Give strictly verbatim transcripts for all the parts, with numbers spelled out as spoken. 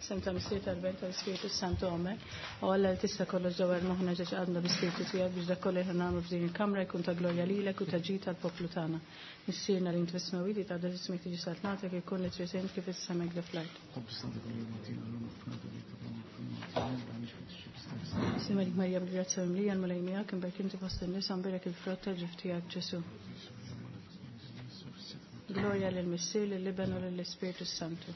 Sem ta' Missier tal-Iben tal-Ispirtu Santu Amen. U Alla li tista' kollox dawwar moħħna ġeġ għadna bi-Spirtu tiegħek biex dak kollu li nagħmlu f'din il-kamra jkun ta' glorja lilek u ta' ġid tal-poplu tagħna. Missierna li int fis-smewwiet jitqaddes ismek tiġi saltnatek ikun li trid int kif is-sema hekk fl-art. Simelik Marija bil-grazzja mimlija l-Mulej miegħek imberk inti fost in-nisa mbierek il-frott tal-ġuf tiegħek Ġesu. Glorja lill-Missier, lill-Iben u lill-Ispirtu Santu.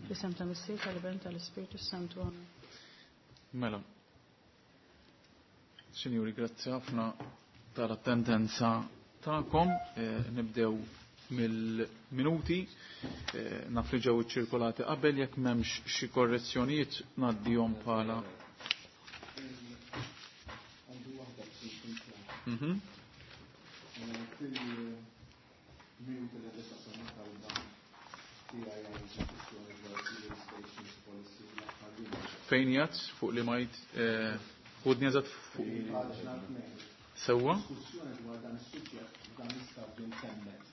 Fl-isem ta' Missier, tal-Iben tal-Ispirtu Santu. Amen. Mela. Sinjuri, grazzi ħafna tal-attendenza tagħkom. Eh, nibdew mill-minuti. Eh, naf li ġew iċċirkolati qabel jekk m'hemmx xi korrezzjonijiet ngħaddihom bħala. Mhm. Fejn jgħat fuq li majt ħudni eżatt fuq sewwa? Diskussjoni dwar dan is-suġġett f'dan l-istadju ntemmet.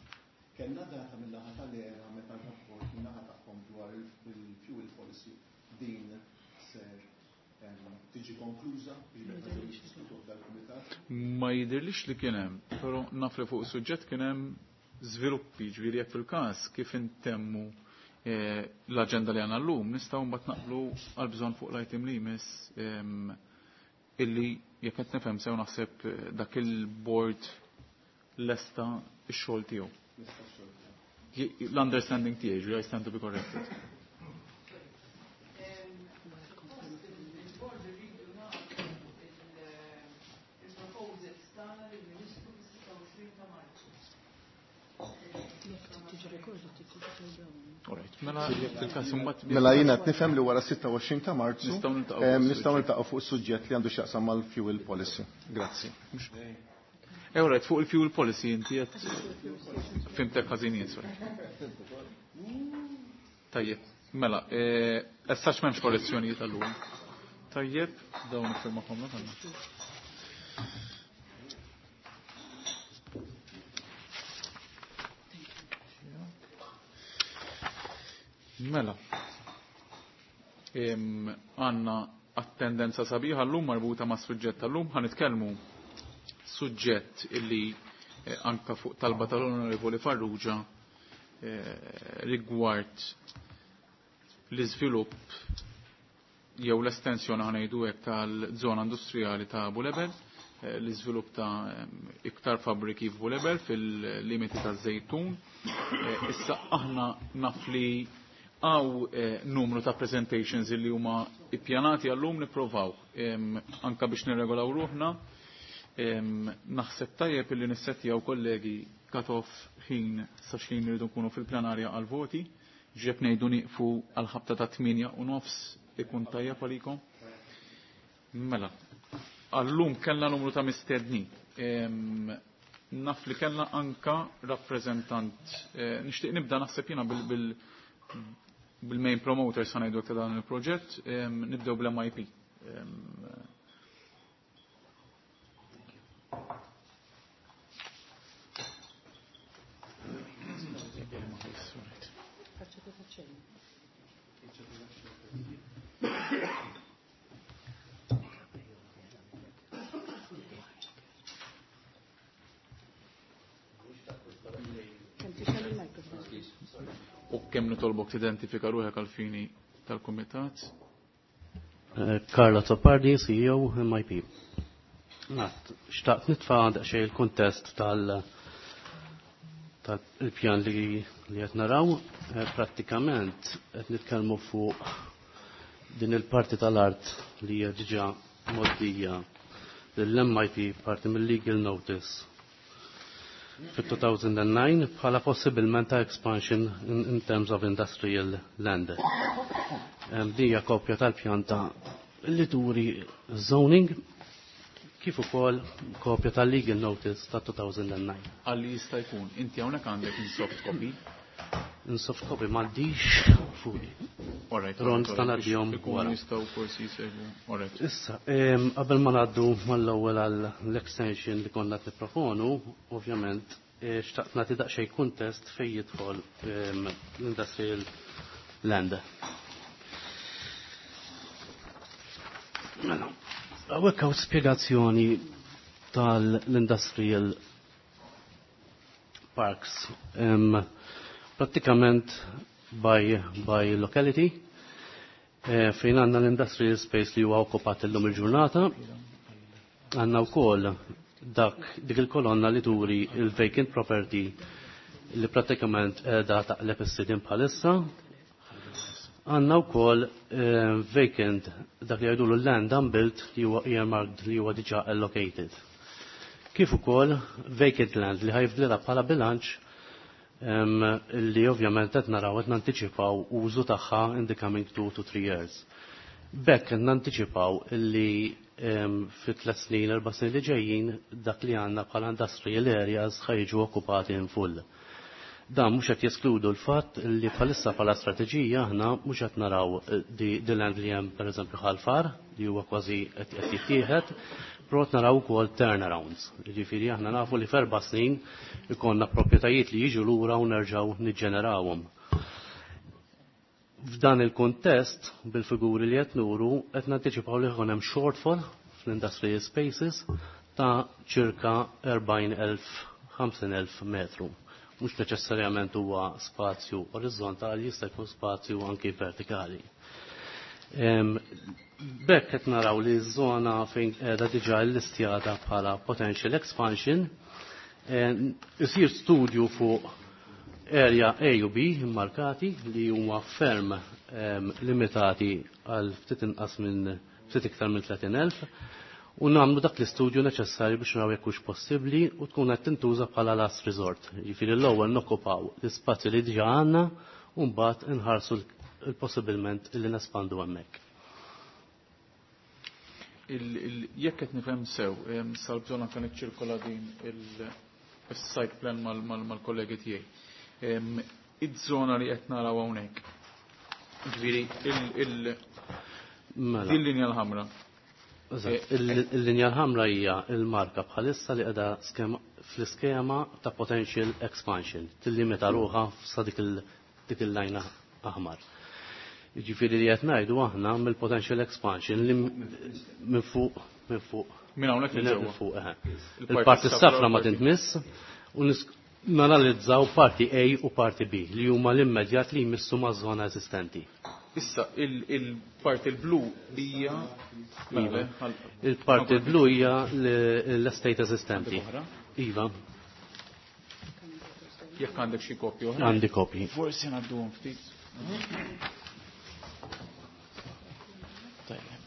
Kellna data mill-naħa tal-ERA meta r-rapport min-naħa tagħhom dwar il-fuel policy din ser tiġi konkluża biex diskutuh dal-kumitat? Ma jidhirlix li kien hemm, però naf li fuq is-suġġett kien hemm żviluppi, ġifieri jekk fil-każ kif intemmu eh, l-aġenda li għandna llum nistgħu mbagħad naqblu għal bżonn fuq l-item li jmiss illi jekk qed nifhem sew naħseb eh, dak il-board lesta x-xogħol tiegħu. L-understanding tiegħi, ġifieri I stand to be corrected. Mela jekk fil-każ imbagħad Mela jiena qed nifhem li wara sitta u għoxrin ta' Marzu Nistgħu niltaqgħu fuq em, nistgħu is-suġġett. niltaqgħu fuq is-suġġett li għandu x'jaqsam mal-fuel policy. Grazzi. Eh, all right, fuq il-fuel policy inti qed fimtek ħażin jien, sorry. Tajjeb, mela, eh, essax m'hemmx korrezzjonijiet allura. Tajjeb, dawn iffirmahom għandna. Mela, Em, għanna attendenza sabiħa l-lum marbuta ma' suġġett tal-lum, ħa nitkellmu suġġett illi, eh, anka fuq talba tal-Onorevoli Farrugia, eh, rigward l-iżvilupp jew l-estensjoni ħa ngħidu hekk tal-żona industrijali ta' Bulebel, eh, l-iżvilupp ta' em, iktar fabbriki f'Bulebel fil-limiti ta' Żejtun. Eh, issa aħna naf li għaw, eh, numru ta' presentations illi huma ippjanati għallum nipprovaw, em, anka biex nirregolaw ruħna. Em, naħseb tajjeb illi nissettjaw kollegi cut-off ħin sa x'ħin irridu nkunu fil-plenarja għal-voti. Ġeb ngħidu nieqfu għal-ħabta ta' tmienja u nofs ikun tajjeb għalikom. Mela, għallum kellna numru ta' mistednin. Em, naf li kellna anka rappreżentant. Eh, nixtieq nibda naħseb jiena bil-, bil-, bil-main promoter sa ngħidu ta' dan il-proġett, em, nibdew bl-M I P. Em, U kemm nitolbok tidentifika ruħek għal-fini tal-kumitat? Eh, Carla Azzopardi, C E O M I P. Nat, xtaqt nitfa' daqsxejn il-kuntest tal-, tal-pjan li, li qed naraw. Eh, prattikament qed nitkellmu fuq din il-parti tal-art li hija diġà mgħoddija lill-M I P parti mill-legal notice fit-two thousand and nine bħala possibilment ta' expansion in, in terms of industrial land. Em, Dija kopja tal-pjanta li turi zoning kif ukoll kopja tal-legal notice ta' two thousand and nine. Għalli jista' jkun, inti hawnhekk għandek in soft copy. In soft copy m'għandix fuqi. All right, Ron all right, sta ngħaddihom biex ikunu wara. jistgħu forsi jsegwu. All right. Issa, em, qabel ma ngħaddu mal-ewwel għall-extension li konna qed nipproponu, ovvjament, eh, xtaqt nagħti daqsxejn kuntest fejn jidħol, em, l-industrial land. Mela, hawnhekk hawn spjegazzjoni tal-industrial parks. Um, prattikament by, by locality, eh, fejn għandna l-industrial space li huwa okkupat illum il-ġurnata, għandna wkoll dak dik il-kolonna li turi il-vacant property li prattikament qiegħda taqleb is-sidien bħalissa. Għandna wkoll eh, vacant dak li jgħidulu land unbuilt li huwa earmarked li huwa diġà allocated. Kif ukoll vacant land li ħajfdilha bħala bilanċ em, li ovvjament qed naraw qed nantiċipaw użu tagħha in the coming two to three years. B'hekk qed nantiċipaw li em, fi tliet snin, erba' snin li ġejjin dak li għandna bħala industrial areas ħa jiġu okkupati in full. Dan mhux qed jeskludu l-fatt li bħalissa bħala strateġija aħna mhux qed naraw eh, di, di land li hemm pereżempju Ħal Far li huwa kważi qed qed jittieħed, però qed naraw ukoll turnarounds. Jiġifieri aħna nafu li f'erba' snin ikollna proprjetajiet li jiġu lura u nerġgħu niġġenerawhom. F'dan il-kontest, bil-figuri li qed nuru, qed nantiċipaw li jkun hemm shortfall fl-industrial spaces ta' ċirka erbgħin elf, ħamsin elf metru. Mhux neċessarjament huwa spazju orizzontali, jista' jkun spazju anki vertikali. Em, B'hekk qed naraw li ż-żona fejn qiegħda diġà llistjata bħala potential expansion, em, isir studju fuq area A u B immarkati li huma ferm em, limitati għal ftit inqas minn ftit iktar minn tletin elf, u nagħmlu dak l-istudju neċessarju biex naraw jekk hux possibbli u tkun qed tintuża bħala last resort. Jiġifieri l-ewwel nokkupaw l-ispazju li diġà għandna u mbagħad inħarsu l-possibilment li nespandu hemmhekk. Il-, il-, jekk qed nifhem sew, em, sal-bżonn anke niċċirkola din il-, is-site plan mal-, mal-, mal-kollegi tiegħi. Em, Iż-żona li qed naraw hawnhekk. Ġifieri il-, il-, Mela. din linja l-ħamra. Eżatt, il-, il-linja l-ħamra hija il-marka bħalissa li qiegħda skema, fl-iskema ta' potential expansion, tillimita ruħha sa dik il-, dik il-lajna aħmar. Jiġifieri li qed ngħidu aħna mill-potential expansion li m-, minn fuq, minn fuq. Minn hawnhekk Minn il hawn ġewwa. fuq, eħe. Il-parti Il-parti s-safra s-safra ma u parti tintmiss u nis-, nanalizzaw parti A u parti B li huma l-immedjat li jmissu maż-żona eżistenti. Issa, il-, il-parti l-blu hija Iva. Mela, Il-parti l-blu hija l-, l-estate eżistenti. Oħra? Iva. Jekk għandek xi kopji oħra? Għandi kopji. Forsi ngħadduhom ftit. Tajjeb.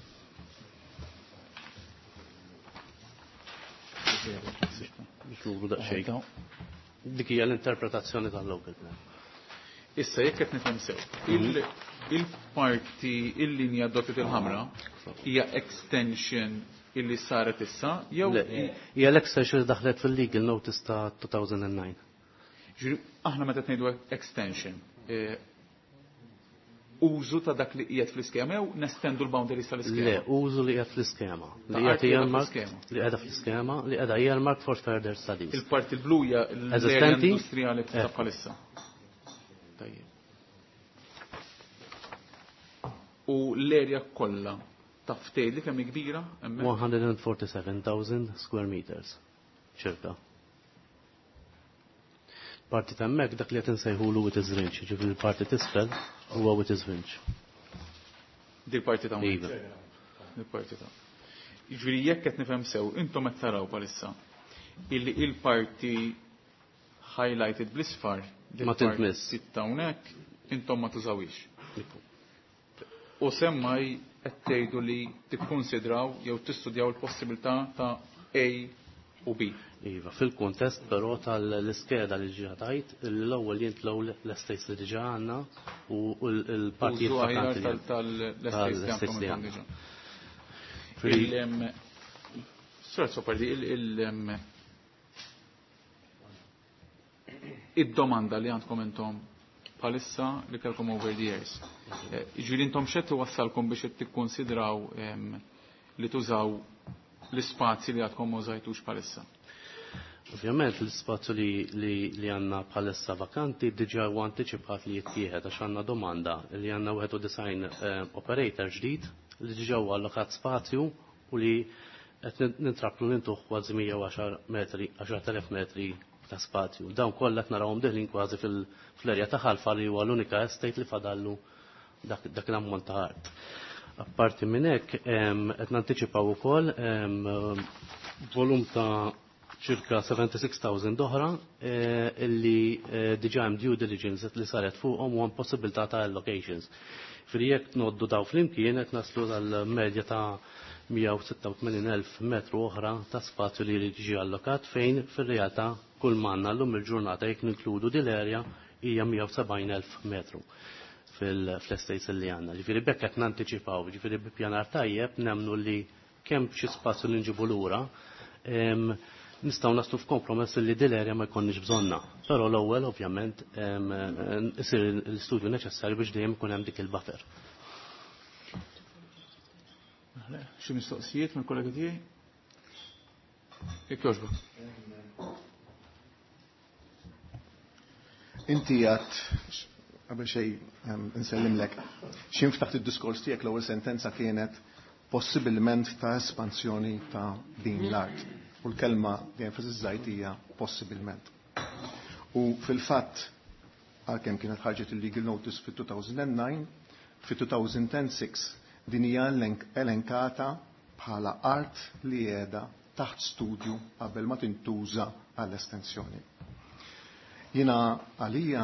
Biex nuru daqsxejn. Dik hija l-interpretazzjoni tal-local plan. Issa, jekk qed nifhem sew, il-, il-parti, il-linja dotted il-ħamra hija extension illi saret issa jew Le, hija l-extension li daħlet fil-legal notice ta' two thousand and nine. Ġifieri, aħna meta ngħidu extension, eh, użu ta' dak li qiegħed fl-iskema jew nestendu l-boundaries tal-iskema? Le, użu li qiegħed fl-iskema. Ta' Li art qiegħed qiegħda earmarked, fl-iskema. li qiegħda fl-iskema, li qiegħda earmarked for further studies. Il-parti l-blu hija l-area Eżistenti? industrijali ta' Ekku. bħalissa. Tajjeb. U l-area kollha taf tgħidli kemm hi kbira hemmhekk? one hundred and forty-seven thousand square meters, ċirka. Parti ta' hemmhekk dak li qed insejħulu Witty's Rinch, jiġifieri l-parti t'isfel huwa Witty's Rinch. Dik parti ta' hawnhekk. Iva. Dik parti ta' Jiġifieri jekk qed nifhem sew, intom qed taraw bħalissa illi il-parti highlighted bl-isfar dik Ma tintmiss. parti ta' hawnhekk intom ma tużawhiex. U semmaj qed tgħidu li tikkunsidraw jew tistudjaw il-possibilità ta' A u B. Iva, fil-kontest però tal-iskeda li ġiha tajt, l-ewwel jintlew l-estates li diġà għandna u l-, l-partijiet Użu aħjar vakanti li tal-, tal-estates li tal-estates għandkom li intom għandna. diġà. Fil- Il-, em, Sur Azzopardi, il-, il-, em, id-domanda li għandkom intom bħalissa li kellkom over the years. Eh, Jiġifieri intom x'qed iwassalkom biex qed tikkonsidraw, em, li tużaw l-ispazji li għadkom ma użajtux bħalissa? Ovvjament l-ispazju li, li, li għandna bħalissa vakanti diġà huwa antiċipat li jittieħed għax għandna domanda li għandna wieħed u disgħin, eh, operator ġdid li diġà huwa allokat spazju u li qed nintrabtu nintuh kważi mija u għaxar metri, għaxart elef metri ta' spazju. Dawn kollha qed narawhom deħlin kważi fl-erja ta' Ħalfa li huwa l-unika estate li fadallu dak, dak l-ammont ta' art. Apparti minn hekk qed nantiċipaw ukoll volum ta' ċirka seventy-six thousand oħra eh, illi eh, diġà hemm due diligence li saret fuqhom u hemm possibilità ta' allocations. Fri jekk noddu daw flimkien qed naslu tal-medja ta' mija u sitta u tmenin elf metru oħra ta' spazju li jrid jiġi allokat, fejn fir-realtà kull manna llum il-ġurnata, jekk ninkludu din l-area, hija mija u sebgħin elf metru fil-estates li għandna. Ġifieri bekk qed nantiċipaw, ġifieri bi pjanar tajjeb nemnu li kemm xi spazju li nġibu lura, nistgħu naslu f'kompromess li din l-area ma jkollniex bżonna. Però l-ewwel ovvjament isir l-istudju neċessarju biex dejjem ikun hemm dik il-buffer. Xi mistoqsijiet mill-kollegi tiegħi? Jekk jogħġbok. Inti għat, qabel xejn insellimlek, x'ħin ftaħt id-diskors tiegħek, l-ewwel sentenza kienet possibilment ta' espansjoni ta' din l-art. U l-kelma li enfasizzajt hija possibilment. U fil-fatt, għalkemm kienet ħarġet il-legal notice fit-elfejn u disgħa, fit-elfejn u sitta din hija elenkata bħala art li qiegħda taħt studju qabel ma tintuża għall-estensjoni. Jiena għalija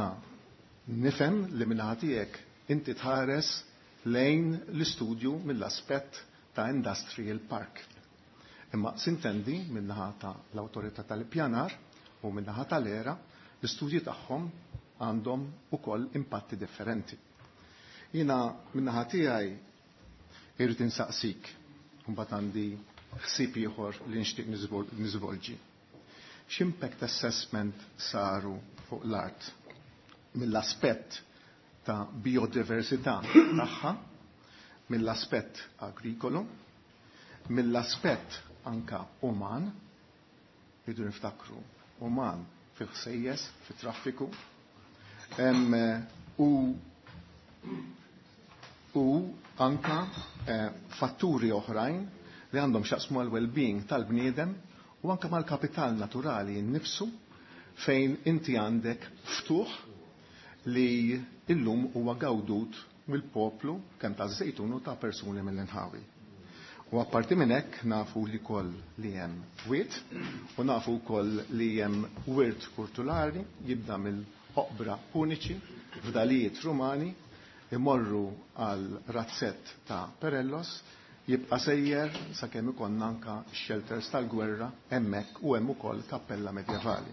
nifhem li minn tiegħek inti tħares lejn l-istudju mill-aspett ta' industrial park. Imma sintendi min-naħa ta' l-awtorità tal-ippjanar u min-naħa tal-ERA, l-istudji tagħhom għandhom ukoll impatti differenti. Jiena min-naħa tiegħi irrid insaqsik, mbagħad għandi ħsieb ieħor li nixtieq niżvolġi. X'impact assessment saru fuq l-art mill-aspett ta' biodiversità tagħha, mill-aspett agrikolu, mill-aspett anka uman, rridu niftakru, uman fil-ħsejjes, fit-traffiku, u u anka eh, fatturi oħrajn li għandhom x'jaqsmu għal well-being tal-bniedem u anka mal-kapital naturali nnifsu, fejn inti għandek ftuħ li illum huwa gawdut mill-poplu kemm ta' Żejtun u ta' persuni mill-inħawi. U apparti minn hekk nafu li koll li hemm wiet u nafu wkoll li hemm wirt kulturali jibda mill-oqbra puniċi, fdalijiet Rumani, imorru għal razzett ta' Perellos, jibqa' sejjer sakemm ikollna anka shelters tal-gwerra hemmhekk u hemm ukoll kappella medjevali.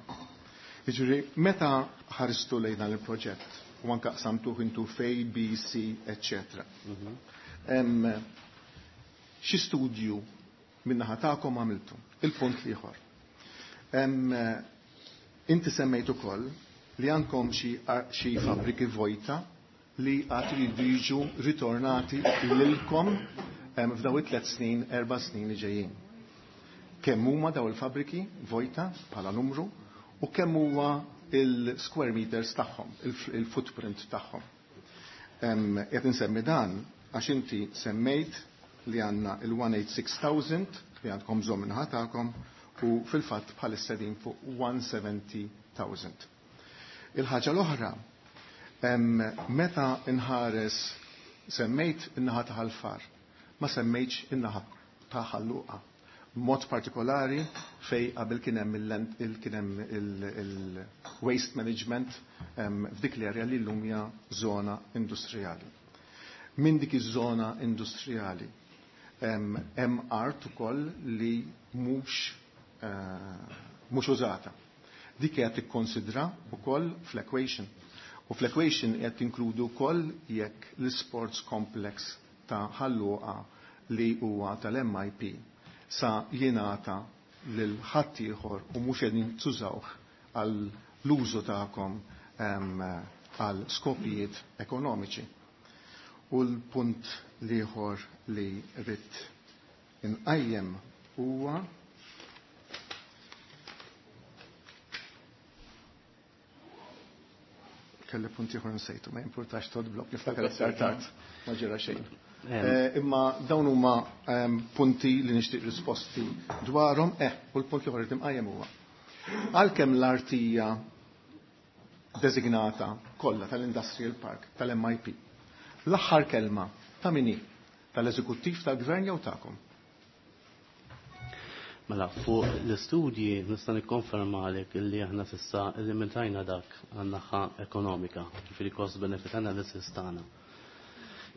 Jiġifieri meta ħaristu lejn dan il-proġett u anka qsamtuh into A, B, C, eċċetera. Xi studju min-naħa tagħkom għamiltu? Il-punt l-ieħor. Inti semmejt ukoll li għandkom xi fabbriki vojta li għad iridu jiġu ritornati lilkom f'daw it-tliet snin, erba' snin li ġejjin. Kemm huma daw il-fabbriki vojta bħala numru u kemm huwa il-square meters tagħhom, il-footprint tagħhom? Qed insemmi dan għax inti semmejt li għandna il-mija u sittin elf li għandkom bżonn min-naħa tagħkom u fil-fatt bħalissa din fuq mija u sebgħin elf. Il-ħaġa l-oħra, meta inħares, semmejt in-naħa ta' Ħal Far, ma semmejtx in-naħa ta' Ħal Luqa. Mod partikolari fej qabel kien hemm il-waste management f'dik l-area li llum hija żona industrijali. Min dik iż-żona industrijali hemm art ukoll li mhux eh, mhux użata. Dik qed tikkonsidra wkoll fl-equation. U fl-equation qed tinkludu wkoll jekk l-sports complex ta' Ħal Luqa li huwa tal-M I P sa jingħata lil ħadd ieħor u mhux qegħdin tużawh għal l-użu tagħkom għal skopijiet ekonomiċi. U l-punt l-ieħor li rrid inqajjem huwa Kelli punti ieħor nsejtu, ma jimpurtax Todd Blok, niftakar iktar tard, ma ġara xejn. Eh, imma dawn huma ehm, punti li nixtieq risposti dwarhom, eh, u l-punt li ieħor imqajjem huwa. Għalkemm l-artija designata kollha tal-Industrial Park, tal-M I P, l-aħħar kelma ta' min hi? Tal-eżekuttiv, tal-gvern jew tagħkom? Mela, fuq l-istudji nista' nikkonfermalek illi aħna s'issa illimitajna dak għan-naħa ekonomika, ġifieri cost benefit analysis tagħna.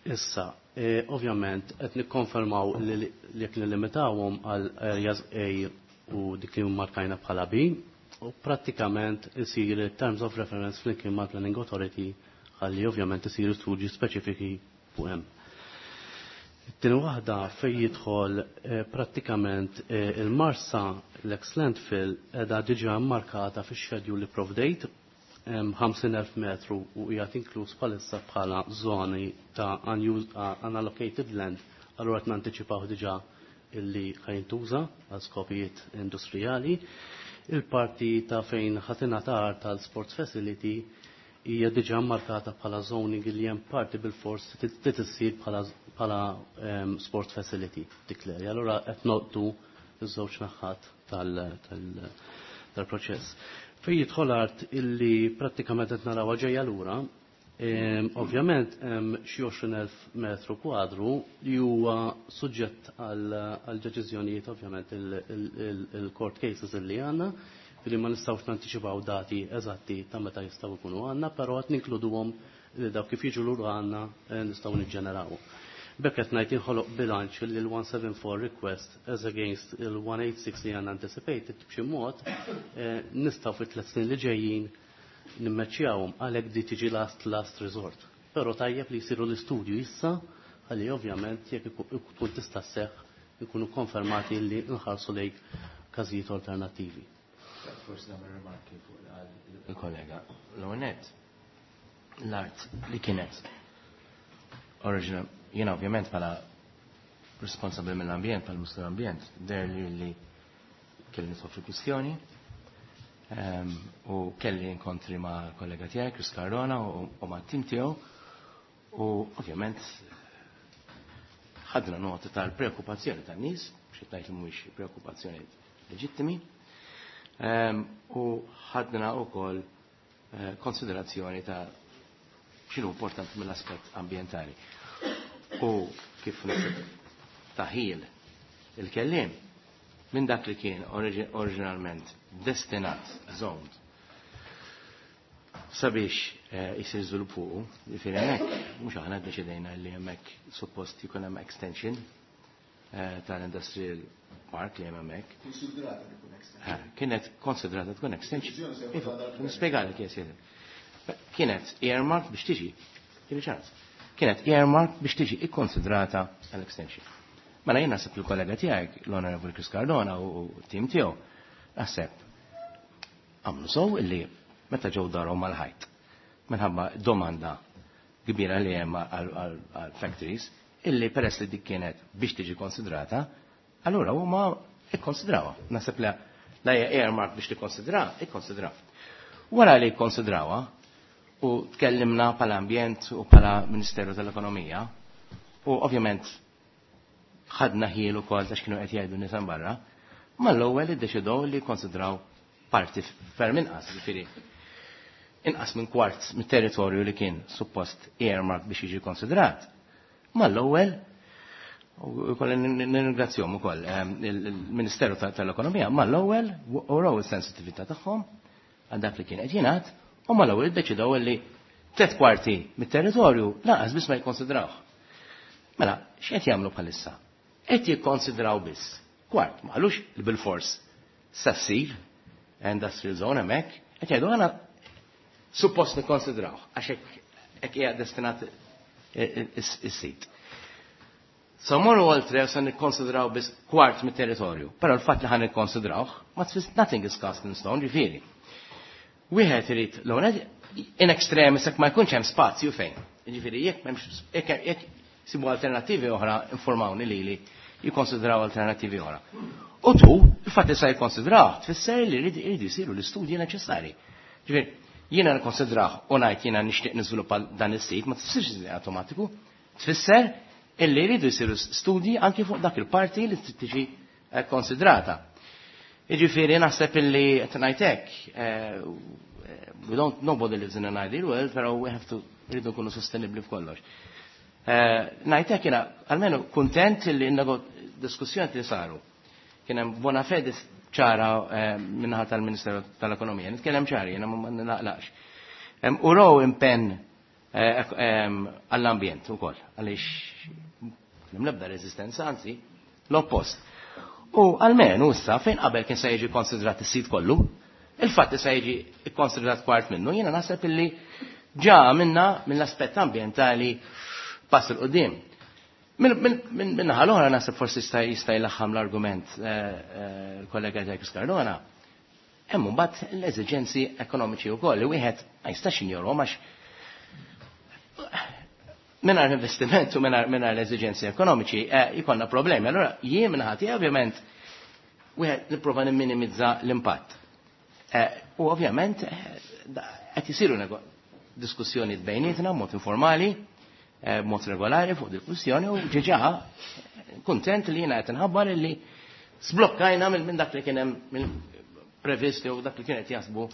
Issa, e, ovvjament qed nikkonfermaw li jekk nillimitawhom għal areas A u dik li markajna bħala B, u prattikament isir terms of reference flimkien mal Planning Authority ħalli ovvjament isiru studji speċifiki fuq hemm. Tieni waħda, fej jidħol eh, prattikament eh, il-Marsa, l-ex landfill edha diġà markata fi schedule li provdejt ħamsin elf metru u qiegħed inkluż bħalissa bħala zoni ta' unused, uh, unallocated land. Allura qed nantiċipaw diġà illi ħa jintuża għal skopijiet industrijali. Il-parti ta' fejn ħa tingħata tal-sports facility hija diġà markata bħala zoning li hemm parti bil-fors trid issir bħala bħala um, sport facility dik l-area. Allura qed noqtu iż-żewġ naħat tal-proċess. Fej jidħol art illi prattikament qed narawha ġejja lura, ovvjament hemm xi għoxrin elf metru kwadru li huwa suġġett għal deċiżjonijiet, ovvjament il-court cases illi għandna, li ma nistgħux nantiċipaw dati eżatti ta' meta jistgħu jkunu għandna, però qed ninkluduhom li dawk kif jiġu lura għandna eh, nistgħu niġġeneraw. B'hekk qed ngħid inħoloq bilanċ li l-one seven four request as against il-one eight six li għandna anticipated b'xi mod eh, nistgħu fit tliet snin li ġejjin nimmeċjawhom, għalhekk di tiġi last last resort. Però tajjeb li jsiru l-istudju issa ħalli ovvjament jekk tkun tista' sseħħ ikunu konfermati li nħarsu lejk każijiet alternattivi. Forsi nagħmel rimarki fuq il-kollega. L-għonet, l-art li kienet original, jiena ovvjament bħala responsabbli mill-ambjent, bħala Ministru l-Ambjent, der li li kelli nidħol kwistjoni ehm, u kelli inkontri ma' kollega tiegħi, Chris Cardona, u ma' tim tiegħu, u ovvjament ħadna nota tal-preokkupazzjoni tan-nies, xi tgħid li mhuwiex preokkupazzjoni leġittimi, ehm, u ħadna wkoll eh, konsiderazzjoni ta' x'inhu importanti mill-aspett ambjentali. U kif taħil il-kellim minn dak li kien oriġinalment destinat, zoned, sabiex jisir eh, żvilupp fuqu, jiġifieri hemmhekk mhux aħna ddeċidejna li hemmhekk suppost jkun hemm extension eh, tal-industrial park li hemm hemmhekk. Konsidrata tkun extension. Eh, kienet konsidrata tkun extension. Iva, nispjegalek jes. Kienet earmark biex tiġi, kien ċans. Kienet earmark biex tiġi ikkonsidrata għall-extension. Mela jien naħseb il-kollega tiegħek, l-Honorable Chris Cardona u tim tiegħu, naħseb għamlu sow illi meta ġew darhom mal-ħajt. Minħabba domanda kbira li hemm għal factories, illi peress li dik kienet biex tiġi konsidrata, allura huma ikkonsidrawha. Naħseb la la hija earmark biex tikkonsidra, ikkonsidra. Wara li ikkonsidrawha u tkellimna pala ambjent u pala Ministeru tal-Ekonomija u ovvjament ħadna ħiel ukoll ta' x'kienu qed jgħidu nies barra, mal-ewwel iddeċidew li jikkonsidraw parti ferm inqas, ġifieri inqas minn kwart mit-territorju li kien suppost earmark biex jiġi konsidrat. Mal-ewwel, u kolli nirringrazzjahom ukoll ehm, il-Ministeru tal-Ekonomija, mal-ewwel uraw is-sensitività tagħhom għal dak li kien qed jingħad u mal-ewwel iddeċidew li tliet kwarti mit-territorju lanqas biss ma jikkonsidrawh. Mela, x'qed jagħmlu bħalissa? Qed jikkonsidraw biss kwart, ma qalux li bil-fors sa ssir industrial zone hemmhekk, qed jgħidu għana suppost nikkonsidraw għax hekk hija destinat is-sit. So morru oltre sa nikkonsidraw biss kwart mit-territorju, però l-fatt li ħan nikkonsidrawh ma tfis nothing is cast in stone, ġifieri. Wieħed irid l in extremis jekk ma jkunx hemm spazju fejn. Ġifieri jekk m'hemmx, jekk sibu alternattivi oħra, informawni lili jikkonsidraw alternattivi oħra. U tu, il-fatt li sa jikkonsidraw, tfisser li jridu jsiru l-istudji neċessari. Ġifieri, Jiena nikkonsidrah u ngħid jiena nixtieq niżviluppa dan is-sit ma tfissirx li awtomatiku, tfisser illi jridu jsiru studji anki fuq dak il-parti li trid tiġi konsidrata. Jiġifieri naħseb illi qed ngħid hekk, we don't, nobody lives in an ideal world, però we have to rridu nkunu sostenibbli f'kollox. Ngħid hekk jiena almenu kuntent illi diskussjoni li saru. Kien hemm bona fede ċara min-naħa tal-Ministeru tal-Ekonomija. Nitkellem ċari, jiena ma naqlax. U raw impenn għall-ambjent ukoll, għaliex hemm l-ebda reżistenza, anzi l-oppost. U almenu issa fejn qabel kien se jiġi konsidrat is-sit kollu, il-fatt li se jiġi kkonsidrat kwart minnu, jiena naħseb illi ġa minna mill-aspett ambjentali pass 'il quddiem. Min-naħa l-oħra naħseb forsi jista' jista' jlaħħam l-argument il-kollega Jacques Cardona. Hemm mbagħad l-eżiġenzi ekonomiċi wkoll li wieħed ma jistax jinjorhom għax mingħajr investiment u mingħajr l-eżiġenzi ekonomiċi jkollna problemi. Allura jien minn ħati ovvjament wieħed nipprova nimminimizza l-impatt. U ovvjament qed isiru diskussjoni bejnietna b'mod informali, b'mod regolari fuq diskussjoni u ġeġa kuntent li jiena qed inħabbar illi sblokkajna minn dak li kien hemm previst u dak li kien qed jaħsbu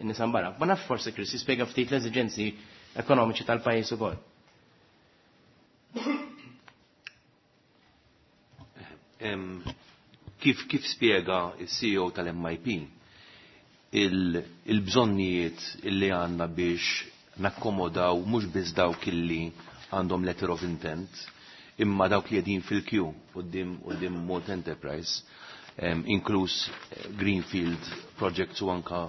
n-nies barra. Ma nafx forsi Chris jispjega ftit l-eżiġenzi ekonomiċi tal-pajjiż ukoll. Kif kif spjega il-C E O tal-M I P il-bżonnijiet illi għandna biex nakkomodaw mhux biss dawk illi għandhom letter of intent, imma dawk li qegħdin fil-queue quddiem quddiem Malta Enterprise, inkluż Greenfield projects u anka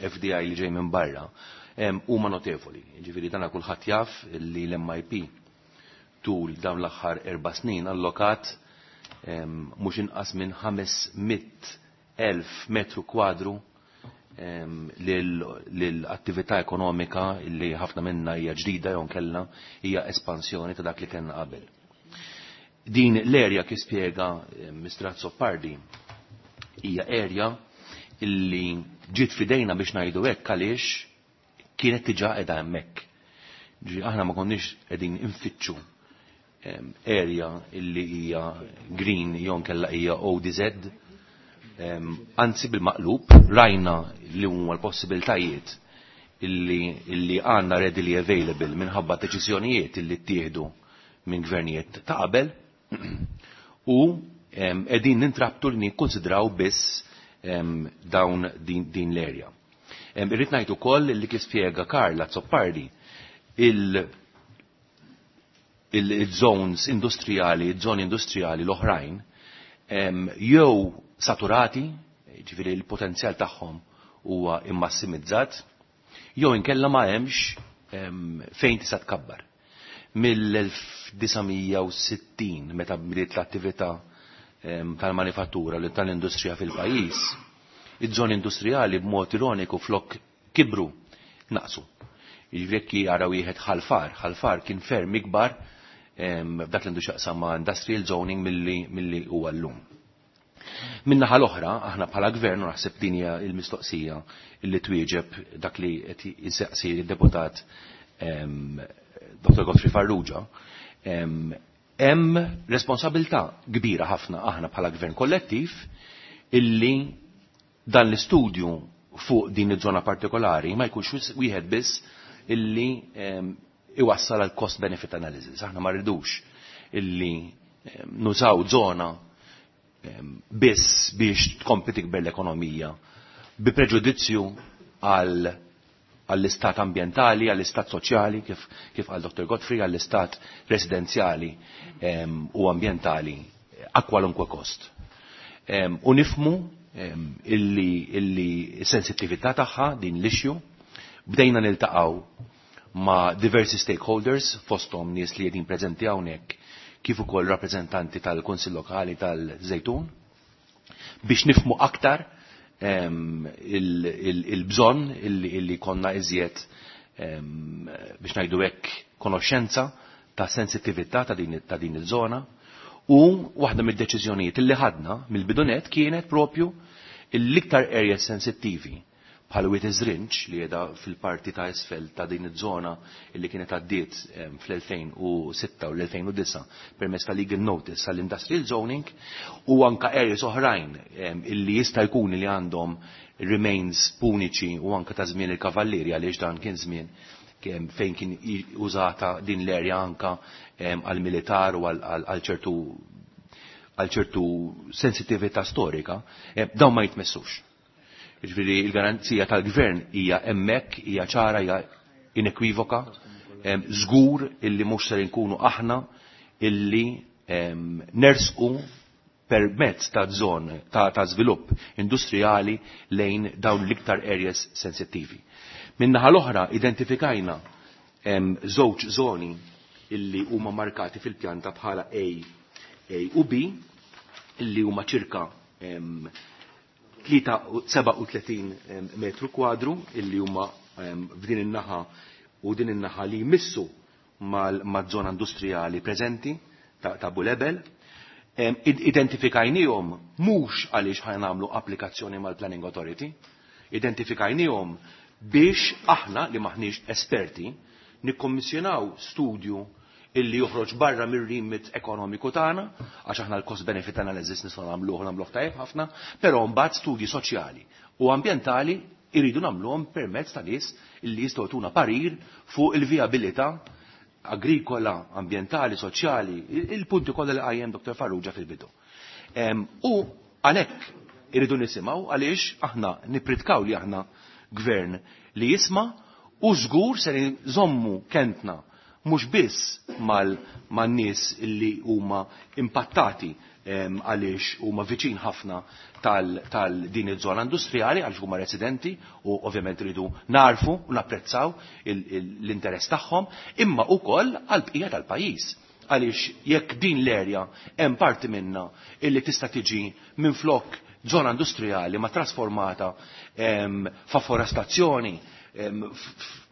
F D I li ġej minn barra, huma notevoli. Ġifieri dana kulħadd jaf li l-M I P tul dawn l-aħħar erba' snin allokat mhux inqas minn ħames mitt elf metru kwadru lill-attività ekonomika li ħafna minna hija ġdida jew kellna hija espansjoni ta' dak li kellna qabel. Din l-erja kif spjega Mister Azzopardi hija erja illi ġiet fidejna biex ngħidu hekk għaliex kienet diġà qiegħda hemmhekk. Ġi aħna ma konniex qegħdin infittxu area illi hija green jew nkella hija O D Z, anzi bil-maqlub rajna li huma l-possibiltajiet illi, illi għandna readily available minħabba deċiżjonijiet illi ttieħdu minn gvernijiet ta' qabel u qegħdin nintrabtu li nikkonsidraw biss dawn din, din l-area. Irrid ngħid ukoll li kif spjega Karl Azzopardi il-, il-zones industrijali, il-żoni industrijali l-oħrajn, jew saturati, ġifieri l-potenzjal tagħhom huwa immassimizzat, jew inkella ma hemmx fejn tista' tkabbar. Mill-elf disa' mija u sittin meta bdiet l-attività tal-manifattura u tal-industrija fil-pajjiż, iż-żoni industrijali b'mod ironiku flok kibru naqsu. Jiġifieri jekk jara wieħed ħalfar, ħalfar kien ferm ikbar f'dak li għandu x'jaqsam ma' industrial zoning milli, milli huwa llum. Min-naħa l-oħra, aħna bħala gvern, u naħseb din hija l-mistoqsija li twieġeb dak li qed jisaqsi d-deputat Doktor Godfrey Farrugia, hemm responsabilità kbira ħafna aħna bħala gvern kollettiv illi dan l-istudju fuq din iż-żona partikolari ma jkunx wieħed biss illi iwassal għal cost benefit analysis. Aħna ma rridux illi nużaw żona biss biex tkompli tikber l-ekonomija bi preġudizzju għal, għall-istat ambjentali, għall-istat soċjali, kif, kif għal Doktor Godfrey, għall-istat residenzjali, em, u ambjentali a kwalunkwe kost. Em, u nifmu, em, illi, illi s-sensittività tagħha din l-issue, bdejna niltaqgħu ma' diversi stakeholders, fosthom nies li qegħdin preżenti hawnhekk, kif ukoll rappreżentanti tal-Kunsill Lokali tal-Żejtun, biex nifmu aktar, em, il-, il-, il-bżonn illi, illi konna iżjed, em, biex ngħidu hekk konoxxenza ta' sensittività ta' din, ta' din iż-żona. U waħda mid-deċiżjonijiet illi ħadna mill-bidunet kienet propju l-iktar areas sensittivi bħal Wied Iż-Żrinġ li qiegħda fil-parti ta' isfel ta' din iż-żona illi kienet għaddiet fl-elfejn u sitta u l-elfejn u disa' permezz ta' legal notice għall-industrial zoning, u anka areas oħrajn illi jista' jkun li għandhom remains puniċi u anka ta' żmien il-kavallieri, għaliex dan kien żmien fejn kien użata din l-area anka għal-militar u għal ċertu għal ċertu sensitività storika, dawn ma jitmessux. Jiġifieri il-garanzija tal-gvern hija hemmhekk, hija ċara, hija inekwivoka, żgur illi mhux ser inkunu aħna illi nersqu permezz ta' żon ta', ta' żvilupp industrijali lejn dawn l-iktar areas sensittivi. Min-naħa l-oħra identifikajna żewġ żoni illi huma markati fil-pjanta bħala A, A u B, illi huma ċirka seba' u tletin metru kwadru, illi huma f'din in-naħa u din in-naħa li jmissu mal-żona industrijali preżenti ta', ta' Bulebel. Identifikajnihom mhux għaliex ħa nagħmlu applikazzjoni mal-Planning Authority, identifikajnihom biex aħna li maħniex esperti nikkommissjonaw studju illi joħroġ barra mir-remit ekonomiku tagħna, għax aħna l-cost benefit analysis nistgħu nagħmluh nagħmluh tajjeb ħafna, però mbagħad studji soċjali u ambjentali jridu nagħmluhom permezz ta' nies illi jistgħu jtuna parir fuq il-vijabilità agrikola, ambjentali, soċjali, il-punti kollha li qajjem Doktor Farrugia fil-bidu. U għalhekk irridu nisimgħu għaliex aħna nippritkaw li aħna gvern li jisma' u żgur se nżommu kentna mhux biss man-nies li huma impattati għaliex huma viċin ħafna tal din iż-żona industrijali għaliex huma residenti u ovvjament iridu narfu u napprezzaw l-interess tagħhom, imma wkoll għall-bqija tal-pajjiż. Għaliex jekk din l-erja hemm parti minna illi tista' tiġi minflok żona industrijali ma trasformata fa' forestazzjoni,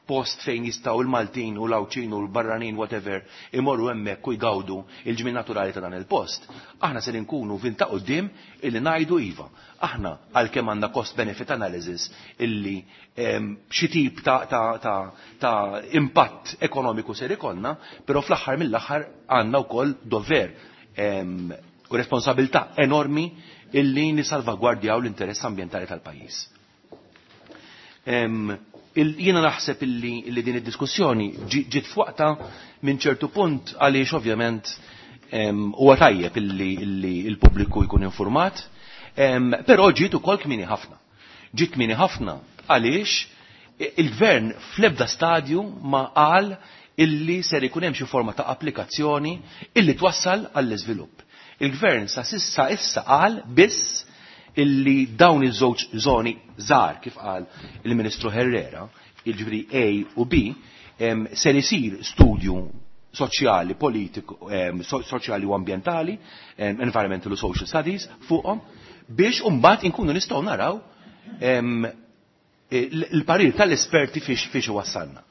post fejn jistgħu il-Maltin u l-Għawdxin u l-barranin whatever imorru hemmhekk u jgawdu il-ġmien naturali ta' dan il-post. Aħna se nkunu vinta quddiem illi ngħidu iva. Aħna għalkemm għandna cost benefit analysis illi xi tip ta', ta, ta, ta' impatt ekonomiku ser ikollna, però fl-aħħar mill-aħħar għandna wkoll dover u responsabilità enormi illi nisalvagwardjaw l-interess ambjentali tal-pajjiż. Jiena naħseb illi, illi din id-diskussjoni ġiet f'waqta minn ċertu punt għaliex ovvjament huwa tajjeb illi, illi l-pubbliku jkun informat, però ġiet ukoll kmieni ħafna. Ġiet kmieni ħafna għaliex il-gvern fl-ebda stadju ma qal illi ser ikun hemm xi forma ta' applikazzjoni illi twassal għall-iżvilupp. Il-gvern sa sissa issa qal biss illi dawn iż-żewġ żoni żgħar kif qal il-Ministru Herrera, jiġifieri A u B, ser isir studju soċjali, politiku, soċjali u ambjentali, environmental u social studies fuqhom, biex imbagħad inkunu nistgħu naraw il-parir tal-esperti fiex, fiex wassalna.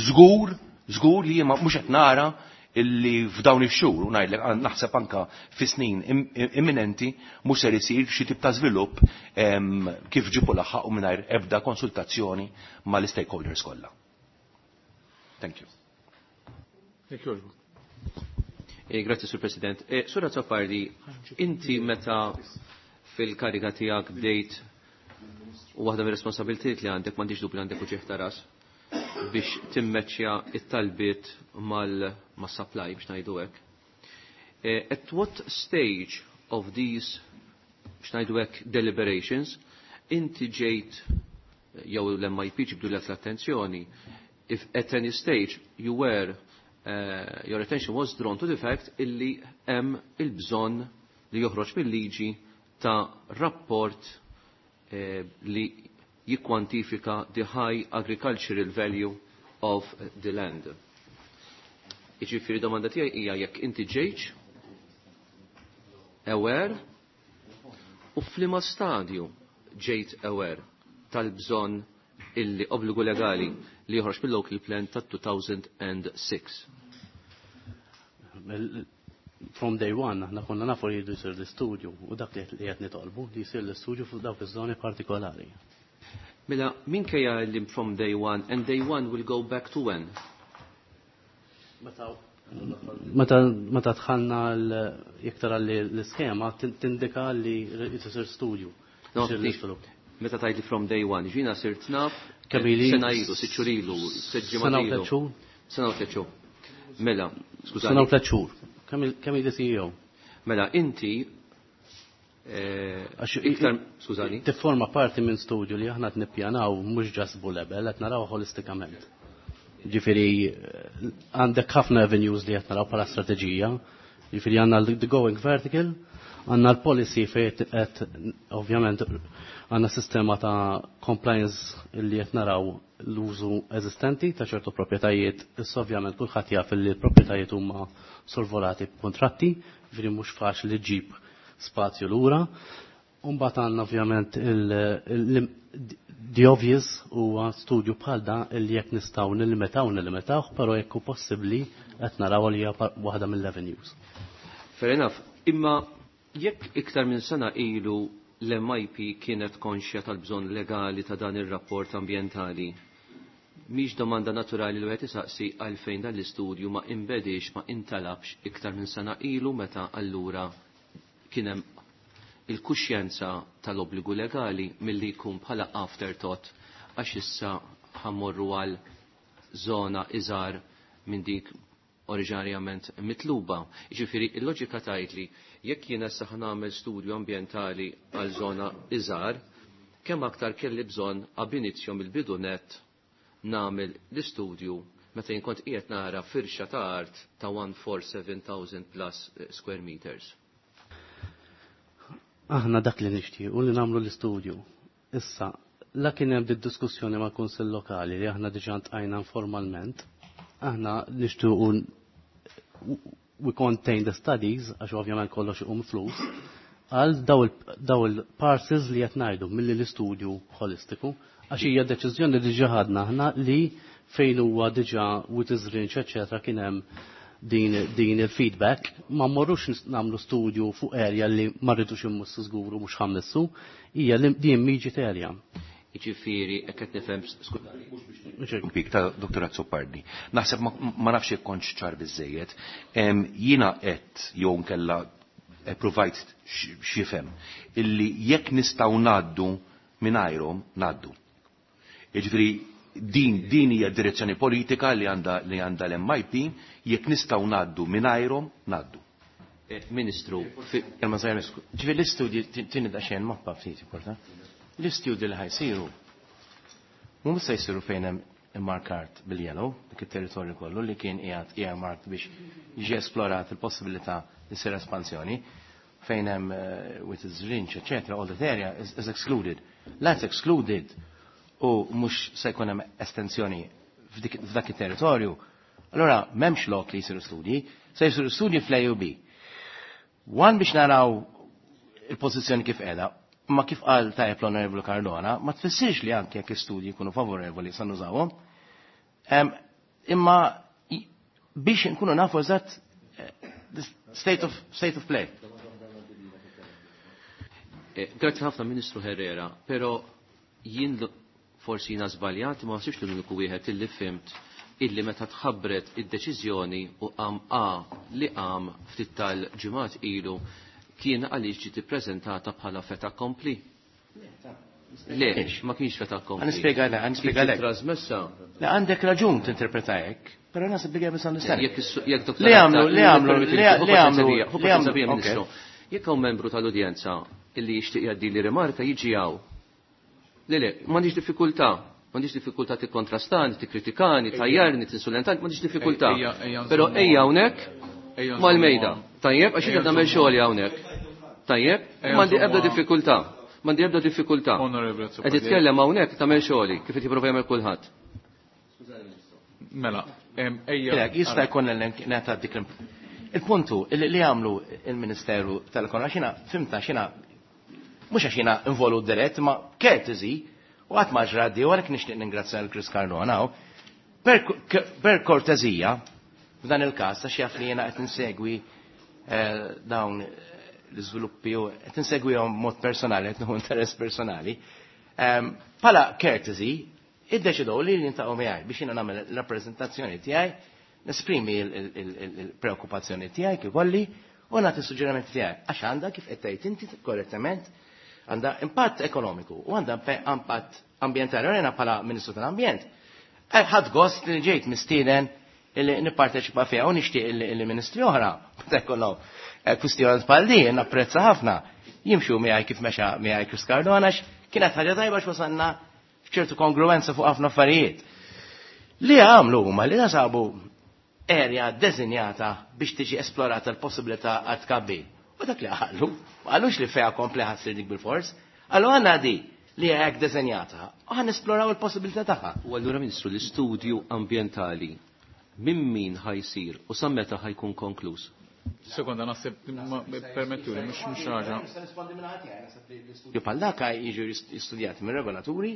Żgur, żgur li jien mhux qed nara illi f'dawn ix-xhur u ngħidlek naħseb anka fi snin imminenti mhux ser isir xi tip ta' żvilupp kif ġibu laħaq u mingħajr ebda konsultazzjoni mal-stakeholders kollha. Thank you. Thank you. Eh, grazie, Sur President. Eh, Sur Azzopardi, inti meta fil-kariga tiegħek bdejt u waħda mir-responsabilitajiet li għandek m'għandix dubju li għandek uġigħ ta' ras biex timmeċċja it-talbiet mal-supply biex ngħidu hekk. At what stage of these biex ngħidu hekk deliberations inti ġejt jew l-M I P ġibdu lek l-attenzjoni if at any stage you were uh, your attention was drawn to the fact illi hemm il-bżonn li joħroġ mill-liġi ta' rapport eh, li jikkwantifika the high agricultural value of the land. Jiġifieri domanda tiegħi hija jekk inti ġejtx aware u f'liema stadju ġejt aware tal-bżonn illi obbligu legali li joħroġ mill-local plan ta' two thousand and six. From day one, aħna konna nafu li jridu jsir l-istudju u dak li qed nitolbu li jsir l-istudju fuq dawk iż-żoni partikolari. Mela, minkejja li from day one, and day one will go back to when? Meta meta dħalna jekk tara li l-iskema tindika li jsir studju. No, meta tgħid li from day one, ġina sirt naf sena ilu, sitt xhur ilu, sitt Sena u ilu. tliet xhur. Sena u tliet xhur. Mela, skużani. Sena u tliet xhur. Kemm ili C E O? Mela, inti eh, iktar, skużani. Tifforma parti minn studju li aħna qed nippjanaw mhux just Bulebel, qed naraw ħolistikament. Ġifieri għandek ħafna avenues li qed naraw bħala strateġija. Ġifieri għandna the going vertical, għandna l-policy fejn qed ovvjament għandna sistema ta' compliance li qed naraw l-użu eżistenti ta' ċertu proprjetajiet. Issa ovvjament kulħadd jaf li l-proprjetajiet huma sorvolati b'kontratti, ġifieri mhux faċli ġġib spazju lura. Umbagħad għandna ovvjament the obvious huwa studju bħal da li jekk nistgħu nillimitaw nillimitaw, però jekk hu possibbli qed naraw li hija waħda mill-avenues. Fair enough. Imma jekk iktar minn sena ilu l-M I P kienet konxja tal-bżonn legali ta' dan ir-rapport ambientali, mhix domanda naturali li wieħed isaqsi għalfejn dan l-istudju ma inbedix, ma intalabx iktar minn sena ilu, meta allura kien hemm il-kuxjenza tal-obbligu legali, milli jkun bħala afterthought għax issa ħa mmorru għal zona iżgħar minn dik oriġinarjament mitluba? Ġifieri, il-loġika tgħid li jekk jiena issa ħa nagħmel studju ambjentali għal zona iżgħar, kemm aktar kelli bżonn ab initio mill-bidu net nagħmel l-istudju meta jien kont qiegħed nara firxa ta' art ta' mija u sbatax-elf plus square meters? Aħna dak li nixtiequ li nagħmlu l-istudju. Issa, la kien hemm diskussjoni mal kunsill lokali li aħna diġà ntqajna informalment, aħna nixtiequ we contain the studies, għax ovvjament kollox iqum flus, għal daw il-parcels li qed ngħidu milli l-istudju holistiku, għax hija deċiżjoni li diġà ħadna aħna li fejn huwa diġà with range, eċetera, kien hemm din, din il-feedback, ma mmorrux nagħmlu studju fuq area li ma rridux immissu żgur u mhux ħa mmissu, hija din immediate area. Jiġifieri, hekk qed nifhem? Pik ta' Doktor Azzopardi. Naħseb ma nafx jekk kontx ċar biżejjed. Jiena qed jew nkella provajt x'ifhem illi jekk nistgħu ngħaddu mingħajrhom, ngħaddu. Jiġifieri din din hija direzzjoni politika li għandha li għandha l-M I P, jekk nistgħu ngħaddu mingħajrhom, ngħaddu. Eh, Ministru, Kelma żgħira. Ġifieri l-istudji tini daqsxejn mappa ftit importa. L-istudji li ħa jsiru mhux se jsiru fejn hemm immarkat bil-yellow, dik it-territorju kollu li kien qiegħed earmarked biex jiġi esplorat il-possibilità li ssir espansjoni fejn hemm uh, with its range, et cetera, all that area is, is excluded. That's excluded u mhux se jkun hemm estensjoni f'dak it-territorju. Allora m'hemmx lok li jsiru studji, se jsiru studji fl-A U B. One biex naraw il-pożizzjoni kif qiegħda, ma kif qal tajjeb l-Onorevoli Cardona, ma tfissirx li anke jekk istudji jkunu favorevoli sa nużawhom. Imma biex nkunu nafu eżatt eh, state of, state of play. Eh, grazzi ħafna, Ministru Herrera, pero jien forsi jiena żbaljat, ma naħsibx li l-uniku wieħed illi fhimt illi meta tħabbret id-deċiżjoni u qam A li qam ftit tal-ġimgħat ilu kien għaliex ġiet ippreżentata bħala fait accompli. Le, ma kienx fait accompli. Nispjega le, nispjega le. Trasmessa. Le, għandek raġun tinterpreta hekk, però naħseb li misunderstanding. Jekk doktor Li għamlu, li għamlu, li għamlu, li għamlu, Ministru. Jekk hawn membru tal-udjenza illi jixtieq jgħaddi li rimarka, jiġi hawn. Le, le, m'għandix diffikultà. M'għandix diffikultà tikkontrastani, tikkritikani, tgħajjarni, tinsulentani, m'għandix diffikultà. Però ejja hawnhekk mal-mejda. Tajjeb, għax qed nagħmel xogħol hawnhekk. Tajjeb, m'għandi ebda diffikultà. M'għandi ebda diffikultà. Qed titkellem hawnhekk, tagħmel xogħli kif qed jipprova jagħmel kulħadd. Mela, ejja. Jista' jkun neta dik il-puntu li għamlu il-Ministeru tal-Ekonomija, xina fimta xina mhux għax jiena involut dirett, ma courtesy, u għad ma ġraddi, u għalhekk nixtieq ningrazzja l-Chris Cardona, per, per kortezija, f'dan il-każ, għax jaf li jiena qed insegwi eh, dawn l-iżviluppi u qed insegwihom mod personali, qed nieħu interess personali, Bħala courtesy, iddeċidew li jiltaqgħu miegħi biex jiena nagħmel rappreżentazzjoni tiegħi, nesprimi il-preokkupazzjoni tiegħi kif kolli u nagħti suġġerimenti tiegħi għax għandha kif qed tgħid inti korrettament għandha impatt ekonomiku u għandha impatt ambjentali. U jiena bħala Ministru tal-Ambjent ħadt gost li ġejt mistieden illi nipparteċipa fiha u nixtieq illi ministri oħra meta jkollhom kwistjoni bħal din napprezza ħafna jimxu miegħi kif mexa miegħi Chris Cardona għax kienet ħaġa tajba x'wasalna f'ċertu kongruenza fuq ħafna affarijiet. Li għamlu huma li nasabu area deżinjata biex tiġi esplorata l-possibilità għat tkabbir. U dak li qalu, ma qalux li fejha kompli ħa ssir dik bil-fors, qalu għandna di li hekk deżinjata u ħa nesploraw il-possibilità tagħha. U allura Ministru, l-istudju ambjentali minn min ħa jsir u sa meta ħa jkun konkluż? Sekonda, naħseb permettu li mhux mhux ħaġa. L-istudju bħal dak jiġu studjati minn regolaturi,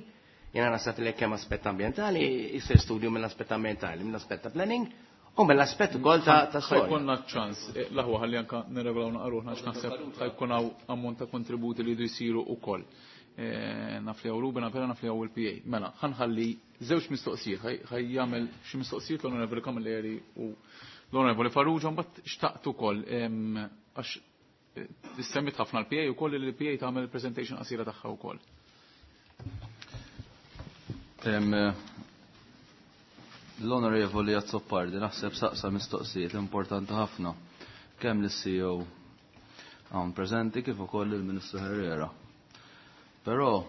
jiena naħseb li kemm aspett ambjentali, jisir studju mill-aspett ambjentali, mill-aspett ta' planning, u mill-aspett ukoll ta' ta' storja. Ħa jkollna ċans, l-aħwa ħalli anka nirregolaw naqruħna għax naħseb ħa jkun hawn ammont ta' kontributi li jdu jsiru wkoll. Naf li hawn Ruben, appella naf li hawn il-P A. Mela, ħa nħalli żewġ mistoqsijiet, ħa jagħmel xi mistoqsijiet l-Onorevoli Camilleri u l-Onorevoli Farrugia, mbagħad xtaqt ukoll għax issemmit ħafna l-P A ukoll li l-P A tagħmel presentation qasira tagħha wkoll. L-Onorevoli Azzopardi naħseb saqsa mistoqsijiet importanti ħafna kemm lis-C E O hawn preżenti kif ukoll il-Ministru Herrera. Però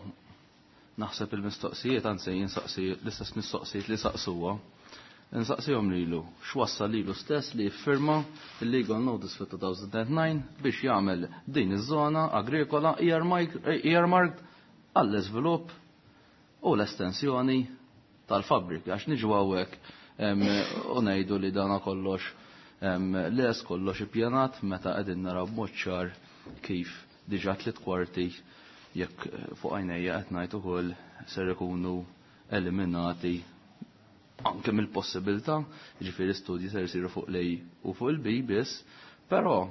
naħseb il-mistoqsijiet, anzi jinsaqsi l-istess mistoqsijiet li saqsuha, insaqsihom lilu x'wassal lilu stess li jiffirma il-legal notice fit two thousand nine biex jagħmel din iż-żona agrikola earmarked għall-iżvilupp u l-estensjoni tal-fabbriki, għax niġu hawnhekk u ngħidu li dana kollox les kollox ippjanat meta qegħdin naraw b'mod ċar kif diġà tliet kwarti jekk fuq għajnejja qed ngħid ukoll ser ikunu eliminati anke mill-possibilità, jiġifieri studji ser isiru fuq l-A u fuq il-B biss, però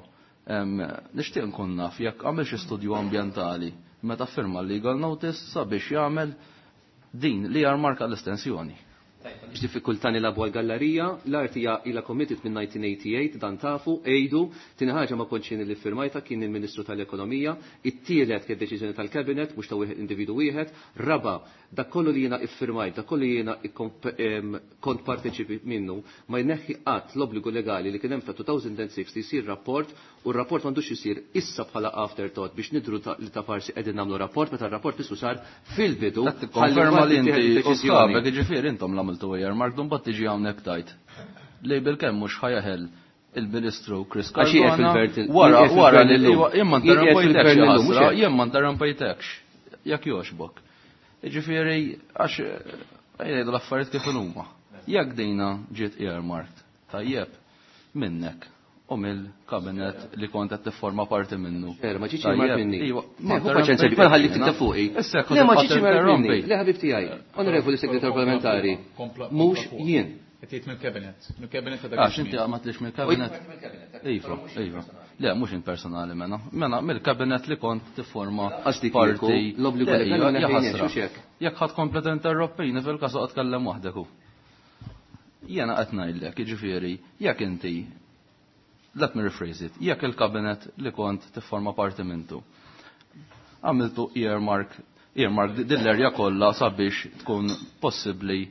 nixtieq nkun naf jekk għamel xi studju ambjentali meta firma l-legal notice sabiex jagħmel din li jarmarka l-estensjoni. Għandix diffikultà nilagħbu għall-gallerija, l-art hija ilha committed minn nineteen eighty-eight, dan tafu, ejdu, tieni ħaġa ma kontx jien li firmajta kien il-Ministru tal-Ekonomija, it-tielet kien deċiżjoni tal-Cabinet, mhux ta' wieħed individu wieħed, raba, dak kollu li jiena iffirmajt, dak kollu li jiena ikkomp-, em, kont parteċipi minnu, ma jneħħi qatt l-obbligu legali li kien hemm ta' two thousand and six li jsir rapport, u r-rapport m'għandux isir issa bħala afterthought biex nidru ta-, li ta' farsi qegħdin nagħmlu rapport, meta r-rapport biss sar fil-bidu. Qed tikkonferma li inti Ħalli u deċiżjoni. sħabek, jiġifieri intom l-għamiltu earmark, dun bat tiġi hawnhekk tajt. Li bil-kemm mhux ħajaħel il-Ministru Chris Għax jieqef Cardona il-Gvern il- wara jieqef wara il-Gvern li illum. iwa, jien ma Jieqef interrompejtekx, il-Gvern illum, mhux ħasra, hekk. jien ma interrompejtekx, jekk jogħġbok. Jiġifieri għax jgħidu l-affarijiet kif huma. Jekk dina ġiet earmarked, tajjeb minnek u mill-kabinet li kont qed tifforma parti minnu. Vera, ma ġietx Tajjeb, earmarked minni. iwa, Le, ma hu paċenzja, interrompejtekx bħal ħalli jiena. tikta fuqi. Issa jekk Le, ma tibqa' ġietx earmarked minni. tinterrompi. Le, ħabib tiegħi, onorevoli segretarju parlamentari, Kompla, mhux kompla fuq. jien. Qed jgħid mill-kabinet. Mill-kabinet ta' dak Għax iż-żmien. inti ma tlix mill-kabinet. Iva, iva. Le, mhux int personali mena. Mena mill-kabinet li kont tifforma Għax dik parti. kieku l-obbligu Le, legali iva, ma neħejniex, jaħasra. hux hekk? Jekk ħadd komplet interrompini fil-każ oqgħod tkellem waħdek hu. Jiena qed ngħidlek, jiġifieri, jekk inti, let me rephrase it, jekk il-kabinet li kont tifforma parti mintu, għamiltu earmark, earmark din l-erja kollha sabiex tkun possibbli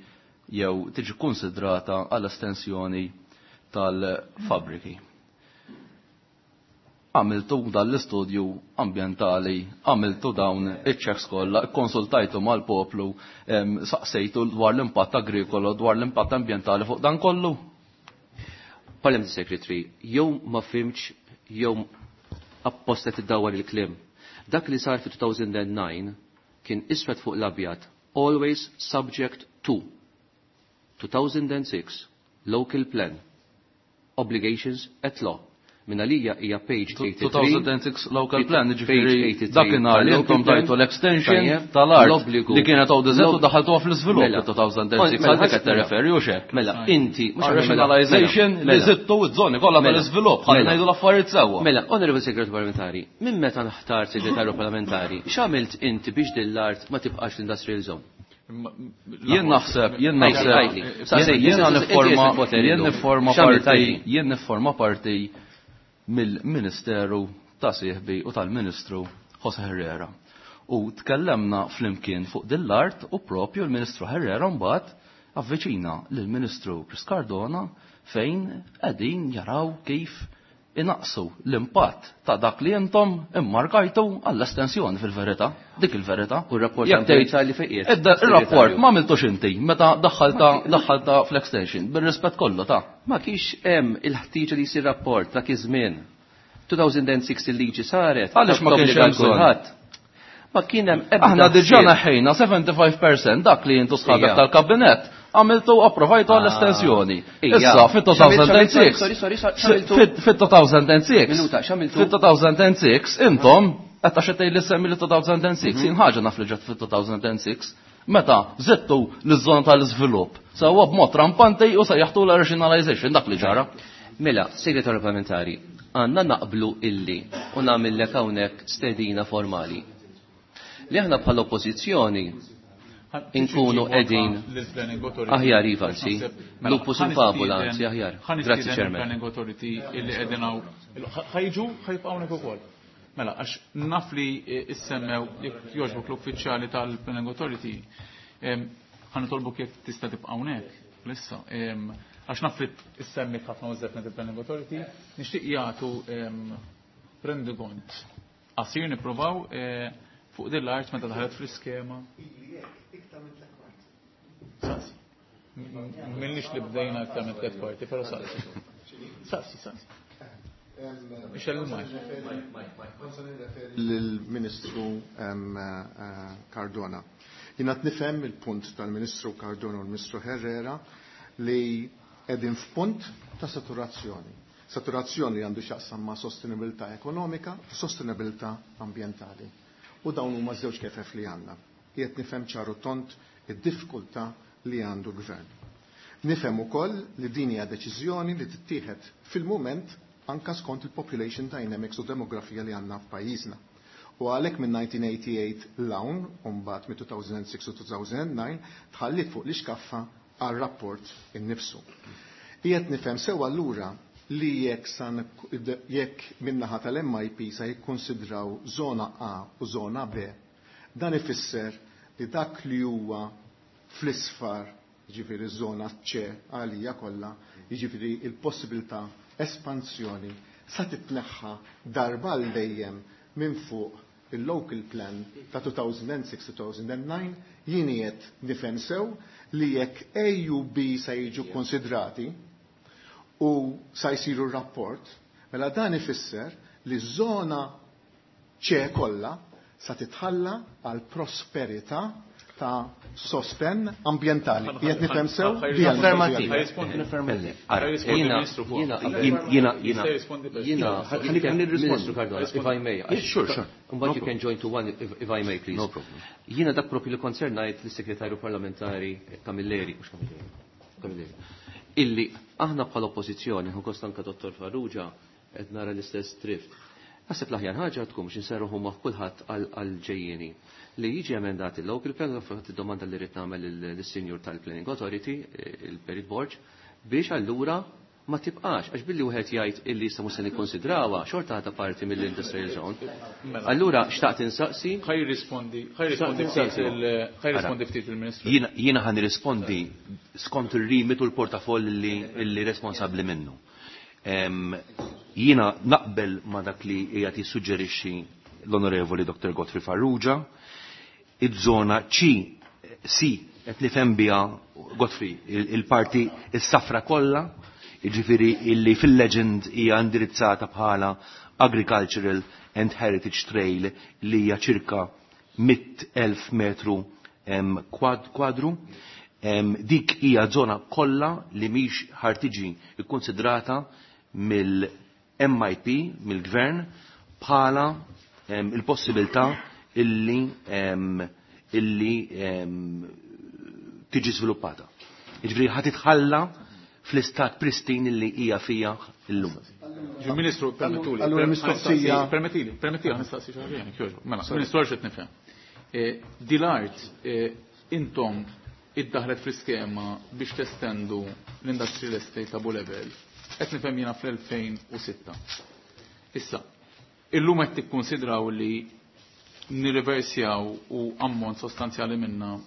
jew tiġi konsidrata għall-estensjoni tal-fabriki. Għamiltu dan l-istudju ambjentali, għamiltu dawn iċ-checks kollha, konsultajtu mal-poplu, em, saqsejtu dwar l-impatt agrikolo, dwar l-impatt ambjentali fuq dan kollu. Parliament Secretary, jew ma fimx, jew apposta tiddawwar il-kliem. Dak li sar fi two thousand and nine kien iswed fuq l-abjad, always subject to two thousand and six local plan, obligations at law. Minn għalija hija page eighty-three. two thousand six local plan, ġifieri dakinhar li intom tajtu l-extension tal-art li kienet O D Z u daħaltuha fl-iżvilupp two thousand six, għal dik qed tirreferi u x'hekk. Mela, inti rationalization li żidtu ż-żoni kollha tal-iżvilupp, ħalli ngħidu l-affarijiet sewwa. Mela, Honorable Segretarju Parlamentari, minn meta nħtar Segretarju Parlamentari, x'għamilt inti biex din l-art ma tibqax l-industrial zone? Jien naħseb, jien naħseb, jien nifforma, jien nifforma parti, jien nifforma parti mill-Ministeru ta' sieħbi u tal-Ministru Jose Herrera. U tkellemna flimkien fuq din l-art u propju l-Ministru Herrera mbagħad avviċina lill-Ministru Chris Cardona fejn qegħdin jaraw kif inaqsu l-impatt ta' dak li intom immarkajtu għall-estensjoni fil-verità, dik il-verità. U r-rapport li fejn qiegħed. Ir-rapport ma għamiltux inti meta daħħalta daħħalta fl-extension, bir-rispett kollu ta' Ma kienx hemm il-ħtieġa li jsir rapport dak iż-żmien. two thousand six il-liġi saret. Għaliex ma kienx hemm kulħadd. Ma kien hemm ebda. Aħna diġà neħħejna seventy-five percent dak li intu sħabek tal-kabinett għamiltu approvajtu għall-estensjoni. Issa fit-two thousand six. Fit-two thousand six. Fit-two thousand six intom qed għax qed li semmi li two thousand six jien ħaġa naf li ġat fit-two thousand six. Meta żidtu l-żona tal-iżvilupp sewwa b'mod rampanti u sejjaħtu l-rationalization dak li ġara. Mela, Segretarju Parlamentari, għandna naqblu illi u nagħmillek hawnhekk stedina formali. Li aħna bħala oppożizzjoni inkunu qegħdin aħjar iva anzi, lupus in fabula anzi aħjar. Grazzi Chairman. Planning Authority illi qegħdin hawn ħajġu ħajbqgħu hawnhekk ukoll. Mela, għax naf li issemmew jekk jogħġbok l-uffiċjali tal-Planning Authority, ħa nitolbok jekk tista' tibqa' hawnhekk lissa. Għax naf li issemmit ħafna użet il-Planning Authority, nixtieq jagħtu rendikont. Qasir nippruvaw fuq din l-art meta daħlet fl-iskema. Saqsi. Minnix li bdejna iktar minn tliet kwarti, però saqsi. Saqsi, saqsi. Lill-Ministru Cardona. Jien qed nifhem il-punt tal-Ministru Cardona u l-Ministru Herrera li qegħdin f'punt ta' saturazzjoni. Saturazzjoni li għandu x'jaqsam ma' sostenibilità ekonomika u sostenibilità ambjentali. U dawn huma żewġ kefef li għandna. Qiegħed nifhem ċaru tont id-diffikultà li għandu l-gvern. Nifhem ukoll li din hija deċiżjoni li tittieħed fil-mument anka skont il-population dynamics u demografija li għandna f'pajjiżna. U għalhekk minn nineteen eighty-eight l-hawn, u mbagħad minn two thousand six u two thousand nine, tħallit fuq l-ixkaffa għar-rapport innifsu. Qiegħed nifhem sew allura li jekk san jekk min-naħa tal-M I P sa jikkonsidraw żona A u żona B, dan ifisser li dak li huwa fl-isfar, jiġifieri żona C għalija kollha, jiġifieri il-possibilità espansjoni sa titneħħa darba għal dejjem minn fuq il-local plan ta' two thousand six to two thousand nine, jien qiegħed nifhem sew li jekk A u B sa jiġu konsidrati u sa jsiru r-rapport, mela dan ifisser li ż-żona C kollha sa titħalla għal prosperità ta' sosten ambientali. Qiegħed nifhem sew? Jiena jiena jiena Ministru Cardona, if I may. Sure, sure. Mbagħad you can join to one if, if I may, please. No problem. Jiena dak propju li koncernajt lis-Segretarju Parlamentari Camilleri, mhux Camilleri, Camilleri. Illi aħna bħala oppożizzjoni, hu kost anke Dottor Farrugia qed nara l-istess drift. Naħseb l-aħjar ħaġa tkun biex inserruħu ma' kulħadd għal-ġejjieni li jiġi emendat il-local plan, fatt id-domanda li rrid nagħmel lis-Sinjur tal-Planning Authority, il-Perit Borg, biex allura ma tibqax, għax billi wieħed jgħid illi issa mhux se nikkonsidrawha, xorta ħata parti mill-industrial zone. Allura xtaqt insaqsi. Ħaj jirrispondi, ħaj jirrispondi ftit il- ħaj jirrispondi ftit il-Ministru. Jiena, jiena ħa nirrispondi skont ir-rimit u l-portafoll li, li responsabbli minnu. Em, jiena naqbel ma dak li qiegħed jissuġġerixxi l-Onorevoli Doctor Godfrey Farrugia, iż-żona C, C qed nifhem biha Godfrey, il-parti is-safra kollha, jiġifieri illi fil-legend hija indirizzata bħala Agricultural and Heritage Trail li hija ċirka mitt elf metru, em, kwad-, kwadru. Em, dik hija żona kollha li mhix ħartiġi kkonsidrata mill-M M I P mill-gvern bħala il-possibilità illi illi tiġi żviluppata. Jiġifieri ħa titħalla fl-istat pristin illi hija fija llum. Ministru, permettuli. Allura mistoqsija. Permettili, permettili nistaqsi xi ħaġa jogħġbok. Mela, Ministru għax qed nifhem. Dil-art intom iddaħlet fl-iskema biex testendu l-industrial estate ta' Bulebel. Qed nifhem jiena fl-elfejn u sitta. Issa, illum qed tikkonsidraw li nirriversjaw u ammont sostanzjali minna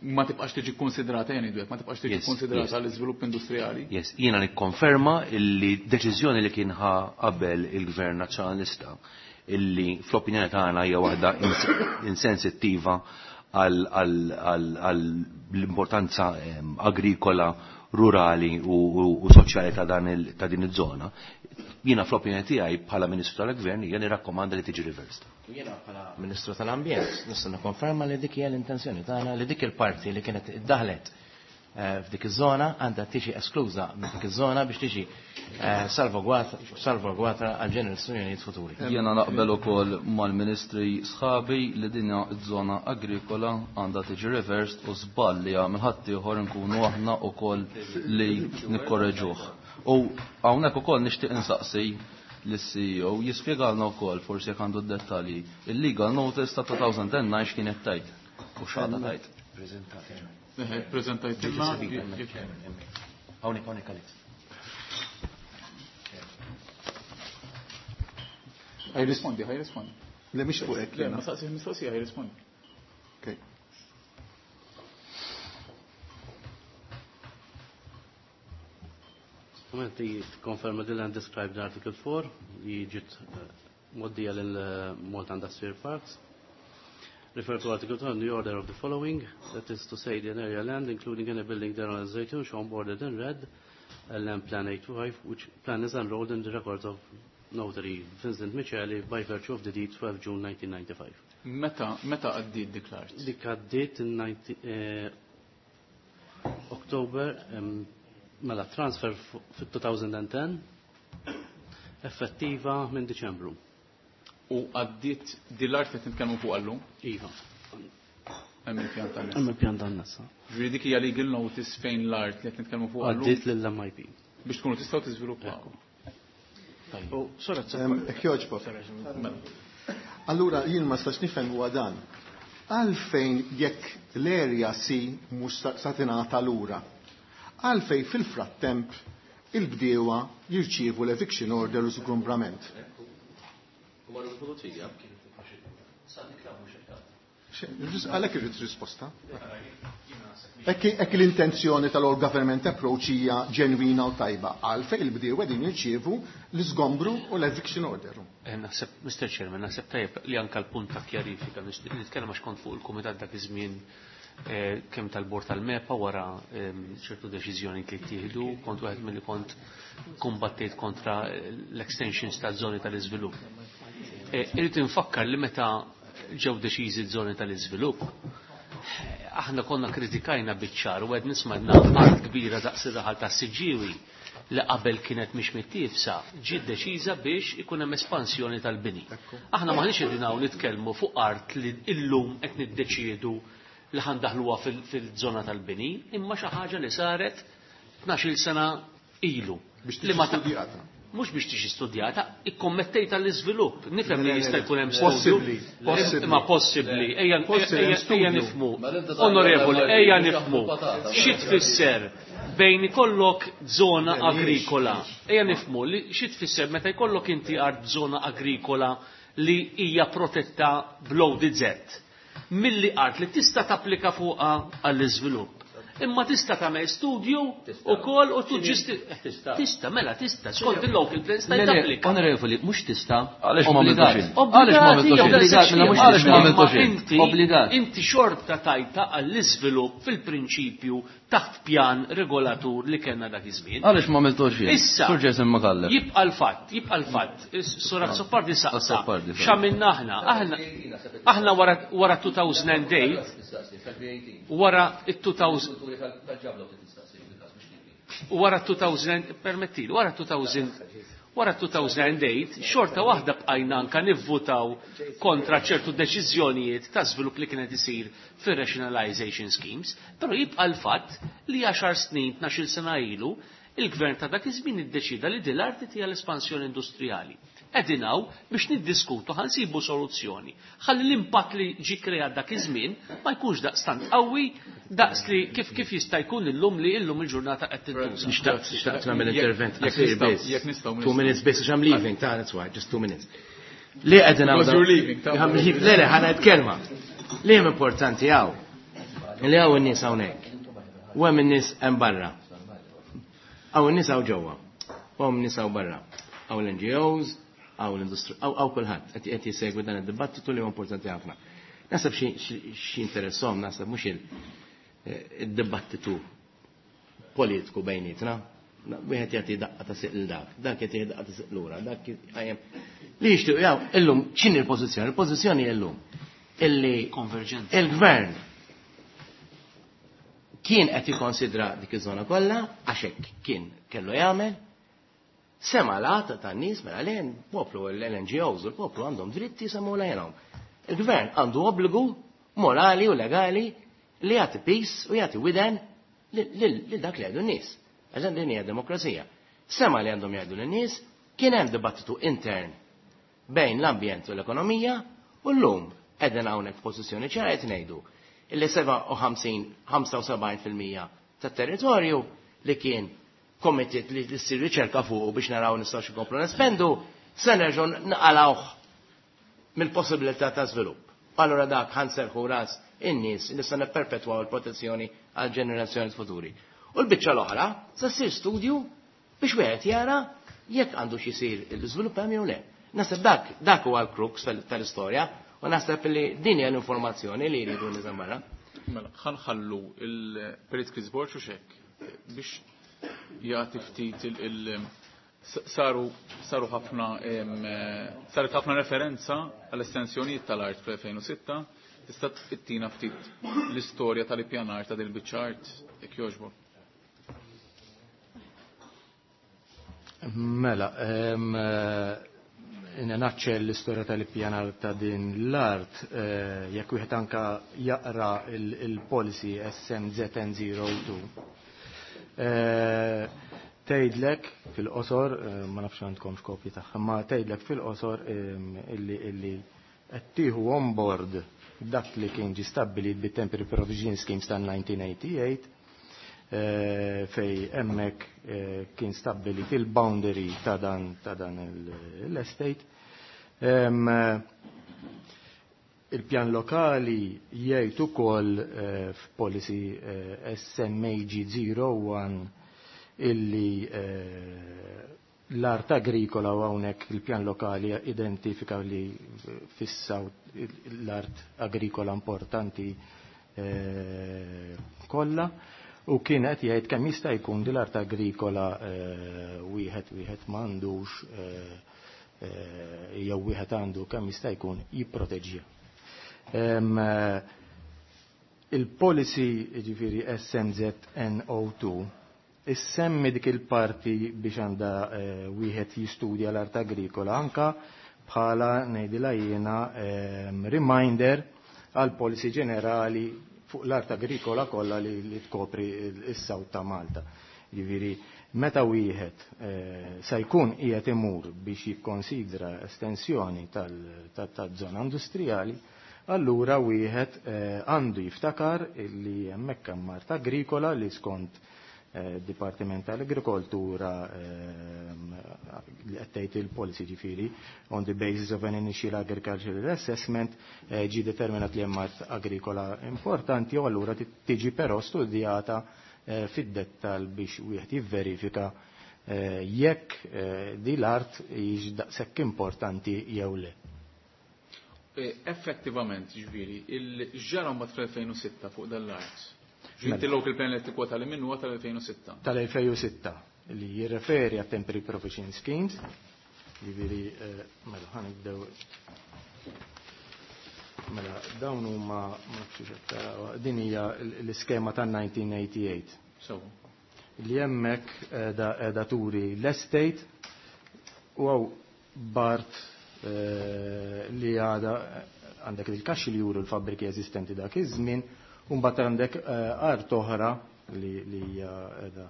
ma tibqax tiġi konsidrata, jien ngħidu hekk, ma tibqax tiġi konsidrata l-iżvilupp industrijali. Yes, jiena nikkonferma illi deċiżjoni li kien ħa qabel il-Gvern Nazzjonalista illi fl-opinjoni tagħna hija waħda insensittiva għall-importanza agrikola, rurali u soċjali ta' din iż-żona. Jiena fl-opinjoni tiegħi bħala Ministru tal-Gvern hija nirrakkomanda li tiġi reversed. Jiena bħala Ministru tal-Ambjent nista' nikkonferma li dik hija l-intenzjoni tagħna li dik il-parti li kienet iddaħlet f'dik iż-żona għandha tiġi eskluża minn dik iż-żona biex tiġi salvagwata għal ġenerazzjonijiet futuri. Jiena naqbel ukoll mal-Ministri sħabi li din iż-żona agrikola għandha tiġi reversed u żball li għamel ħadd ieħor nkunu aħna wkoll li nikkorreġuh. U hawnhekk ukoll nixtieq insaqsi lis-C E O jispjegalna wkoll forsi jekk għandu d-dettalji. Il-legal notice ta' two thousand and nine x'kienet tajt u x'għadha tajt. Preżentajt. Hawnhekk hawnhekk Alex. Ħaj rispondi, ħaj rispondi. Le mhix fuq hekk. Le, ma saqsix mistoqsija, ħaj rispondi. Okay. Dokumenti konferma din and described Article four li ġiet moddija lil Malta Industrial Parks. Refer to Article two and the order of the following, that is to say the area land, including any building there on Zaytun, shown bordered in red, L M Plan eight five, which plan is enrolled in the records of notary Vincent Micheli by virtue of the deed twelve June nineteen ninety-five. Meta, meta għaddiet dik l-art? Dik għaddiet in ninety, eh, October, um, mela transfer fit two thousand and ten, effettiva minn Diċembru. U għaddiet din l-art li qed nitkellmu fuq għallum? Iva. Hemm il-pjan tan-nisa. Hemm il-pjan tan-nisa. Ġifieri dik hija legal notice fejn l-art li qed nitkellmu fuq għallum? Għaddiet lill-M I P. Biex tkunu tistgħu tiżviluppaw. Tajjeb. U sora Jekk jogħġbok. Allura jien ma stax nifhem huwa dan. Għalfejn jekk l-area C mhux sa tingħata lura. Għalfejn fil-frattemp il-bdiewa jirċievu l-eviction order u żgumbrament. Għalhekk irrid risposta. Hekk l-intenzjoni tal-all government approach hija ġenwina u tajba, għalfejn il-bdiewa qegħdin jirċievu l-iżgombru u l-eviction order. Eh, naħseb, Mister Chairman, naħseb tajjeb li anke l-punt ta' kjarifika, nixtieq nitkellem għax kont fuq il-kumitat dak iż-żmien, eh, kemm tal-bord tal-MEPA wara, ehm, ċertu deċiżjoni li ttieħdu, kont wieħed milli kont kumbattejt kontra l-extensions taż-żoni tal-iżvilupp. Eh, irrid infakkar li meta ġew deċiżi ż-żoni tal-iżvilupp, aħna konna kritikajna biċ-ċar u għed nismadna art kbira daqs ir-raħal tas-Siġġiewi li qabel kienet mhix mittiefsa, ġiet deċiża biex ikun hemm espansjoni tal-bini. Aħna m'aħniex qegħdin hawn nitkellmu fuq art li illum qed niddeċiedu li ħandaħluha fil-, fil-żona tal-bini, imma xi ħaġa li saret tnax-il sena ilu. Biex Li ma tiġi studjata. Mhux biex tiġi studjata, ikkommettejt għall-iżvilupp. Nifhem li Le, le, jista' le. jkun hemm studju. Possibbli, possibbli. Imma possibbli. Ejja, Possibbli, ejja, studju. ejja nifhmu. Mela inti tagħmel Onorevoli, l-M I P ejja biex nifhmu. jaħdu patata. Xi tfisser bejn ikollok żona Le, mhijiex. agrikola. Ejja nifhmu li xi tfisser meta jkollok inti art żona agrikola li hija protetta b'L O D Z. Milli art li tista' tapplika fuqha għall-iżvilupp. Imma tista' tagħmel studju ukoll u tuġġisti. Tista'. Tista', mela tista', skont il-local plan sta' Le, le, tapplika. Onorevoli, mhux tista'. Għaliex ma Obbligat. għamiltux int? Għaliex ma għamiltux int? Obbligat, mela mhux Għaliex ma tista'. għamiltux int? Inti, Obbligat. inti xorta tajta għall-iżvilupp fil-prinċipju taħt pjan regolatur li kellna dak iż-żmien. Għaliex ma għamiltux int? Issa, Sur Jason Micallef. jibqa' l-fatt, jibqa' l-fatt. Sur Azzopardi saqsa. Azzopardi, sorry. X'għamilna aħna? Aħna, aħna wara, wara two thousand and eight, wara it-two thousand, wara two thousand, permettili, wara two thousand, Wara two thousand eight, xorta waħda bqajna anka nivvutaw kontra ċertu deċiżjonijiet ta' żvilupp li kienet isir fir-rationalization schemes, però jibqa' l-fatt li għaxar snin, tnax-il sena ilu, il-gvern ta' dak iż-żmien iddeċida li din l-arti hija l-espansjoni industrijali. Qegħdin hawn biex niddiskutu ħa nsibu soluzzjoni. Ħalli l-impatt li ġie kreat dak iż-żmien ma jkunx daqstant qawwi daqs li kif kif jista' jkun illum li illum il-ġurnata qed tintuża. Nixtaqt nixtaqt nagħmel intervent qasir biss. Jekk nistgħu Two minutes biss għax I'm leaving, ta' that's why, just two minutes. Li qegħdin hawn. Because you're leaving, ta' Le le ħa ngħid kelma. Li hemm importanti hawn. Li hawn in-nies hawnhekk. U hemm in-nies hemm barra. Hawn in-nies hawn ġewwa. U hemm in-nies hawn barra. Hawn l-N G Os, hawn l-industri, hawn kulħadd qed qed jisegwi dan id-dibattitu li huwa importanti ħafna. Naħseb xi, xi, xi interesshom, naħseb mhux il-, id-dibattitu politiku bejnietna. Wieħed jagħti daqqa ta' siq lil dak, dak jagħti daqqa ta' siq lura, dak jgħajjem. Li jixtiequ jaw illum x'inhi l-pożizzjoni? Il-pożizzjoni illum illi Konverġenza. il-gvern kien qed jikkonsidra dik iż-żona kollha għax hekk kien kellu jagħmel, sema l-għata tan-nies mela lejn poplu l-N G Os u l-poplu għandhom dritti jisemgħu lejnhom. Il-gvern għandu obbligu morali u legali li jagħti peace u jagħti widen lil dak li jgħidu n-nies. Għax din hija demokrazija. Sema li għandhom jgħidu lin-nies, kien hemm dibattitu intern bejn l-ambjent u l-ekonomija u llum qegħdin hawnhekk f'pożizzjoni ċara qed ngħidu illi seba' u ħamsin, ħamsa u sebgħin fil-mija tat-territorju li kien committed li ssir riċerka fuqu biex naraw nistgħux inkomplu nespendu, se nerġgħu naqalgħuh mill-possibilità ta' żvilupp. Allura dak ħanserħu ras in-nies li se nipperpetwaw il-protezzjoni għal ġenerazzjoni futuri. U l-biċċa l-oħra se ssir studju biex wieħed jara jekk għandu xi jsir l-iżvilupp hemm jew le. Naħseb dak, dak huwa l-crux tal-, tal-istorja u naħseb li din hija l-informazzjoni li jridu nies barra. Mela, ħanħallu il-Perit Chris Borg u xek biex jagħti ftit il-, il-, saru, saru ħafna, em, saret ħafna referenza għall-estensjonijiet tal-art fl-elfejn u sitta. Tista' tittina ftit l-istorja tal-ippjanar ta' dil-biċċa art jekk jogħġbok. Mela, em, naċċel l-istorja tal-ippjanar ta' din l-art, eh, jekk wieħed anka jaqra il-, il-policy S M Z N zero two. Eh, tgħidlek fil-qosor, eh, ma nafx għandkomx kopji tagħha, ma tgħidlek fil-qosor, em, illi, illi qed tieħu on board dak li kien ġie stabbilit bit-Temporary Provision Schemes tan nineteen eighty-eight, eh, fej hemmhekk, eh, kien stabbilit il-boundary ta' dan, ta' dan il-, l-estate. Em, il-pjan lokali jgħid ukoll, eh, f'policy, eh, S M A G zero one illi, eh, l-art agrikola u hawnhekk il-pjan lokali identifika li fissaw l-art agrikola importanti, eh, kollha u kien qed jgħid kemm jista' jkun din l-art agrikola, eh, wieħed, wieħed m'għandux, eh, eh, jew wieħed għandu kemm jista' jkun jipproteġġiha. Em, eh, il-policy jiġifieri S M Z N O two issemmi dik il-parti biex għandha, eh, wieħed jistudja l-art agrikola anka bħala ngħidilha jiena, ehm, reminder għal policy ġenerali fuq l-art agrikola kollha li, li tkopri is-South ta' Malta. Jiġifieri meta wieħed, eh, se jkun qiegħed imur biex jikkonsidra estensjoni tal-, tal-, taż-żona industrijali, allura wieħed, eh, għandu jiftakar li hemmhekk hemm art agrikola li skont, eh, Dipartiment tal-Agrikoltura, ehm, li qed tgħid il-policy ġifieri on the basis of an initial agricultural assessment, eh, ġie determinat li hemm art agrikola importanti u allura ti-, tiġi però studjata, eh, fid-dettal biex wieħed jivverifika, eh, jekk, eh, di l-art hix daqshekk importanti jew le. Eh, effettivament, ġifieri, il-ġara mbagħad fl-elfejn u sitta fuq dan l-art. Ġifieri il-local plan li tikkwota li minnu huwa tal-elfejn u sitta. Tal-elfejn u sitta li jirreferi għat temporary provision schemes. Ġifieri, eh, mela ħanibdew. Mela dawn huma ma nafx x'qed taraw, din hija l-, l-iskema tan nineteen eighty-eight. So. Li hemmhekk qiegħda, qiegħda turi l-estate U hawn bart li għada għandek il-kaxxi li juru l-fabbriki eżistenti dak iż-żmien, u mbagħad għandek art oħra li hija qiegħda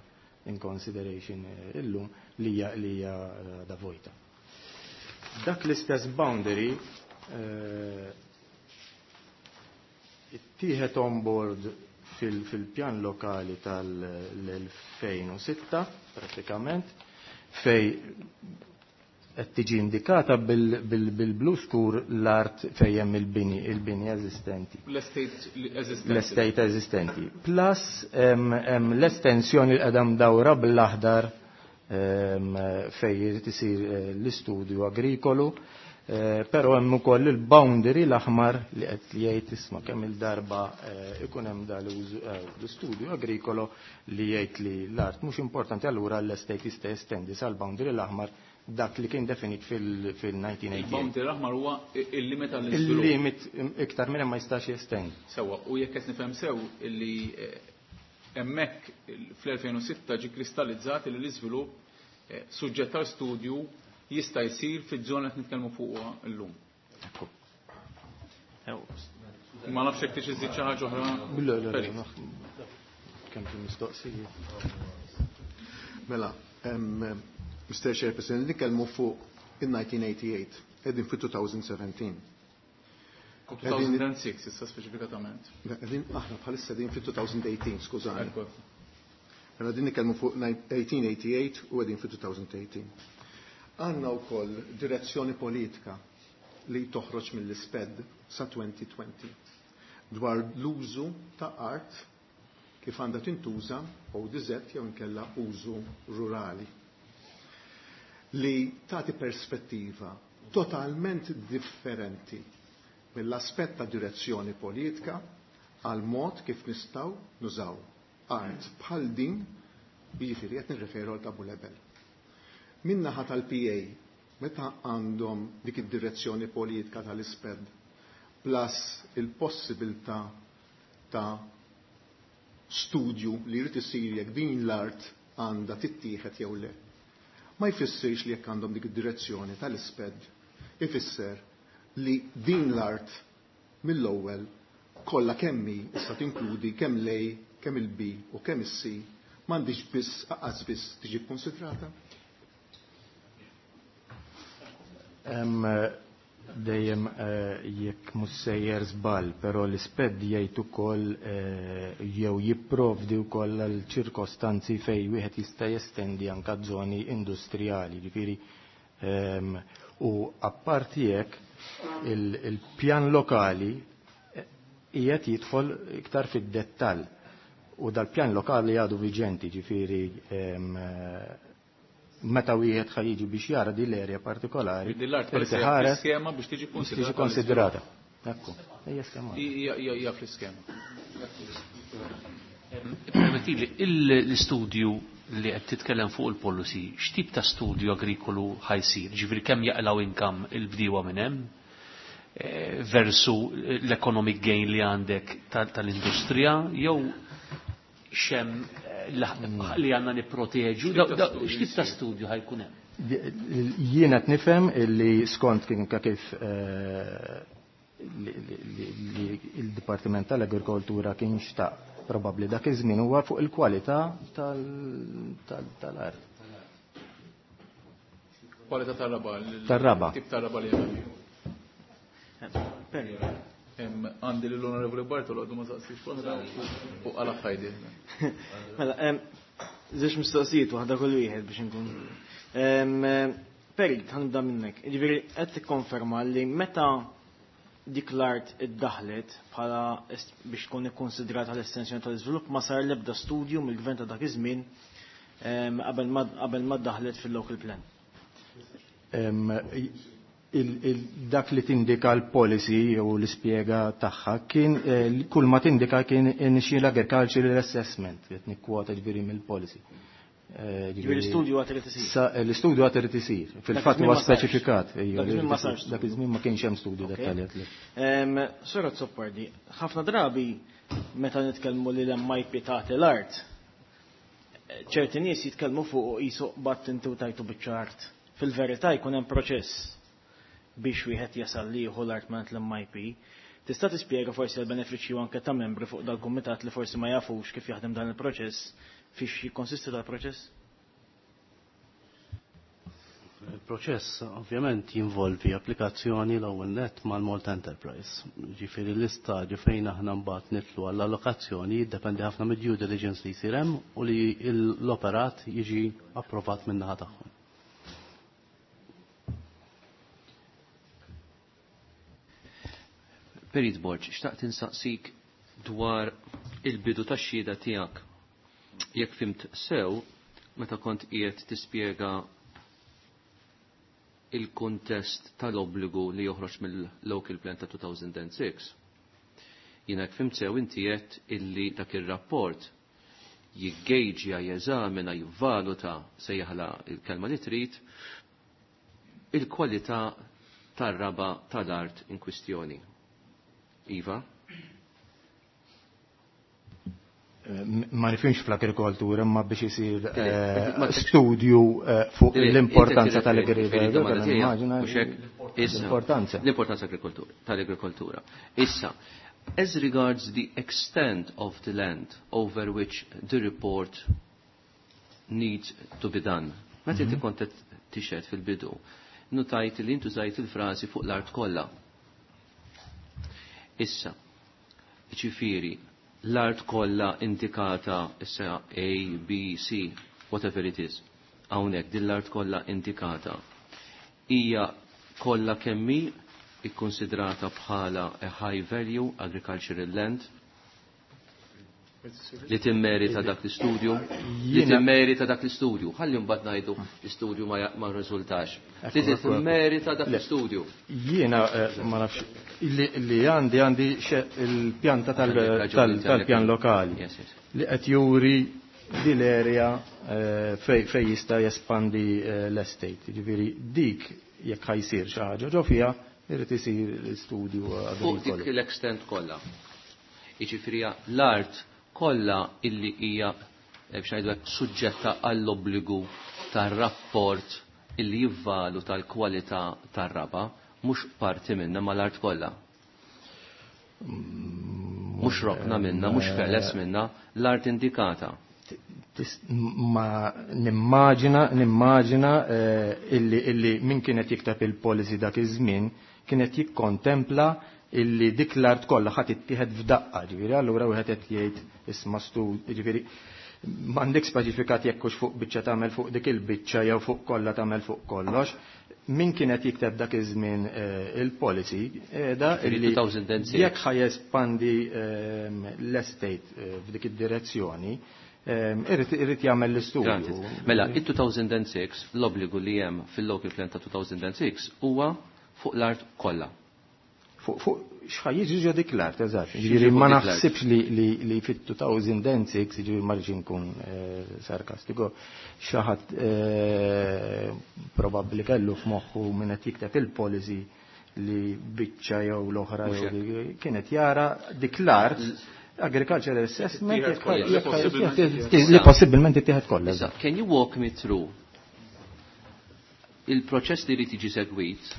in consideration illum li hija li hija da vojta. Dak l-istess boundary ittieħed on board fil-pjan lokali tal-elfejn u sitta pratikament, fej qed tiġi indikata bil-blu skur l-art fejn hemm il-bini, il-bini eżistenti. L-estate eżistenti. L-estate eżistenti. Plus hemm l-estensjoni li qiegħda mdawra bl-aħdar fejn irid isir l-istudju agrikolu, però hemm ukoll il-boundary l-aħmar li qed jgħid isma' kemm il-darba ikun hemm l-istudju agrikolo li jgħid li l-art mhux importanti, allura l-estate jista' jestendi sal-boundary l-aħmar dak li kien definit fil-nineteen eighty-eight. Il-boundary l-aħmar huwa il-limit għall-iżvilupp. Il-limit iktar minn hemm ma jistax jestendi. Sewwa, u jekk qed nifhem sew illi hemmhekk fl-elfejn u sitta ġie kristallizzat li l-iżvilupp suġġett għal studju jista' jsir fiż-żona qed nitkellmu fuqha llum. Ma nafx jekk tix iżid xi ħaġa oħra. Le, le, le, kemm fil-mistoqsija. Mela, Mister Chairperson, nitkellmu fuq in-nineteen eighty-eight, qegħdin fi two thousand seventeen. two thousand six issa speċifikatament. Qegħdin aħna bħalissa qegħdin fi two thousand eighteen, skużani. Mela din nitkellmu fuq eighteen eighty-eight u qegħdin fi two thousand eighteen. Għandna wkoll direzzjoni politika li toħroġ mill-isped sa twenty twenty dwar l-użu ta' art kif għandha tintuża O D Z jew inkella użu rurali, li tagħti perspettiva totalment differenti mill-aspett ta' direzzjoni politika għal mod kif nistgħu nużaw art bħal din, jiġifieri qed nirreferu għal ta' Bulebel. Min-naħa tal-P A, meta għandhom dik id-direzzjoni politika tal-isped plus il-possibilità ta' studju li jrid isir jekk din l-art għandha tittieħed jew le. Ma jfissirx li jekk għandhom dik id-direzzjoni tal-isped, ifisser li din l-art mill-ewwel kollha kemm hi issa tinkludi kemm l-A, kemm il-B u kemm is-C, m'għandix biss aqas biss tiġi kkonsidrata. Hemm dejjem jekk mhux sejjer żball, però l-isped jgħid ukoll jew jipprovdi wkoll għal ċirkostanzi fejn wieħed jista' jestendi anke żoni industrijali, ġifieri u apparti hekk il-pjan lokali qiegħed jidħol iktar fid-dettall u dal-pjan lokali għadu viġenti, ġifieri meta wieħed ħa jiġi biex jara din l-erja partikolari, Din l-art irid bħalissa hija iħares fl-iskema biex tiġi biex tiġi konsidrata. konsidrata. Ekku, hija skema. Hija, hija, hija fl-iskema. Permettili, l-istudju li qed titkellem fuq il-policy, x'tip ta' studju agrikolu ħajsir? Ġifieri kemm jaqlaw income il-bdiewa minn hemm? Eh, versu l-economic gain li għandek tal-industrija, jew xem li għandna nipproteġu, x'tip ta' studju ħajkun hemm? Jiena qed nifhem li skont kien kif, eh, li il-Dipartiment tal-Agrikoltura kien xtaq probabbli dak iż-żmien huwa fuq il-kwalità tal-art. Kwalità tar-raba, Tar-raba. Tip tar-raba li hemm. Għandi l-Onorevoli Bartolo għadu ma saqsix waħda u għala ħajdi. Mela, żewġ mistoqsijiet waħda kull wieħed biex inkun. Perit, ħanibda minnek. Ġifieri qed tikkonferma li meta dik l-art iddaħlet bħala est-, biex tkun ikkonsidrata l-estensjoni tal-iżvilupp ma sar l-ebda studju mill-gvern ta' dak iż-żmien, em, qabel ma, qabel ma ddaħlet fil-local plan. Em, il, il, dak li tindika l-policy u l-ispjega tagħha kien, eh, kull ma tindika kien initial agricultural assessment, qed nikkwota ġifieri mill-policy. Eh, Ġifieri l-istudju għad irid isir. Sa, l-istudju għad irid isir. Dak Fil-fatt iż-żmien huwa ma sarx. speċifikat, ejja, Dak iż-żmien ma li sarx. Dak iż-żmien ma kienx hemm studju Ok. dettaljat li. Em, Sora Azzopardi, ħafna drabi meta nitkellmu li l-M I P tagħti l-art, ċerti nies jitkellmu fuq qisu qatt inti u tajtu biċċa art. Fil-verità jkun hemm proċess biex wieħed jasal li jieħu l-art minn l-M I P. Tista' tispjega forsi l-benefiċċju anke ta' membri fuq dal-kumitat li forsi ma jafux kif jaħdem dan il-proċess, fiex jikkonsisti dal-proċess? Il-proċess ovvjament jinvolvi applikazzjoni l-ewwel net mal-Malta Enterprise. Ġifieri l-istadju fejn aħna mbagħad nidħlu għall-allokazzjoni jiddependi ħafna mid-due diligence li jsir hemm u li l-operat jiġi approvat min-naħa tagħhom. Perit Borg, xtaqt insaqsik dwar il-bidu tax-xhieda tiegħek. Jekk fhimt sew, meta kont qiegħed tispjega il-kontest tal-obbligu li joħroġ mill-Local Plan ta' elfejn u sitta, jiena jekk fhimt sew inti qed illi dak ir-rapport jiggejġja, jeżamina, jivvaluta, sejjaħla il-kelma li trid, il-kwalità tar-raba tal-art in kwistjoni. Iva? Ma nifhimx fl-agrikoltura, imma biex isir eh, Ma- studju eh, fuq l-importanza tal-agrikoltura. Tal-agrikoltura. L-importanza. L-importanza tal-agrikoltura. Issa, as regards the extent of the land over which the report needs to be done. Meta inti kont qed tixhed fil-bidu, notajt li intużajt il-frażi fuq l-art kollha. Issa, ġifieri, l-art kollha indikata issa A, B, C, whatever it is, hawnhekk din l-art kollha indikata hija kollha kemm hi ikkonsidrata bħala a high value agricultural land li timmerita dak l-istudju, li Jiena- timmerita dak l-istudju. Ħalli mbagħad ngħidu l-istudju ma, ma rriżultax. Li Ekku, ekku, ekku. timmerita dak Le. l-istudju. Jiena eh, ma nafx li li għandi għandi xe- il-pjanta tal- Għandek raġun, tal- inti tal-pjan għandek- lokali Yes, yes. li qed juri di l-area eh, fej fej jista' jespandi eh, l-estate. Ġifieri dik jekk ħa jsir xi ħaġa ġo fiha, irid isir l-istudju Fuq dik agrikolu. l-extent kollha. Jiġifieri l-art kollha illi hija eh, biex ngħidu hekk suġġetta għall-obbligu tar-rapport illi jivvaluta l-kwalità tar-raba, mhux parti minnha ma l-art kollha. Mhux rokna minna, mhux feles minna, l-art indikata. Tis- ma nimmaġina nimmaġina eh, illi illi min kienet jikteb il-policy dak iż-żmien kienet jikkontempla illi dik l-art kollha ħadd ittieħed f'daqqa, ġifieri allura wieħed qed jgħid isma' stu, ġifieri m'għandek speċifikat jekk hux fuq biċċa tagħmel fuq dik il-biċċa jew fuq kollha tagħmel fuq kollox. Min kienet jikteb dak iż-żmien eh, il-policy da Ġifieri illi elfejn u sitta. Jekk ħa jespandi ehm, l-estate eh, f'dik id-direzzjoni, ehm, irrid irrid jagħmel l-istudju. Granted. Mela, il-elfejn u sitta, l-obbligu li hemm fil-local plan ta' elfejn u sitta huwa fuq l-art kollha. Fuq fuq x'ħa jiġi ġo dik l-art, eżatt. X'jiġi Ġifieri fuq ma dik l-art. naħsibx li li li fit-elfejn u sitta, ġifieri ma rridx inkun eh, sarkastiku, xi ħadd eh, probabbli kellu f'moħħu min qed jikteb il-policy li biċċa jew l-oħra Mhux jew li kienet jara dik l-art agricultural assessment Ittieħed jekk- kollha, li jekk- possibilment jekk- li possibilment ittieħed kollha. Issa, can you walk me through il-proċess li jrid jiġi segwit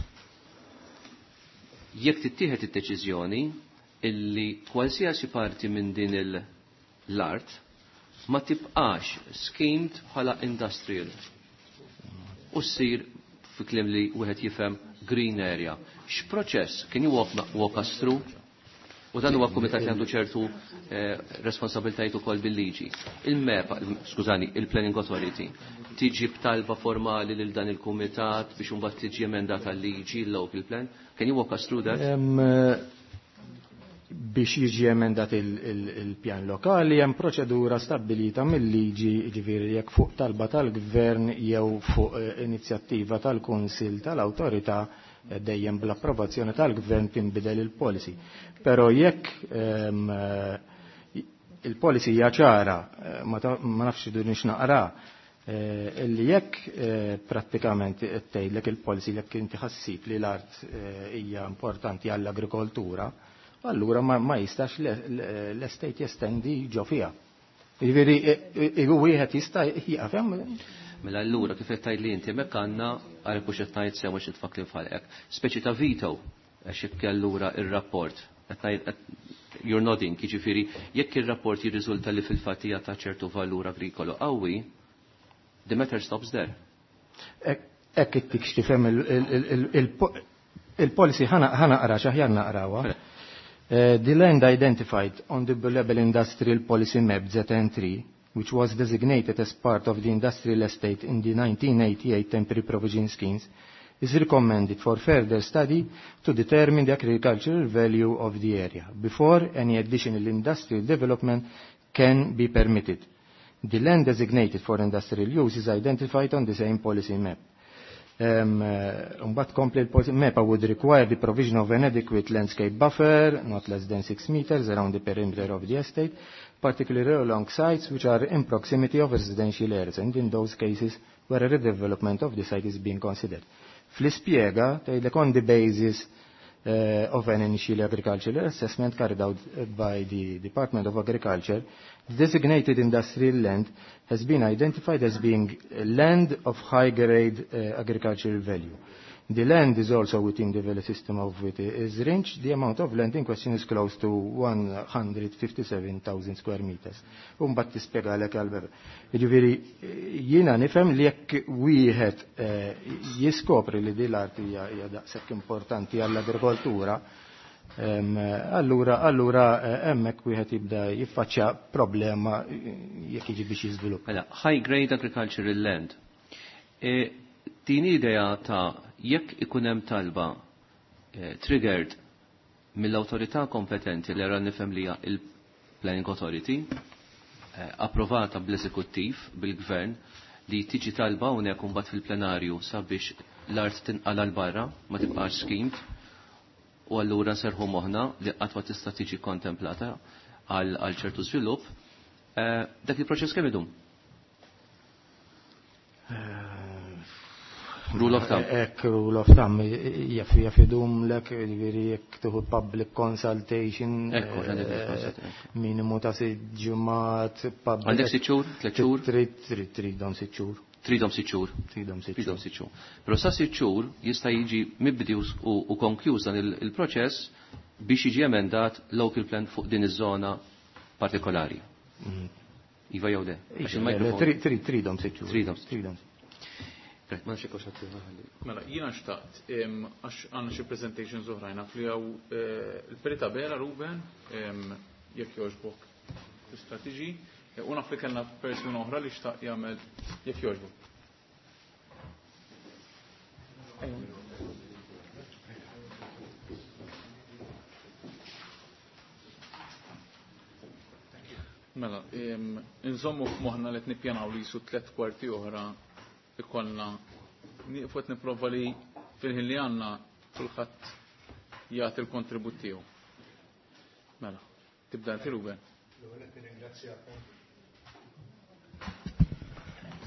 jekk tittieħed id-deċiżjoni illi kwalsiasi parti minn din l-art ma tibqax schemed bħala industrial u ssir, fi kliem li wieħed jifhem, green area? X'proċess? Can you walk, walk us through? U dan huwa kumitat li għandu ċertu eh, responsabiltajiet ukoll bil-liġi. Il-MEPA, skużani, il-Planning Authority, tiġi b'talba formali lil dan il-kumitat biex imbagħad tiġi emendata l-liġi, il-local plan. Can you walk us through that? Em, eh, biex jiġi emendat il-pjan lokali hemm proċedura stabbilita mill-liġi, ġifieri jekk fuq talba tal-gvern jew fuq eh, inizjattiva tal-Kunsill tal-Awtorità, eh, dejjem bl-approvazzjoni tal-gvern, tinbidel il-policy. Però jekk em, eh, il-policy hija ċara, eh, ma ta- ma nafx idunix naqra, eh, illi jekk eh, prattikament tgħidlek il-policy jekk inti ħassib li l-art eh, hija importanti għall-agrikoltura, allura ma, ma jistax l-estate jestendi ġo fiha. Jiġifieri wieħed jista' jieqaf hemm. Mela allura kif qed tgħid li inti hemmhekk għandna għalhekk mhux qed ngħid sew mhux nitfak li f'ħalqek. Speċi ta' veto għax jekk allura ir-rapport qed ngħid you're nodding, jiġifieri jekk ir-rapport jirriżulta li fil-fatt hija ta' ċertu valur agrikolo qawwi, the matter stops there. Hekk ittik x'tifhem il-policy ħa naqra x'aħjar naqrawha. The land identified on the Bulebel Industrial Policy Map Z N three, which was designated as part of the industrial estate in the nineteen eighty-eight temporary provision schemes, is recommended for further study to determine the agricultural value of the area before any additional industrial development can be permitted. The land designated for industrial use is identified on the same policy map. Um, uh, but complete policy map would require the provision of an adequate landscape buffer, not less than six meters around the perimeter of the estate, particularly along sites which are in proximity of residential areas, and in those cases where a redevelopment of the site is being considered. Fl-ispjega tgħidlek on the basis uh, of an initial agricultural assessment carried out by the Department of Agriculture, the designated industrial land has been identified as being land of high-grade uh, agricultural value. The land is also within the value system of which is range. The amount of land in question is close to one hundred fifty-seven thousand square meters. U mbagħad tispjegalek għal-bebe. Jiġifieri jiena nifhem li jekk wieħed jiskopri li din l-art hija daqshekk importanti għall-agrikoltura, allura allura hemmhekk wieħed jibda jiffaċċja problema jekk jiġi biex jiżviluppa. Mela, high grade agricultural land. Din idea ta' jekk ikun hemm talba eh, triggered mill-awtorità kompetenti li ra nifhem li hija il-Planning Authority, eh, approvata bl-eżekuttiv, bil-gvern, li tiġi talba hawnhekk imbagħad fil-plenarju sabiex l-art tinqala l barra, ma tibqax schemed, u allura nserħu moħħna li qatt ma tista' tiġi kontemplata għal ċertu żvilupp, eh, dak il-proċess kemm idum? Rule of thumb. Ek, rule of thumb, jaf jaf idum lek, jiġifieri jekk tieħu public consultation, Ekku, għandek consultation. minimu ta' sitt ġimgħat, public. Għandek sitt xhur, tliet xhur? Trid, trid, tridhom sitt xhur. Tridhom sitt xhur. Tridhom sitt Tridhom sitt xhur. Però sa sitt xhur jista' jiġi mibdi u, u konkluż dan il-proċess biex jiġi emendat local plan fuq din iż-żona partikolari. Iva jew le? Għax il-mikrofon. Trid, trid, tridhom sitt xhur. Tridhom sitt xhur. Tridhom. Ma nafx hekk x'għad ħalli. Mela, jiena xtaqt, għax għandna xi presentations oħrajn, naf li hawn il-Perita Bela, Ruben, jekk jogħġbok tista' tiġi, u naf li kellna persuna oħra li xtaq jagħmel jekk jogħġbok. Mela, inżommu f'moħħna li qed nippjanaw li jisu tliet kwarti oħra ikollna nieqfu qed nipprova li fil-ħin li għandna kulħadd jagħti l-kontribut tiegħu. Mela, tibda inti Ruben.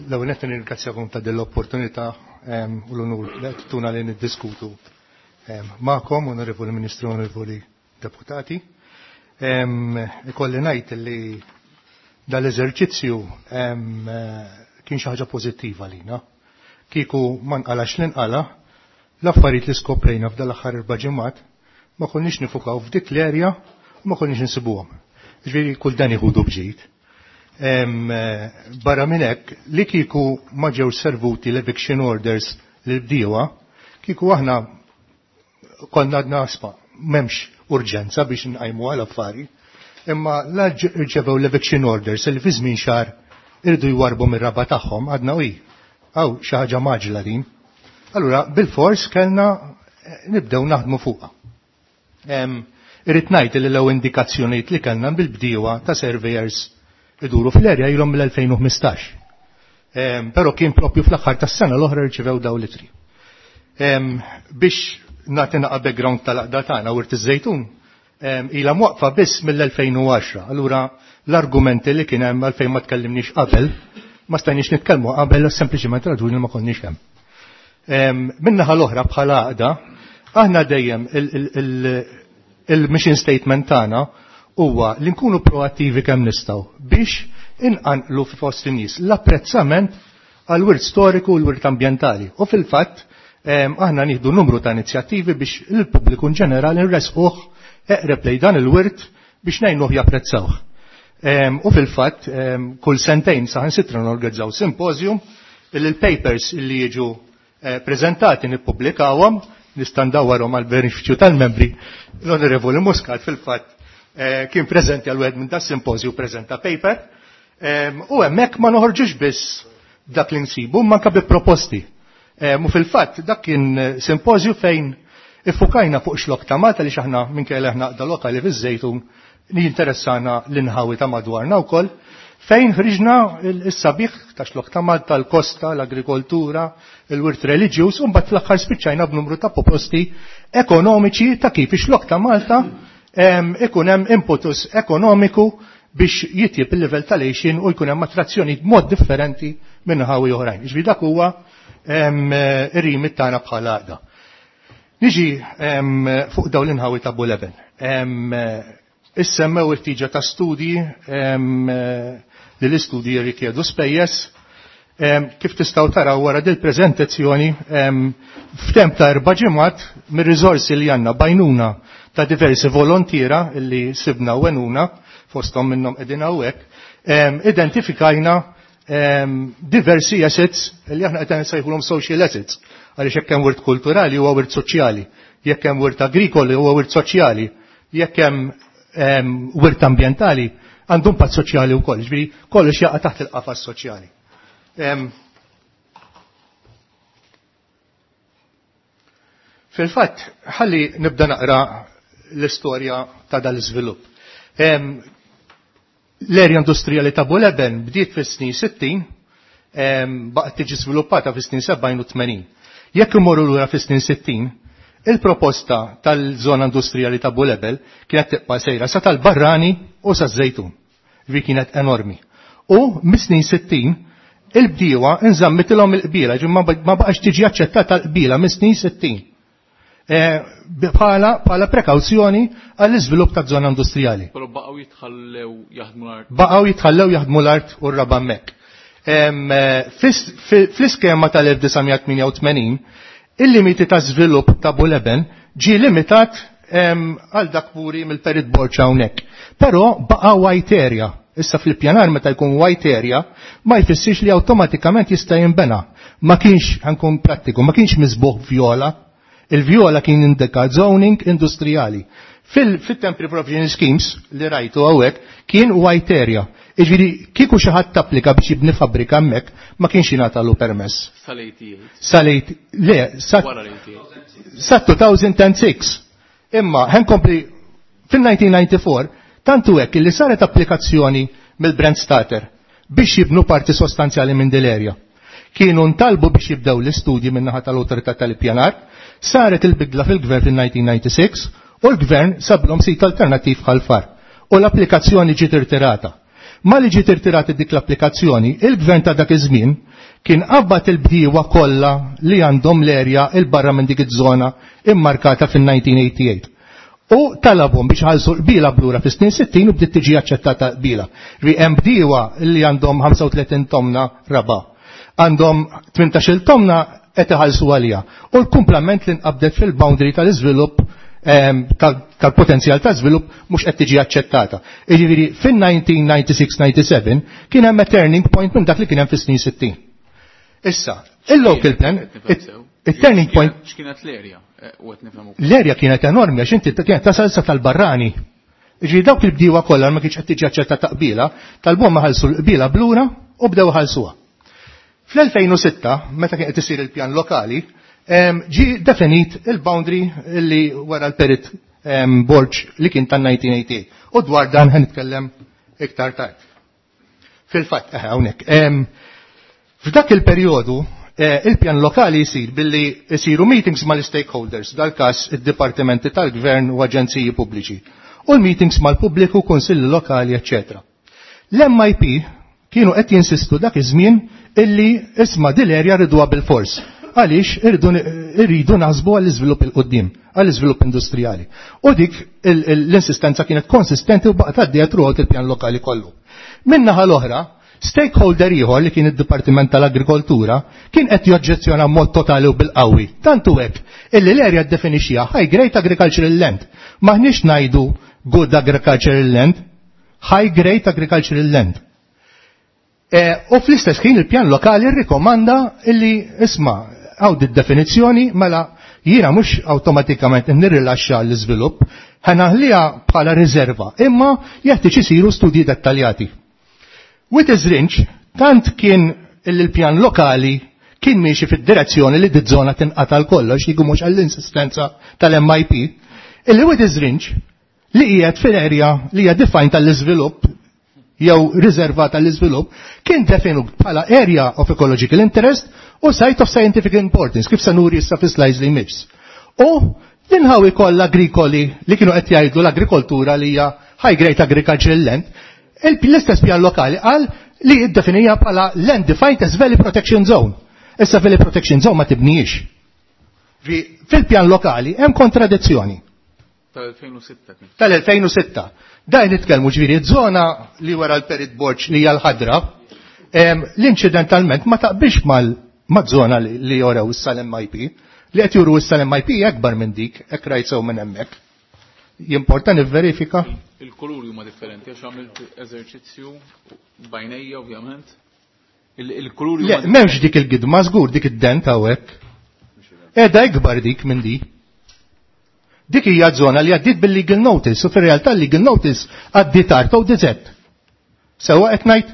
L-ewwel nett nirringrazzjakom ta' din l-opportunità u l-onur li qed tuna li niddiskutu magħkom, Onorevoli Ministru, Onorevoli Deputati. Ikolli ngħid li dal-eżerċizzju kien xi ħaġa pożittiva lina. Kieku ma nqalax li nqala, l-affarijiet li skoprejna f'dal aħħar erba' ġimgħat ma konniex nifukaw f'dik l-erja u ma konniex insibuhom. Ġifieri kull dan iħudu bġid. Barra minn hekk, li kieku ma ġewx servuti l-eviction orders lil bdiewa, kieku aħna konna għadna asma, m'hemmx urġenza biex nqajmu għal affari, imma la rċevew l-eviction orders li fi żmien xahar irridu jwarbu mir-raba tagħhom, għadna uj, għaw xi ħaġa maġla din. Allura bil-fors kellna nibdew naħdmu fuqha. Irrid ngħid li l-ewwel indikazzjonijiet li kellna bil-bdiewa ta' surveyors iduru fl-erja ilhom mill-elfejn u ħmistax. Però kien propju fl-aħħar tas-sena l-oħra rċevew daw l-itri. Biex nagħti naqa' background tal-aqda tagħna Wirt iż-Żejtun, ilha mwaqfa biss mill-elfejn u għaxra. Allura l-argumenti li kien hemm għalfejn ma tkellimniex qabel, ma stajniex nitkellmu qabel sempliċiment raġuni li ma konniex hemm. Min-naħa l-oħra bħala għaqda, aħna dejjem il-mission statement tagħna huwa li nkunu proattivi kemm nistgħu biex inqanqlu fost in-nies l-apprezzament għall-wirt storiku u l-wirt ambjentali. U fil-fatt aħna nieħdu numru ta' inizjattivi biex il-pubbliku in ġenerali nresquh eqreb lejn dan il-wirt biex ngħinuh japprezzawh. U fil-fatt kull sentejn saħansitra norganizzaw simposium illi l-papers illi jiġu preżentati nippubblikawhom, nista' ndawwarhom għall-benefiċċju tal-membri. L-Onorevoli Muscat fil-fatt kien preżenti għal wieħed minn das simposium preżenta paper. U hemmhekk ma noħorġux biss dak li nsibu, manka bi proposti. U fil-fatt dak kien simpożju fejn iffukajna fuq xlok ta' Malta li xaħna minkejja aħna għaqda lokali fiż-Żejtun li jinteressana l-inħawi ta' madwarna wkoll, fejn ħriġna s-sabiħ ta' xlok ta' Malta, l-kosta, l-agrikoltura, il-wirt reliġjuż, u mbagħad fl-aħħar spiċċajna b'numru ta' proposti ekonomiċi ta' kif ix-xlok ta' Malta ikun hemm impetus ekonomiku biex jitjib il-livell tal-għixien u jkun hemm attrazzjoni b'mod differenti minn ħawi oħrajn. Ġifieri dak huwa ir-rimit tagħna bħala għaqda. Niġi fuq dawn l-inħawi ta' Buleben. Issemmew il-tiġa ta' studji li l-istudji jirrikjedu spejjeż. Kif tistgħu taraw wara dil preżentazzjoni f'temp ta' erba' ġimgħat mir-riżorsi li għandna bajnuna ta' diversi volontiera li sibna u għenuna, fosthom minnhom qegħdin hawnhekk, identifikajna diversi assets li aħna qed nsejħulhom social assets, għaliex jekk hemm wirt kulturali huwa wirt soċjali, jekk hemm wirt agrikoli huwa wirt soċjali, jekk hemm wirt ambjentali għandu impatt soċjali wkoll, ġifieri kollox jaqa' taħt il-qafas soċjali. Fil-fatt, ħalli nibda naqra l-istorja ta' dal-iżvilupp. L-erja industrijali ta' Buleben bdiet fis-snin sittin, baqgħet tiġi żviluppata fis-snin sebgħin u tmenin. Jekk imorru lura fis-snin sittin, il-proposta tal-żona industrijali ta' Bulebel kienet tibqa' sejra sa tal-Barrani u sa Żejtun. Vi kienet enormi. U mis-snin sittin il-bdiewa nżammitilhom il-qbila, ġi ma baqax tiġi aċċettata l-qbila mis-snin sittin. Bħala bħala prekawzjoni għall-iżvilupp ta' żona industrijali. Però baqgħu jitħallew jaħdmu l-art. Baqgħu jitħallew jaħdmu l-art u r-raba' hemmhekk. Fl-iskema tal-elf disa' mija tmienja u tmenin, il-limiti ta' żvilupp ta' Buleben ġie limitat għal dak puri mill-Perit Borg hawnhekk. Però baqa' white area. Issa fil-pjanar meta jkun white area ma jfissirx li awtomatikament jista' jinbena. Ma kienx, ħankun prattiku, ma kienx miżbuħ vjola. Il-vjola kien indika zoning industrijali. Fil-temporary provision schemes li rajtu hawnhekk kien white area. Jiġifieri kieku xi ħadd tapplika biex jibni fabbrika hemmhekk ma kienx jingħatalu permess. Sal-eighty-eight. Sal-eight, le, sa Wara l-eighty-eight. sa two thousand and six. Imma ħenkompli fil-nineteen ninety-four tantu hekk illi saret applikazzjoni mill-Brand Starter biex jibnu parti sostanzjali minn din l-erja. Kienu ntalbu biex jibdew l-istudji min-naħa tal-Awtorità tal-Ippjanar, saret il-bidla fil-gvern fil-nineteen ninety-six u l-gvern sablhom sit alternattiv bħal-far u l-applikazzjoni ġiet irtirata. Ma li ġiet irtirata dik l-applikazzjoni, il-gvern ta' dak iż-żmien kien qabad il-bdiewa kollha li għandhom l-erja il-barra minn dik iż-żona immarkata fil-nineteen eighty-eight. U talabhom biex ħalsu qbila blura fis-snin sittin u bdiet tiġi aċċettata qbila. Ri hemm bdiewa li għandhom ħamsa u tletin tomna raba', għandhom tmintax-il tomna qed iħallsu għalija. U l-kumplament li nqabdet fil-boundary tal-iżvilupp, ehm, tal-potenzjal ta' żvilupp mhux qed tiġi aċċettata. Jiġifieri fin-nineteen ninety-six ninety-seven kien hemm a turning point minn dak li kien hemm fis-snin sittin. Issa, il-local plan, it-turning point X'kienet l-erja? Eh, u qed nifhem ukoll. L-erja kienet enormi għax inti kienet tasal sa tal-Barrani. Jiġifieri dawk il-bdiewa kollha ma kienx qed tiġi aċċettata qbila, talbuhom ma ħallsu l-qbila blura u bdew ħallsuha. Fl-elfejn u sitta, meta kien qed isir il-pjan lokali, em, ġie definit il-boundary li wara l-Perit, em, Borg li kien tan-nineteen eighty-eight. U dwar dan ħa nitkellem iktar tard. Fil-fatt, eh, hawnhekk. Em, f'dak il-perjodu, eh, il-pjan lokali jsir billi jsiru meetings mal-stakeholders, dal-każ id-dipartimenti tal-gvern u aġenziji pubbliċi, u l-meetings mal-pubbliku, kunsilli lokali, eċċetera. L-M I P kienu qed jinsistu dak iż-żmien illi isma' din l-erja rriduha bil-fors. Għaliex irridu, irridu naħsbu għall-iżvilupp il-qudiem, għall-iżvilupp industrijali. U dik il-, il-, l-insistenza kienet konsistenti u baqgħet għaddejja throughout il-pjan lokali kollu. Min-naħa l-oħra, Stakeholder ieħor li kien id-Dipartiment tal-Agrikoltura kien qed joġġezzjona mod totali u bil-qawwi. Tantu hekk illi l-area ddefinixxiha high grade agricultural land. Maħniex ngħidu good agricultural land, high grade agricultural land. E, u fl-istess ħin il-pjan lokali rrikomanda illi isma' hawn id-definizzjoni mela jiena mhux awtomatikament nirrilaxxa l-iżvilupp, ħanaħliha bħala riserva, imma jeħtieġ isiru studji dettaljati. With Rinch, tant kien il-pjan lokali kien miexi fid-direzzjoni li d-żona tinqata' kollox, jigu mhux għall-insistenza tal-M I P, illi With Rinch li qiegħed fil-area li hija defined tal-iżvilupp jew riserva tal-iżvilupp kien definut bħala area of ecological interest u site of scientific importance, kif se nuri issa fi slides li jmiss. U l-inħawi kollha agrikoli li kienu qed jgħidu l-agrikoltura li hija high grade agricultural land, l-istess pjan lokali qal li iddefinija bħala land defined as Valley Protection Zone. Issa Valley Protection Zone ma tibnijiex. Fil-pjan lokali hemm kontradizzjoni. Tal-elfejn u sitta kien. Tal-elfejn u sitta. Daj nitkellmu ġifieri żona li wara l-Perit Borg li hija l-ħadra, l-incidentalment ma taqbilx mal-żona li jorew issa l-M I P. Li qed juru issa l-M I P akbar minn dik, hekk rajt sew minn hemmhekk. Jimporta nivverifika? Il-kuluri huma differenti għax għamilt eżerċizzju bajnejja ovvjament. Il-kuluri Le, m'hemmx dik il-gidma żgur dik id-dent hawnhekk. Qiegħda ikbar dik minn di. Dik hija żona li għaddiet bil-legal notice u fir-realtà l-legal notice għaddiet art O D Z. Sewwa qed ngħid?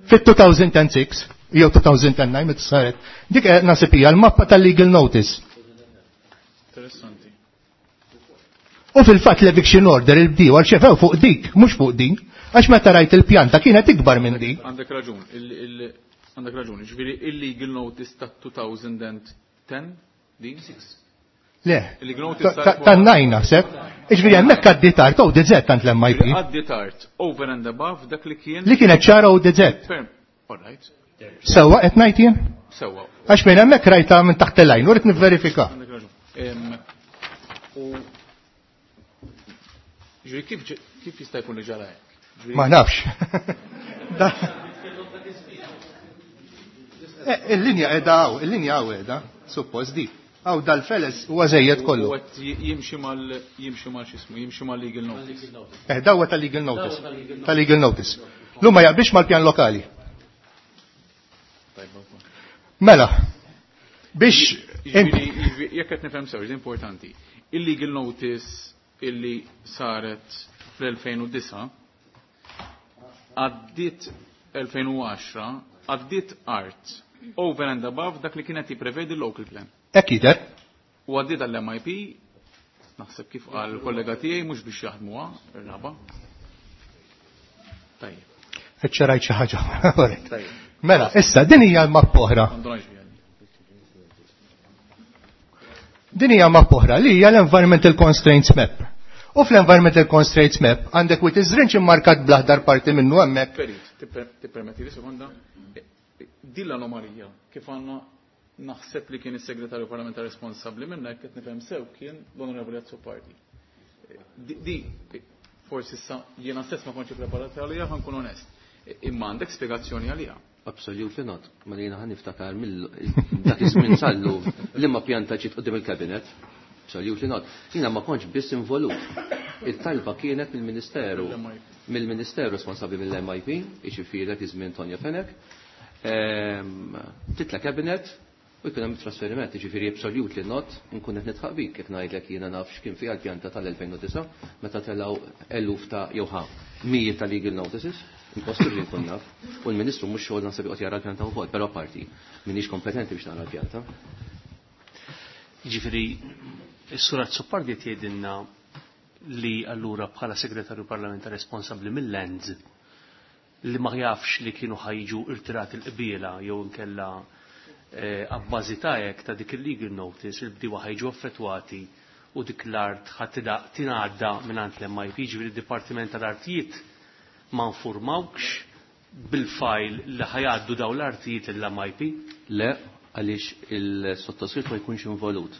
Fit-two thousand and six jew two thousand and nine meta saret. Dik qed nasib hija l-mappa tal-legal notice. Interessanti. U fil-fatt l-eviction order il-bdiewa rċevew fuq dik, mhux fuq din, għax meta rajt il-pjanta kienet ikbar minn di. Għandek raġun, għandek raġun, ġifieri il-legal notice ta' two thousand ten din? Le, tan-nine naħseb. Ġifieri hemmhekk għaddiet art O D Z tant l-M I P. Għaddiet art over and above dak li kien. Li kienet ċara O D Z. All right. Sewwa qed ngħid jien? Sewwa. Għax minn hemmhekk rajta minn taħt il-lajn, u rrid nivverifika. U ġifieri kif kif jista' jkun li ġara hekk? Ma nafx. Eh, il-linja qiegħda hawn, il-linja hawn qiegħda, suppost di. Hawn dal-feles huwa żejjed kollu. U jimxi mal jimxi mal x'ismu, jimxi mal legal notice. Eh, dawa tal-legal notice. Tal-legal notice. Lum ma jaqbilx mal-pjan lokali. Mela, biex Jekk qed nifhem sew, importanti. Il-legal notice illi saret fl-elfejn u disgħa għaddiet elfejn u għaxra għaddiet art over and above dak li kienet jipprevedi l-local plan. Hekk jidher. U għaddiet għall-M I P, naħseb kif qal kollega tiegħi mhux biex jaħdmuha ir-raba. Tajjeb. Eċċerajt xi ħaġa. Mela, issa din hija l-mappa oħra. Din hija mappa oħra li hija l-Environmental Constraints Map. U fl-Environmental Constraints Map għandek Wied iż-Żrinġ immarkat bl-aħdar parti minnu hemmhekk. Perit, tippermetti li sekonda. Din l-anomalija kif għandna naħseb li kien is-segretarju parlamentari responsabbli minna, jekk qed nifhem sew kien l-Onorevoli Azzopardi. Di forsi issa jiena stess ma kontx preparat għalija, ħa nkun onest. Imma għandek spjegazzjoni għalija? Absolutely not. Ma jiena ħa niftakar mill dak iż-żmien sallu li ma pjanta ġiet quddiem il-kabinet. Absolutely not. Jiena ma kontx biss involut. Il-talba kienet mill-Ministeru mill-Ministeru responsabbli mill-M I P, jiġifieri dak iż-żmien Tonio Fenech. Ehm, titla kabinet u jkun hemm trasferiment, jiġifieri absolutely not, nkun qed nidħaq bik kif ngħidlek jiena naf x'kien fiha l-pjanta tal-elfejn u disgħa meta telgħu eluf ta' jew ħa mijiet ta' legal notices. Impossibbli nkun naf. U l-Ministru mhux xogħol naħseb joqgħod jara l-pjanta wkoll, però parti m'iniex kompetenti biex nara l-pjanta. Jiġifieri is-Sur Azzopardi qed jgħidilna li allura bħala segretarju parlamentari responsabbli mill-lands li ma jafx li kienu ħa jiġu irtirati l-qbiela jew inkella eh, abbażi ta' hekk ta' dik il-legal notice il-bdiewa ħa jiġu affettwati u dik l-art ħa tingħadda mingħand l-M I P, ġifieri d-Dipartiment tal-Artijiet ma nfurmawkx bil-fajl li ħa jgħaddu daw l-artijiet l-M I P? Le, għaliex il-sottoskritt ma jkunx involut.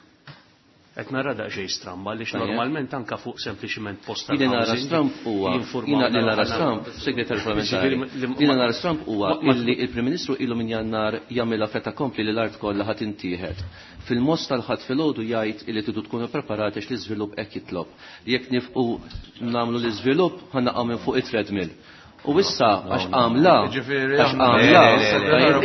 Qed nara daqsxejn stramba għaliex normalment anke fuq sempliċiment post Li nara stramp huwa li nara stramp, segretarju parlamentari. Li nara stramp huwa illi il-Prim Ministru ilu minn Jannar jagħmilha feta kompli li l-art kollha ħadd intieħed. Fil-most tal-ħadd filgħodu jgħid illi tridu tkunu preparati għax l-iżvilupp hekk jitlob. Jekk nifqu nagħmlu l-iżvilupp ħa naqgħu minn fuq it-treadmill. U issa għax għamla, għax għamla,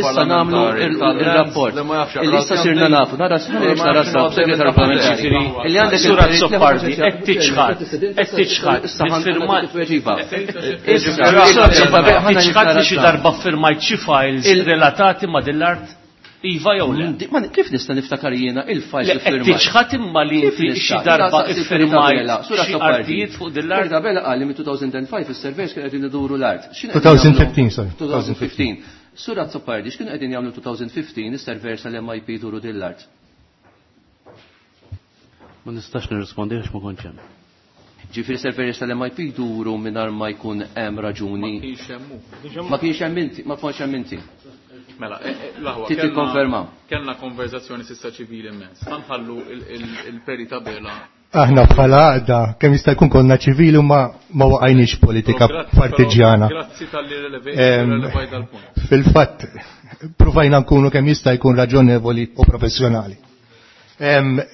issa namlu il-rapport. Issa sirna nafu, nara nara segretarju parlamentari. Illi għandek Sur Azzopardi, qed tiċħad, qed tiċħad, tiċħad li xi darba ffirmajt xi files relatati ma' din l-art? Iva jew le? Kif nista' niftakar jiena il-files li firmajt? Tiċħad imma li inti xi darba iffirmajt xi artijiet fuq din l-art? Tabella qal li minn two thousand and five is-surveyors kienu qegħdin iduru l-art. twenty fifteen, sorry. twenty fifteen. Sur Azzopardi, x'kienu qegħdin jagħmlu twenty fifteen is-surveyors tal-M I P iduru din l-art? Ma nistax nirrispondi għax ma kontx hemm. Ġifieri surveyors tal-M I P jduru mingħajr ma jkun hemm raġuni. Ma kienx hemm hu. Ma kienx hemm inti, ma kontx hemm inti. Mela, l-aħwa, Ti tikkonferma. Kellna konverzazzjoni sissa ċivili immens. Ħanħallu il-peri tabela. Aħna bħala għaqda kemm jista' jkun konna ċivili u ma, ma waqajniex politika partiġjana. Grazzi tal-li relevajt dal-punt. Fil-fatt, provajna nkunu kemm jista' jkun raġonevoli u professjonali.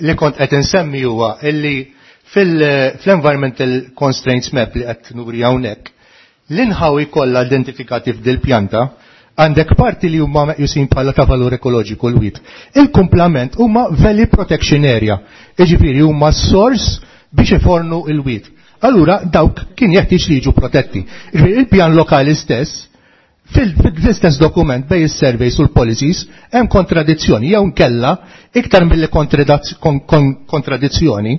Li kont qed insemmi huwa illi fil-environmental constraints map li qed nuri hawnhekk, l-inħawi kollha identifikati f'dil pjanta għandek parti li huma meqjusin bħala ta' valur ekoloġiku l-wit. Il-kumplament huma Valley Protection Area, jiġifieri huma s-sors biex ifornu l-wit. Allura dawk kien jeħtieġ li jiġu protetti. Jiġifieri il-pjan lokali stess, fil-istess dokument bej is-surveys u l-policies hemm kontradizzjoni jew nkella iktar milli kontradizzjoni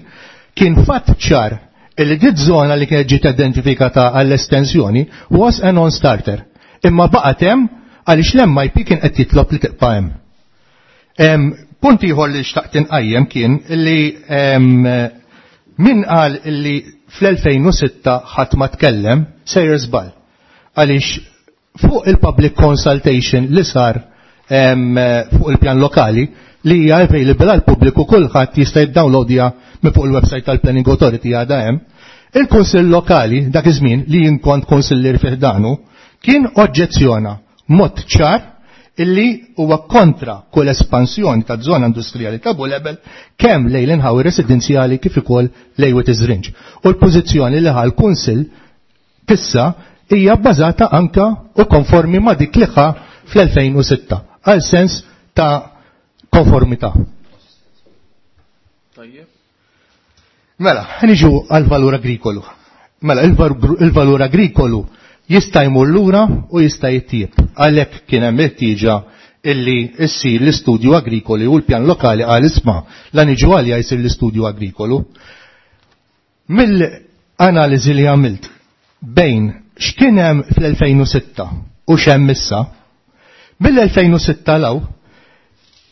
kien fatt ċar illi dit żona li kienet ġiet identifikata għall-estensjoni was a non-starter. Imma baqgħet hemm għaliex l-M I P kien qed jitlob li tibqa' hemm. Punt ieħor li xtaqt inqajjem kien li min qal li fl-elfejn u sitta ħadd ma tkellem sejjer żball. Għaliex fuq il-public consultation li sar fuq il-pjan lokali li hija available għal pubbliku kulħadd jista' jiddownloadja minn fuq il-website tal-Planning Authority għadha hemm. Il-Kunsill Lokali dak iż-żmien li jien kont kunsillier fih danu kien oġġezzjona mod ċar illi huwa kontra kull espansjoni ta' żona industrijali ta' Bulebel kemm lejn l-inħawi residenzjali kif ukoll lejn Wied Iż-Żrinġ. U l-pożizzjoni li ħa l-Kunsill tissa hija bbażata anka u konformi ma' dik li ħa fl-elfejn u sitta għal sens ta' konformità. Tajjeb. Mela, niġu għal valur agrikolu. Mela, il-valur agrikolu jista' jmur lura u jista' jittieb. Għalhekk kien hemm il-ħtieġa illi issir l-istudju agrikoli u l-pjan lokali għal isma' la niġu għalja jsir l-istudju agrikolu. Mill-analiżi li għamilt bejn x'kien hemm fl-elfejn u sitta u x'hemm issa, mill-elfejn u sitta law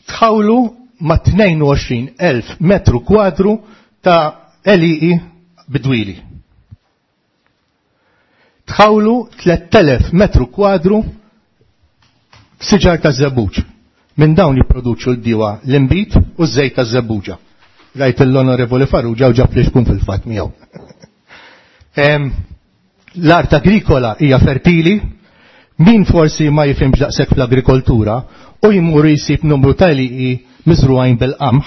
tħawlu ma' tnejn u għoxrin elf metru kwadru ta' għelieqi bidwili. Tħawlu tliet elef metru kwadru f'siġar ta' żebbuġ. Minn dawn jipproduċu l-diwa l-inbid u ż-żejt ta' żebbuġa. Rajt l-Onorevoli Farrugia u ġab li xkun fil-fatt miegħu. L-art agrikola hija fertili, min forsi ma jifhimx daqshekk fl-agrikoltura u jmur jsib numru ta' għelieqi miżrugħin bil-qamħ,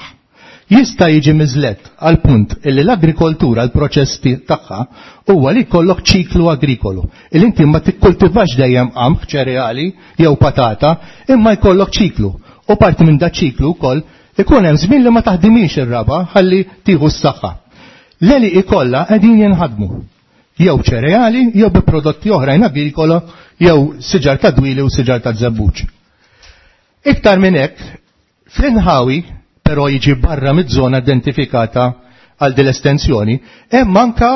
jista' jiġi miżlett għal punt illi l-agrikoltura, l-proċess tagħha huwa li jkollok ċiklu agrikolu. Illi inti ma tikkultivax dejjem qamħ, ċereali jew patata, imma jkollok ċiklu. U parti minn da ċiklu wkoll ikun hemm żmien li ma taħdimix ir-raba ħalli tieħu s-saħħa. L-għelieqi kollha qegħdin jinħadmu. Jew ċereali, jew bi prodotti oħrajn agrikola, jew siġar ta' dwili u siġar ta' żebbuġ. Iktar minn hekk, fl-inħawi, però jiġi barra mid-żona identifikata għal din l-estensjoni, hemm anka,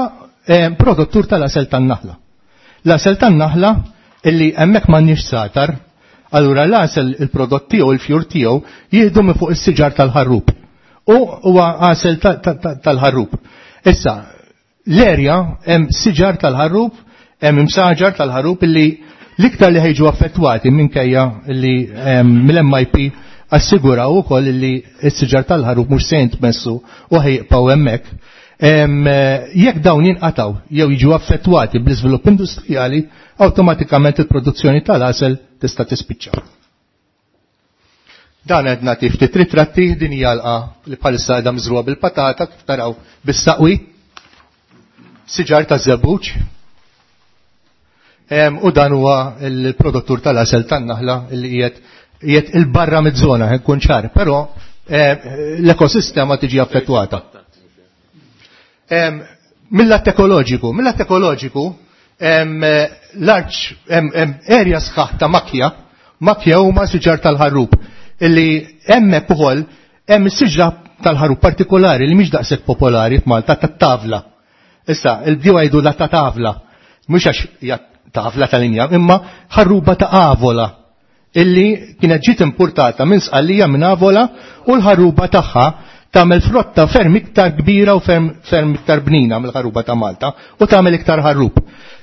eh, produttur tal-asel tan-naħla. L-asel tan-naħla illi hemmhekk m'għandniex satar, allura l-asel il-prodott tiegħu, il-fjur tiegħu, jieħdu minn fuq is-siġar tal-ħarrub. U huwa asel ta-, ta-, ta-, tal-ħarrub. Issa, l-erja hemm siġar tal-ħarrub, hemm imsaġar tal-ħarrub illi l-iktar li ħejġu affettwati minkejja li, ehm, mill-M I P assiguraw ukoll li s-siġar tal-ħarub mhux se jintmessu u ħejqpaw hemmhekk. Jekk dawn jinqataw jew jiġu affettwati bl-iżvilupp industrijali, awtomatikament il-produzzjoni tal-għasel tista' tispiċċa. Dan qed nagħti ftit ritratti, din hija għalqa li bħalissa qiegħda miżruha bil-patata kif taraw bis-saqwi, siġar ta' żebbuġ. U dan huwa l-produttur tal-għasel tan-naħla li qiegħed qiegħed il-barra miż-żona, nkun ċar, però l-ekosistema tiġi affettwata. Mill-att ekoloġiku, mill-att ekoloġiku, l-arċ erja sħaħ ta' makja, makja huma siġar tal-ħarrub, illi hemmhekk ukoll hemm is-siġra tal-ħarrub partikolari li mhix daqshekk popolari f'Malta, tat-tavla. Issa, il-bdiewa jgħidu la ta' tavla, mhux għax hija tavla tal-injam, imma ħarruba ta' avola, illi kienet ġiet importata minn Sqallija minn Avola, u l-ħarruba tagħha tagħmel frotta ferm iktar kbira u ferm, ferm iktar bnina mill-ħarruba ta' Malta, u tagħmel iktar ħarrub.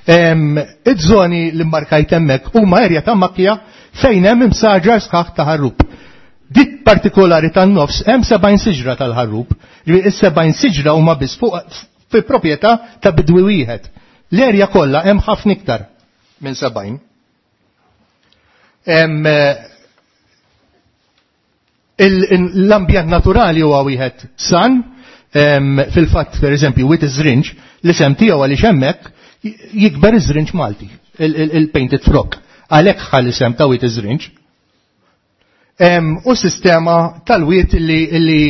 Iż-żoni li mmarkajt hemmhekk huma erja ta' makja fejn hemm imsaġar sħaħ ta' ħarrub. Dik partikolari tan-nofs hemm sebgħin siġra tal-ħarrub, ġifieri is-sebgħin siġra huma biss fuq fi proprjetà ta' bidwi wieħed. L-erja kollha hemm ħafna iktar minn sebgħin. L-ambjent naturali huwa wieħed san, fil-fatt per eżempju wit iż-żrinġ, l-isem tiegħu għaliex hemmhekk jikber iż-żrinġ Malti, il-painted frog. Għalhekk ħa l-isem ta' wit iż-żrinġ. U sistema tal-wiet li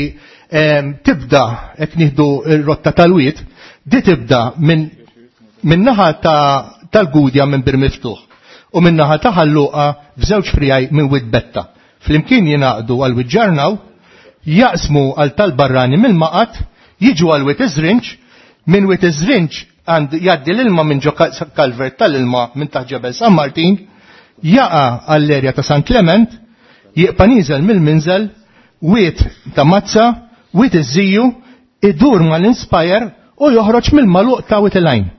tibda, hekk nieħdu r-rotta tal-wiet, di tibda minn naħa tal-Gudja minn Bir Miftuħ u minn naħa ta' Ħalluqa f'żewġ frijaj minn Wied Betta. Flimkien jingħaqdu għal Wied Ġarnaw, jaqsmu għal tal-Barrani mill-Maqat, jiġu għal Wied Iż-Żrinġ, minn Wied Iż-Żrinġ għand jgħaddi l-ilma minn ġo kalvert tal-ilma minn taħt Ġebel San Martin, jaqa' għall-erja ta' San Clement, jibqa' nieżel mill-Minżel, wied ta' Mazza, wied iż-Żiju, idur mal-Inspire u joħroġ mill-maluq ta' Wied il-Għajn.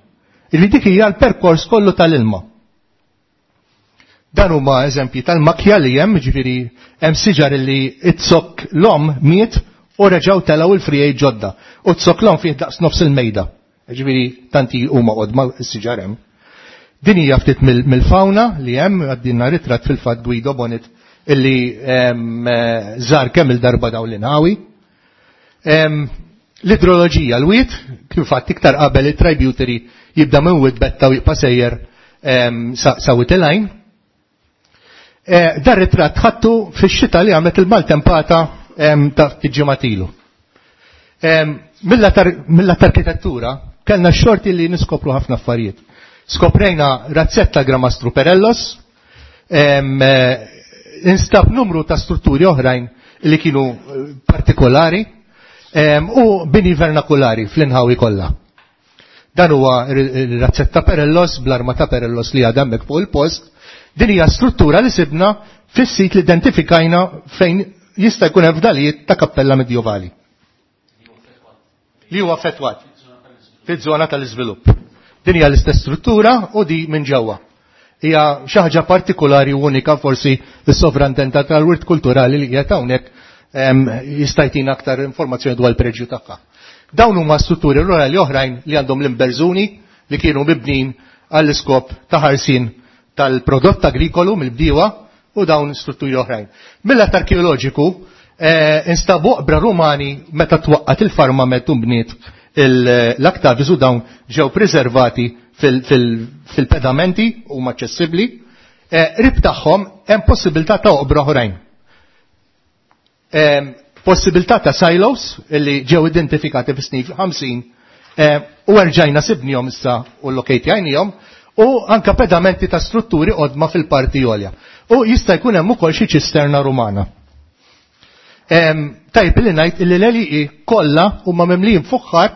Illi dik hija l-perkors kollu tal-ilma. Dan huma eżempji tal-makja li hemm, ġifieri hemm siġar li it-sokk l-om miet u reġgħu telgħu il-frijej ġodda. U t-sokk l-om fih daqs nofs il-mejda. Ġifieri tanti huma qodma s-siġar hemm. Din hija ftit mill-fawna li hemm, għaddinna ritratt fil-fatt Guido Bonit illi żar kemm il-darba dawn l-inħawi. L-idroloġija, l-wiet, kif fatt iktar qabel il-tributary jibda minn Wied Betta u jibqa' sejjer sa Wied il-Għajn. Dar ritratt ħattu fix-xita li għamlet il-maltempata ta' ftit ġimgħat ilu. Mill-lat arkitettura kellna x-xorti li niskopru ħafna affarijiet. Skoprejna razzetta Gramastru Perellos, instab numru ta' strutturi oħrajn li kienu partikolari u bini vernakulari fl-inħawi kollha. Dan huwa r-razzetta Perellos bl-arma ta' Perellos li għadha hemmhekk fuq il-post. Din hija struttura li sibna fis-sit li identifikajna fejn jista' jkun hemm fdalijiet ta' kappella medjovali. Li huwa affettwat fiż-żona tal-iżvilupp. Din hija l-istess struttura u di minn ġewwa. Hija xi ħaġa partikolari u unika, forsi s-sovrantenta tal-wirt kulturali li qiegħed hawnhekk jista' jtina aktar informazzjoni dwar il-preġju tagħha. Dawn huma strutturi rurali oħrajn li għandhom l-imberżuni li kienu mibnin għall-iskop ta' ħarsien tal-prodott agrikolu mill-bdiewa u dawn strutturi oħrajn. Mill-att arkeoloġiku instabu oqbra Rumani meta twaqqat il-farma meta bniet l-Aktavis u dawn ġew preservati fil-pedamenti u aċċessibbli. Rib tagħhom hemm possibilità ta' oqbra oħrajn. Possibilità ta' silos li ġew identifikati fis-snin ħamsin u erġajna sibnihom issa u lokejtjajnihom, u anka pedamenti ta' strutturi qodma fil-parti għolja. U jista' jkun hemm ukoll xi ċisterna Rumana. Tajb li ngħid illi l-għelieqi kollha huma mimlijin fuħħar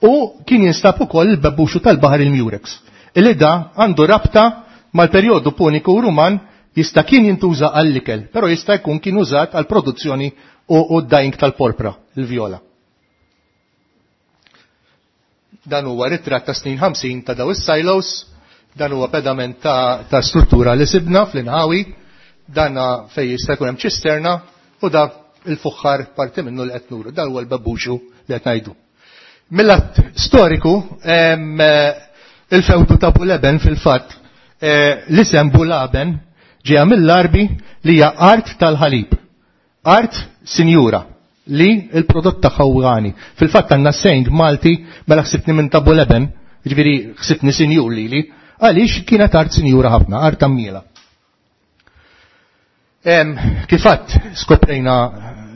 u kien jinstab ukoll il-bebbuxu tal-baħar il-Murex. Illi da għandu rabta mal-perjodu puniku u Ruman, jista' kien jintuża għall-ikel, però jista' jkun kien użat għall-produzzjoni u d-dyeing tal-porpra, il-vjola. Dan huwa ritratt ta' snin ħamsin ta' daw is-silos, dan huwa pedament ta', ta struttura li sibna fl-inħawi, dan fej jista' jkun hemm ċisterna, U da il-fuħħar parti minnu li qed nuru, dan huwa l-babbuxu li qed ngħidu. Mill-att storiku, il-fewdu ta' Buleben fil-fatt, l-isem Bulaben ġeja mill-Arbi li hija art tal-ħalib, art sinjura li il-prodott tagħha huwa għani. Fil-fatt għandna sejn Malti mela ħsibni minn ta' Buleben, ġifieri ħsibni sinjur lili, għaliex kienet art sinjura ħafna, art tammiela. Kif għadt skoprejna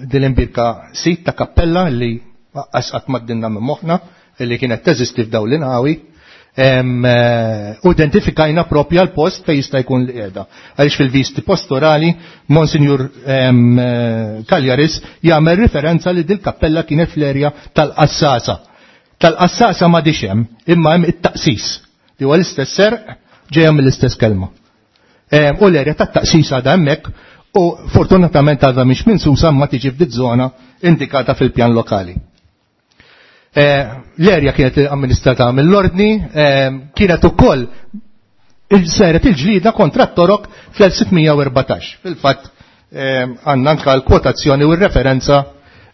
dil-imbirka sit ta' kappella li qatt m'għaddielna minn moħħna li kienet teżisti f'dawn l-inħawi, u identifikajna propja l-post fej jista' jkun li qiegħda. Għaliex fil-visti pastorali Monsignor Cagliaris jagħmel referenza li dil-kappella kienet fl-erja tal-Qassasa. Tal-Qassasa ma hemm, imma hemm it-taqsis li huwa l-istess serq ġejja mill-istess kelma. U l-erja tat-taqsis għadha hemmhekk u fortunatament għadha mhix minsusa ma tiġi f'dit żona indikata fil-pjan lokali. L-erja kienet amministrata mill-ordni, kienet ukoll saret il-ġlida kontra t-Torok fl-elf sitt mija u erbatax. Fil-fatt għandna anka l-kwotazzjoni u r-referenza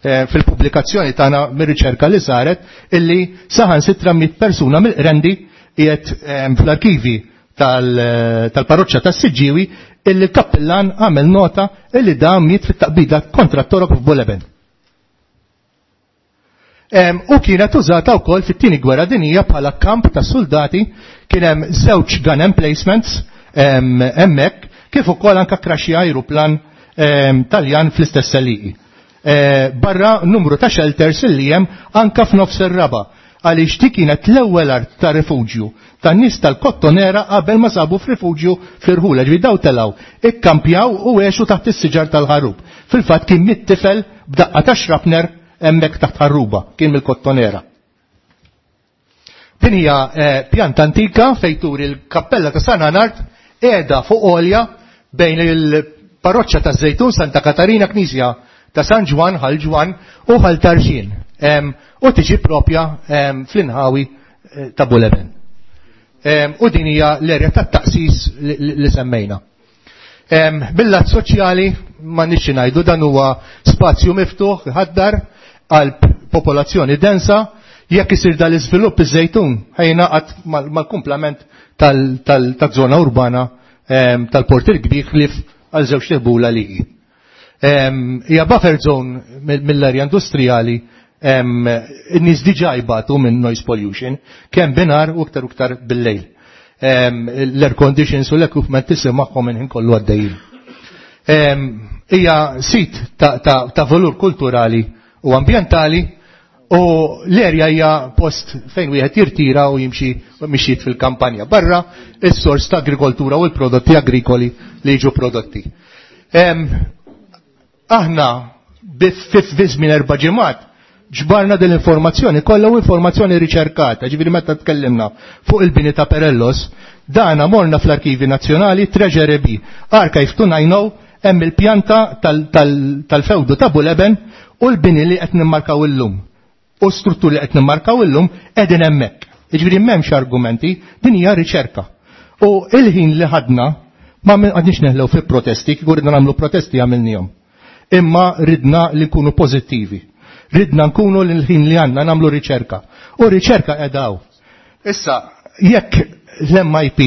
fil-pubblikazzjoni tagħna mir-riċerka li saret illi saħan sitra mit persuna mill-Qrendi qiegħed fl-arkivi tal-parroċċa tas-Siġġiewi illi l-kappillan għamel nota illi da miet fit-taqbida kontra t-Torok f'Buleben. U kienet użata wkoll fit-tieni gwerra dinija bħala kamp ta' soldati, kien hemm żewġ gun emplacements hemmhekk, kif ukoll anka kraxi ajruplan Taljan fl-istess għelieqi. Barra numru ta' shelters illi hemm anka f'nofs ir-raba, għaliex dik kienet l-ewwel art ta' rifuġju tan-nies tal-Kottonera qabel ma sabu f'rifuġju fl-irħula, ġifieri daw telgħu, ikkampjaw u għexu taħt is-siġar tal-ħarub. Fil-fatt kien miet tifel b'daqqa ta' xrapner hemmhekk taħt ħarruba, kien mill-Kottonera. Din hija pjanta antika fejn turi l-kappella ta' San Anard qiegħda fuq għolja bejn il-parroċċa ta' Żejtun Santa Katarina, Knisja ta' San Ġwann, Ħal Ġwann u Ħal Tarxien. U tiġi propja fl-inħawi ta' Buleben. U din hija l-erja tat-taqsis li semmejna. Bil-lat soċjali ma nixxi ngħidu, dan huwa spazju miftuħ ħaddar għal popolazzjoni densa. Jekk isir dal-iżvilupp iż-Żejtun ħajnaqat mal-kumplament tal-żona urbana tal-Port il-Kbir ħlief għal żewġ tirħula li hi. Hija buffer zone mill-arja industrijali, in-nies diġà jbatu minn noise pollution, kemm binhar u iktar u iktar bil-lejl. L-air conditions u l-equipment tisimgħhom minn ħin kollu għaddejjin. Hija sit ta' valur kulturali u ambjentali u l-erja hija post fejn wieħed jirtira u jimxi mixjiet fil-kampanja. Barra is-sors ta' agrikoltura u l-prodotti agrikoli li jiġu prodotti. Aħna fi żmien erba' ġimgħat ġbarna dell-informazzjoni kollha u informazzjoni riċerkata, ġifieri meta tkellimna fuq il-bini ta' Perellos, dana morna fl-Arkivi Nazzjonali, Treasury B, Archive two nine zero, hemm il-pjanta tal-fewdu ta' Buleben u l-bini li qed nimmarkaw illum. U strutturi li qed nimmarkaw illum qegħdin hemmhekk. Jiġifieri m'hemmx argumenti, din hija riċerka. U il-ħin li ħadna ma għadniex neħlew fi protesti, kieku ridna nagħmlu protesti għamilnihom. Imma ridna li nkunu pożittivi. Ridna nkunu l-ħin li għandna nagħmlu riċerka. U riċerka edaw. Issa, jekk l-M I P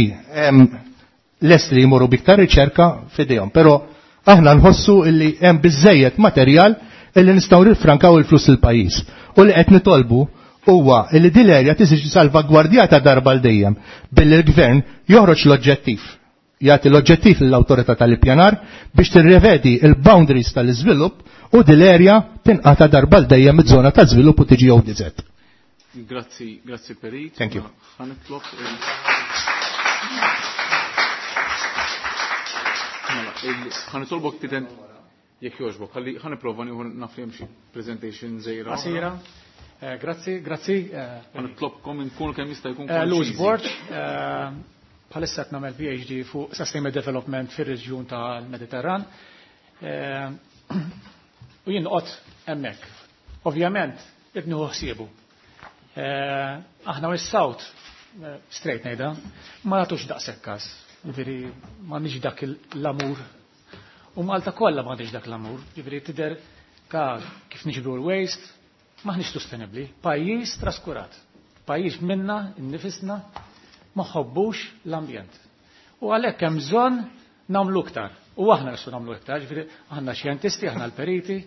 lest li jmorru biktar riċerka fidejhom, però aħna nħossu illi hemm biżejjed materjal illi nistgħu nifrankaw il-flus il-pajjiż. U li qed nitolbu huwa illi din l-erja tiġi salvagwardjata darba l dejjem billi l-gvern joħroġ l-oġġettiv. Jagħti l-oġġettiv lill-awtorità tal-ippjanar biex tirrevedi il-boundaries tal-iżvilupp u din l-erja tinqata darba l dejjem iż-żona ta' żvilupp u tiġi O D Z. Grazzi, grazzi Perit. Thank you. Ħa nitlob ħa nitolbok titen jekk jogħġbok, ħalli ħa nipprova nieħu naf li hemm xi presentation żgħira. Qasira. Eh, grazzi, grazzi. Eh, Ħa nitlobkom inkunu kemm jista' jkun eh, Louis konċiżi. Borg, bħalissa qed nagħmel P H D fuq Sustainable Development fir-reġjun tal-Mediterran. U jien noqgħod hemmhekk. Ovvjament, ibnu ħsiebu. Aħna is-South, straight ngħidha, ma nagħtux daqshekk każ. Ġifieri m'għandniex dak l-amur. U Malta kollha m'għandix dak l-amur, ġifieri tidher ka kif niġbru l-waste, maħniex sostenibbli. Pajjiż traskurat. Pajjiż minna, innifisna, ma ħobbux l-ambjent. U għalhekk hemm bżonn nagħmlu iktar. U aħna nistgħu nagħmlu iktar, ġifieri aħna xjentisti, aħna l-periti,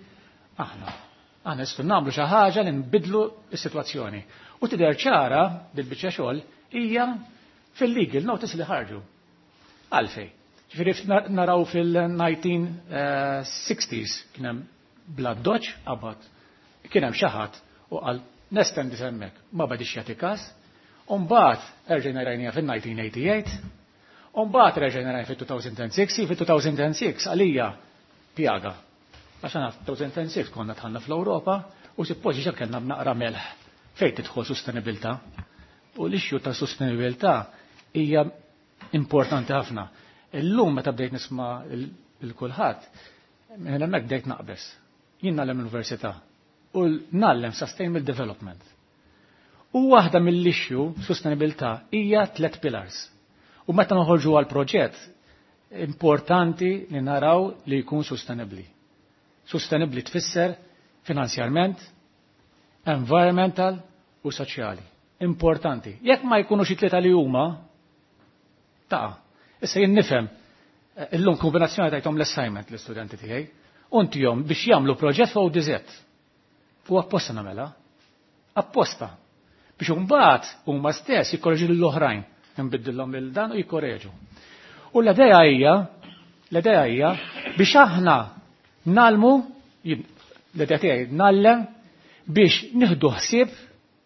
aħna. Aħna nistgħu nagħmlu xi ħaġa li nbidlu s-sitwazzjoni. U tidher ċara bil-biċċa xogħol hija fil-legal notice li ħarġu. Għalfej. Ġifieri naraw fil-nineteen sixties kien hemm bla doċ qabad. Kien hemm xi ħadd u qal nestendi hemmhekk, ma badix jagħti każ. U mbagħad erġejna rajniha fin-nineteen eighty-eight, u mbagħad erġejna rajniha fit-two thousand and six, fit-two thousand and six għalija pjaga. Għax aħna fit-two thousand and six konna dħalna fl-Ewropa u suppost ġa kellna b'naqra melħ fejn tidħol sostenibilità. U l-issue ta' sostenibilità hija importanti ħafna. Illum meta bdejt nisma' il-kulħadd, minn hemmhekk bdejt naqbeż. Jien nagħlem l-università u nagħlem sustainable development. U waħda mill-issue sostenibilità hija tliet pillars. U meta noħorġu għal proġett, importanti li naraw li jkun sostenibbli. Sostenibbli tfisser finanzjarment, environmental u soċjali. Importanti. Jekk ma jkunux it-tlieta li huma, taqa'. Issa jien nifhem, illum kombinazzjoni tajthom l-assignment l-istudenti tiegħi, u ntihom biex jagħmlu proġett fuq O D Z. U apposta nagħmilha. Apposta. Biex imbagħad huma stess jikkoreġu lill-oħrajn, nbiddilhom lil dan u jikkoreġu. U l-idea hija, l-idea hija biex aħna nalmu, l-idea tiegħi nallem biex nieħdu ħsieb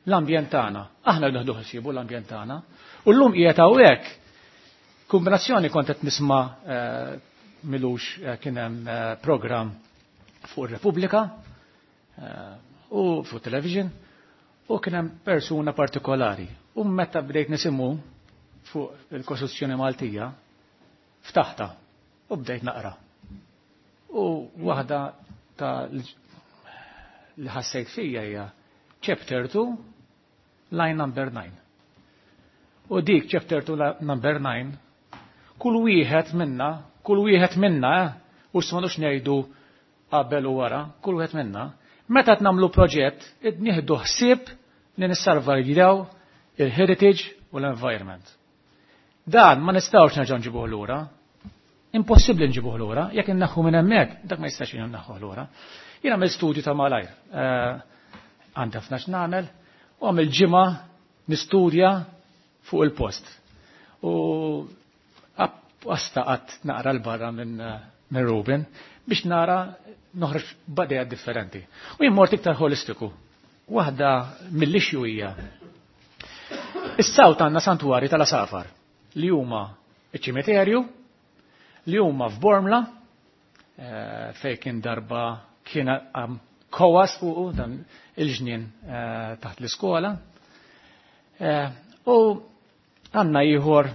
l-ambjent tagħna. Aħna nieħdu ħsiebu l-ambjent tagħna. U llum qiegħed hawnhekk kombinazzjoni kont qed nisma', eh, milux, eh, kien hemm, eh, programm fuq ir-Repubblika, eh, u fuq television u kien hemm persuna partikolari. U meta bdejt nisimgħu fuq il-Kostituzzjoni Maltija, ftaħta u bdejt naqra. U waħda ta' li ħassejt fija hija chapter two, line number nine. U dik chapter two, number nine, kull wieħed minna, kull wieħed minna, eh, u s'mandux ngħidu qabel u wara, kull wieħed minna, meta qed nagħmlu proġett, id nieħdu ħsieb li nissalvagwardjaw il-heritage u l-environment. Dan ma nistgħux nerġgħu nġibuh lura. Impossibbli nġibuh lura, jekk inneħħu minn hemmhekk, dak ma jistax inneħħuh lura. Jien għamil studju ta' malajr, eh, għandi ħafna x'nagħmel, u għamil ġimgħa nistudja fuq il-post. U apposta qatt naqra l-barra minn, minn Ruben biex nara noħroġ b'idea differenti. U jien mort iktar holistiku. Waħda mill-issue hija is-sawt għandna santwari tal-Asafar li huma iċ-ċimiterju, li huma f'Bormla, eh, fejn kien darba kien għam kowas fuqu dan il-ġnien, eh, taħt l-iskola. Eh, u għandna ieħor,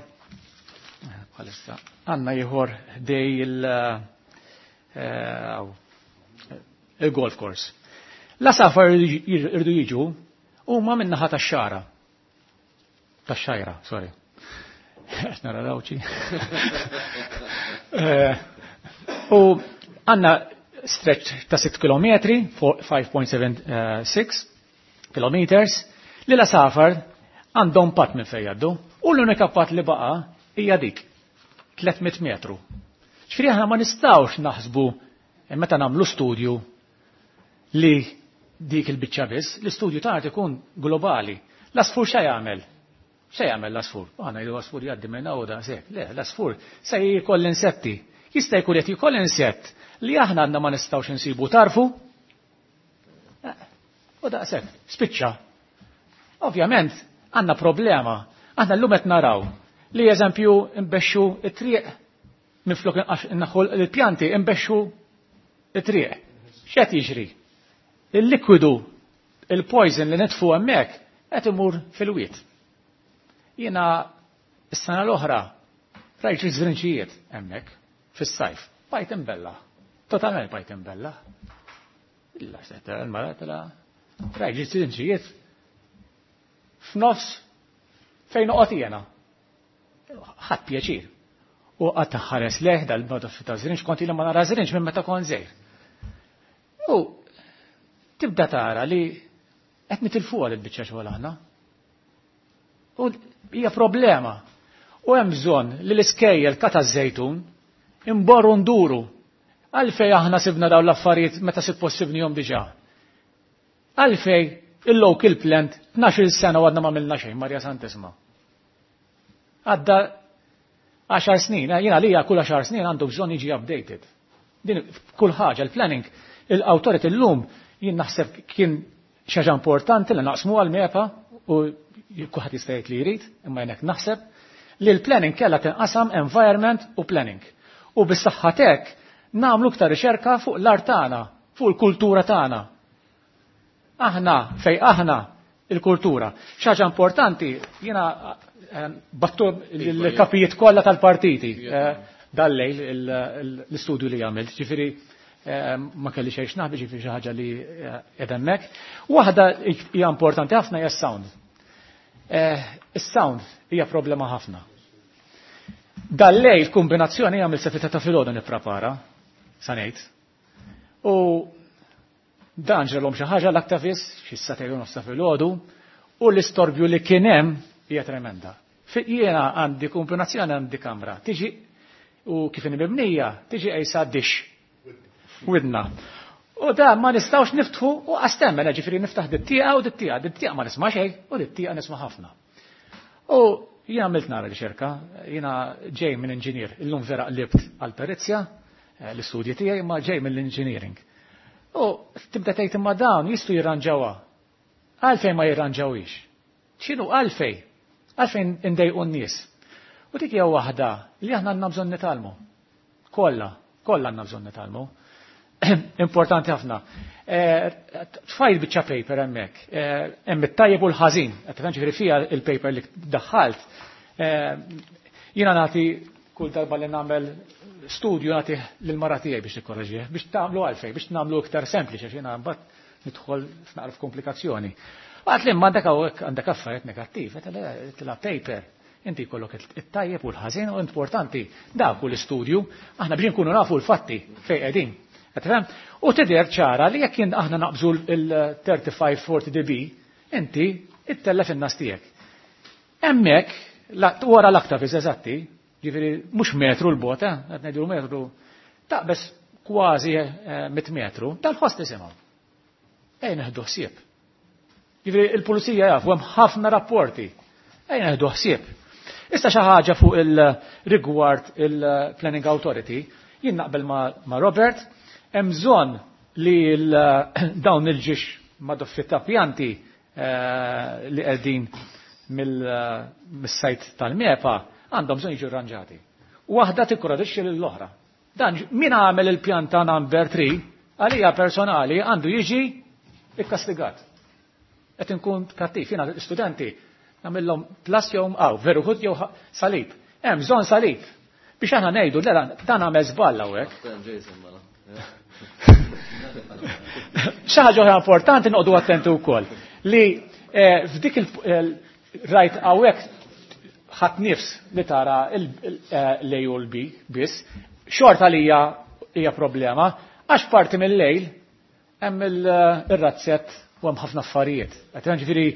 bħalissa, għandna ieħor dej il, eh, il-golf course. L-asafar irdu jiġu huma min-naħa tax-xara. Tax-xajra, sorry. Qed nara dawċi. Eh, u għandna stretch ta' sitt kilometri, five point seven, eh, six kilometers, li l-asafar għandhom patt minn fejn jgħaddu, u l-unika patt li baqa' hija dik, tliet mitt metru. Ġifieri aħna ma nistgħux naħsbu meta nagħmlu studju li dik il-biċċa biss, l-istudju tagħna ikun globali. L-asfur x'ha jagħmel? X'ha jagħmel l-asfur? Aħna ngħidu l-asfur jgħaddi minn hawn da sek. Le, l-asfur se jkoll insetti. Jista' jkun qed jkoll insett li aħna għandna ma nistgħux insibu tarfu. U daqshekk, spiċċa. Ovvjament għandna problema. Aħna llum qed naraw li eżempju nbexxu it-triq minflok innaħħu l-pjanti nbexxu it-triq. X'qed jiġri? Il-likwidu, il-poison li nitfu hemmhekk qed imur fil-wied. Jiena s-sena l-oħra rajt iż-żrinċijiet hemmhekk fis-sajf. Bajt imbella. Totalment bajt imbella. Illa se tara l-mara tara rajt iż-żrinċijiet f'nofs fejn noqgħod jiena. Ħadd pjaċir. U qatt ħares leh dal-madoffi ta' żrinġ, kont ilha ma nara żrinġ minn meta kont żgħir. U tibda tara li qed nitilfuha lil biċċa xogħol aħna. U hija problema. U hemm bżonn li l-iskejjel kata żejtun imborru nduru. Għalfej aħna sibna dawn l-affarijiet meta suppost sibnihom diġà. Għalfej il-local plant tnax-il sena u għadna ma għamilna xejn, Marja Santisma. Għadda għaxar snin, jiena lija kull għaxar snin għandu bżonn jiġi updated. Din kull ħaġa, il-planning, il-authority l-lum, jien naħseb kien xi ħaġa importanti li naqsmu għal-MEPA u kulħadd jista' jgħid li jrid, imma jien hekk naħseb li l-planning kellha tinqasam environment u planning. U bis-saħħa hekk nagħmlu iktar riċerka fuq l-art tagħna, fuq il-kultura tagħna. Aħna fej aħna il-kultura. Xi ħaġa importanti, jiena battu l-kapijiet kollha tal-partiti dal-lejl l-istudju li għamilt, ġifieri ma kelli xejn x'naħbi, ġifieri xi ħaġa li qiegħda hemmhekk. Waħda hija importanti ħafna hija s-sound. Is-sound hija problema ħafna. Dal-lejl kombinazzjoni għamil sefita ta' filgħodu nipprepara, sa ngħid. U dan ġralhom xi ħaġa l-aktavis xi sagħtejn u nofs filgħodu u l-istorbju li kien hemm hija tremenda. Jiena għandi kombinazzjoni għandi kamra, tiġi u kif inhi mibnija, tiġi qejsa dix. Widna. U da ma nistgħux niftħu u qastemmen, ġifieri niftaħ dit-tieqa u dit-tieqa, dit-tieqa ma nisma' xejn u dit-tieqa nisma' ħafna. U jiena għamilt nara riċerka, jiena ġej minn inġinier, illum vera qlibt għal perizja, l-istudji tiegħi ma ġej mill-engineering. U tibda tgħid imma dawn jistgħu jirranġawha. Għalfejn ma jirranġawhiex? X'inhu għalfejn? Għalfejn indejqu n-nies? U dik hija waħda li aħna għandna bżonn nitgħallmu. Kollha, kollha għandna bżonn nitgħallmu. Importanti ħafna. Tfajt biċċa paper hemmhekk. Hemm it-tajjeb u l-ħażin. Qed tifhem ġifieri fiha il-paper li daħħalt. Jiena nagħti kull darba li nagħmel studju nagħti lill-mara tiegħi biex nikkorreġih, biex tagħmlu għalfejn, biex nagħmlu iktar sempliċi għax jiena mbagħad nidħol f'naqra f'komplikazzjoni. Għat li għandek hawnhekk għandek affarijiet negattiv, qed la paper. Inti jkollok it-tajjeb u l-ħażin u importanti dak hu l-istudju, aħna biex nkunu nafu l-fatti fejn qegħdin. U tidher ċara li jekk aħna naqbżu il-thirty-five forty dB, inti ittellef in-nas tiegħek. Hemmhekk wara l-aktavis eżatti, ġifieri mhux metru l-bot, qed ngħidu metru, taqbeż kważi mit metru, tal-ħoss nisimgħu. Ejja neħdu ħsieb. Ġifieri il-pulizija jafu hemm ħafna rapporti. Ejja neħdu ħsieb. Issa xi ħaġa fuq il-rigward il-Planning Authority, jien naqbel ma' Robert, hemm bżonn li dawn il-ġiex madoffi ta' pjanti li qegħdin mis-sajt tal-MEPA għandhom bżonn jiġu arranġati. Waħda tikkoradixxi lill-oħra. Dan min għamel il-pjanta number three għalija personali għandu jiġi ikkastigat. Qed inkun kattiv, jiena l-istudenti nagħmilhom plus jew aw, veru ħud jew salib. Hemm bżonn salib. Biex aħna ngħidu dan għamel żball hawnhekk. Xi ħaġa oħra importanti noqogħdu attenti wkoll li f'dik il-rajt hawnhekk ħadd nifs li tara l-A u l-B biss, xorta li hija problema għax parti mill-lejl hemm ir-razzett u hemm ħafna affarijiet. Qed ġifieri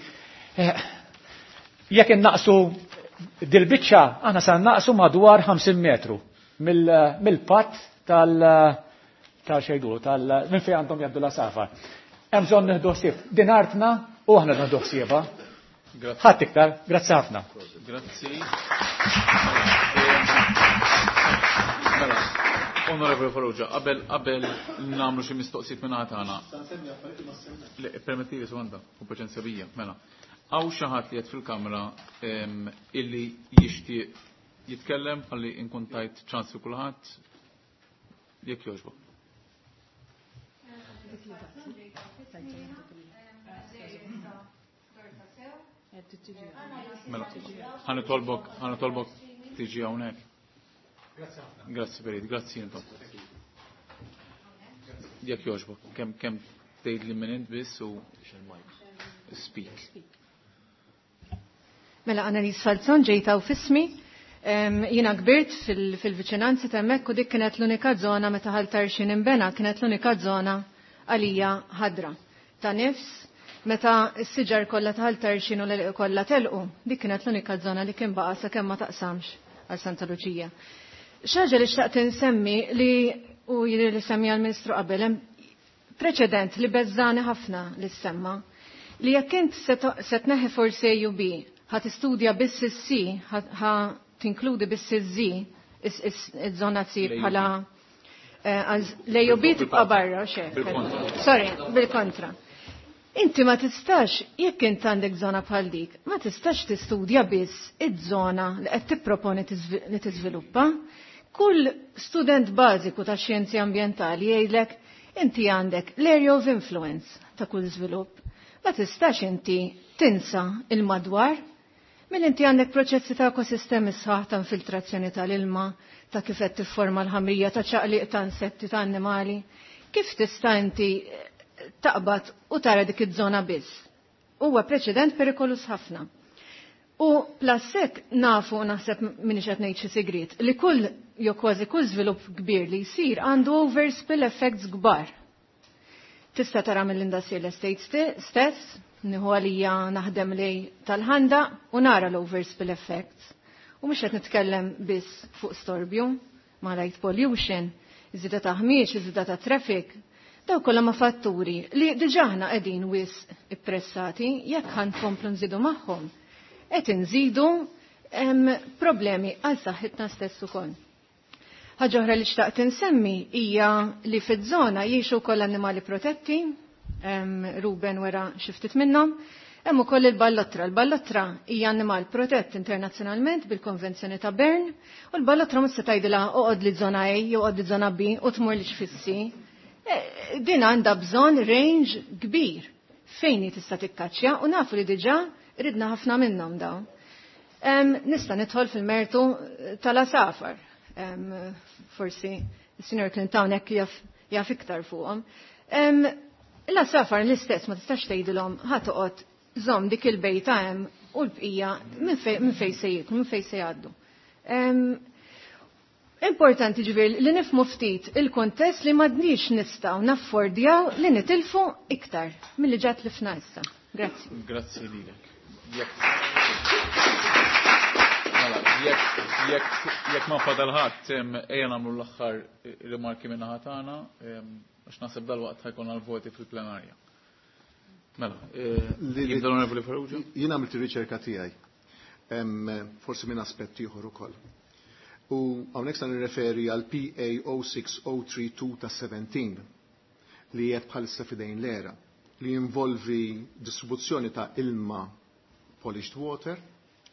jekk innaqsu dil-biċċa aħna se naqsu madwar ħamsin metru mill-patt tal tal xejdu tal minn fejn għandhom jgħaddu la safa. Hemm bżonn nieħdu ħsieb din artna u aħna nieħdu ħsiebha. Ħadd iktar, grazzi ħafna. Grazzi. Mela, Onorevoli Farrugia, qabel qabel nagħmlu xi mistoqsijiet minn tagħna. Le, permettili sekonda, u paċenzja bija, mela. Hawn xi ħadd li qed fil-kamra illi jixtieq jitkellem ħalli nkun tajt ċans li kulħadd jekk jogħġbok. Mela, ħanitolbok, ħanitolbok tiġi hawnhekk. Grazzi Perit, grazzi intom. Jekk jogħġbok, kemm kemm tgħid li minn int biss u speak. Mela Annalise Falzon ġejta u fismi, Jiena kbirt fil-viċinanzi ta' hemmhekk u dik kienet l-unika żona meta Ħal Tarxien inbena, kienet l-unika żona għalija ħadra. Ta' nifs, meta s-siġar kollha ta' Ħal Tarxien u l-għelieqi kollha telqu, dik kienet l-unika żona li kien baqa' sakemm ma taqsamx għal Santa Luċija. Xi ħaġa li xtaqt insemmi li u jidher li semmija l-Ministru qabel, hemm preċedent li beżżani ħafna li semma, li jekk int se tneħħi forsi A u B, ħa tistudja biss is-C, ħa tinkludi biss iż-Z, iż-żona C bħala l-A u B tibqa' barra, xek. Sorry, bil-kontra. Inti ma tistax, jekk int għandek żona bħal dik, ma tistax tistudja biss iż-żona li qed tipproponi li tiżviluppa. Kull student bażiku ta' xjenzi ambjentali jgħidlek inti għandek l-area of influence ta' kull żvilupp. Ma tistax inti tinsa il-madwar mill inti għandek proċessi ta' ekosistemi sħaħ ta' infiltrazzjoni tal-ilma, ta' kif qed tifforma l-ħamrija, ta' ċaqliq ta' insetti, ta' annimali. Kif tista' inti taqbad u tara dik iż-żona biss? Huwa preċedent perikolus ħafna. U plassek nafu, naħseb minni qed ngħid xi sigriet, li kull jew kważi kull żvilupp kbir li jsir għandu overspill effects kbar. Tista' tara mill-industrial estate stess, nieħu għalija naħdem lej tal-ħanda u nara l-overspill effects. U mhux qed nitkellem biss fuq storbju, ma light pollution, iż-żieda ta' ħmieġ, iż-żieda ta' traffic. Daw kollha ma' fatturi li diġà aħna qegħdin wisq ippressati jekk ħa nkomplu nżidu magħhom. Qed inżidu problemi għal saħħitna stess ukoll. Ħaġa oħra li xtaqt insemmi hija li fiż-żona jgħixu wkoll annimali protetti, Ruben wera xi ftit minnhom, hemm ukoll il-ballottra. Il-ballottra hija annimal protett internazzjonalment bil-Konvenzjoni ta' Bern, u l-ballottra mhux se tgħidilha oqgħod li żona A jew oqgħod li żona B u tmur li xfissi. Din għandha bżonn range kbir fejn hi tista' tikkaċċja u nafu li diġà ridna ħafna minnhom dawn. Nista' nidħol fil-mertu tal-asafar. Forsi il-Sinjor Clinton hekk jaf, jaf iktar fuqhom. L-asafar l-istess ma tistax tgħidilhom ħa toqgħod żomm dik il-bejta hemm u l-bqija minn fejn se jieklu, minn fejn se jgħaddu. Importanti ġifieri li nifhmu ftit il-kontest li m'għadniex nistgħu naffordjaw li nitilfu iktar milli ġat li fna issa. Grazzi. Grazzi lilek. Jekk ma fadal ħadd, ejja nagħmlu l-aħħar rimarki minn naħa tagħna, għax naħseb dalwaqt ħa jkun għal-voti fil-plenarja. Mela, jibda l-Onorevoli Farrugia? Jien għamilt ir-riċerka tiegħi, forsi minn aspett ieħor ukoll. U hawnhekk se nirreferi għal P A O six O three two ta' seventeen li qed bħalissa f'idejn l-era, li jinvolvi distribuzzjoni ta' ilma polished water,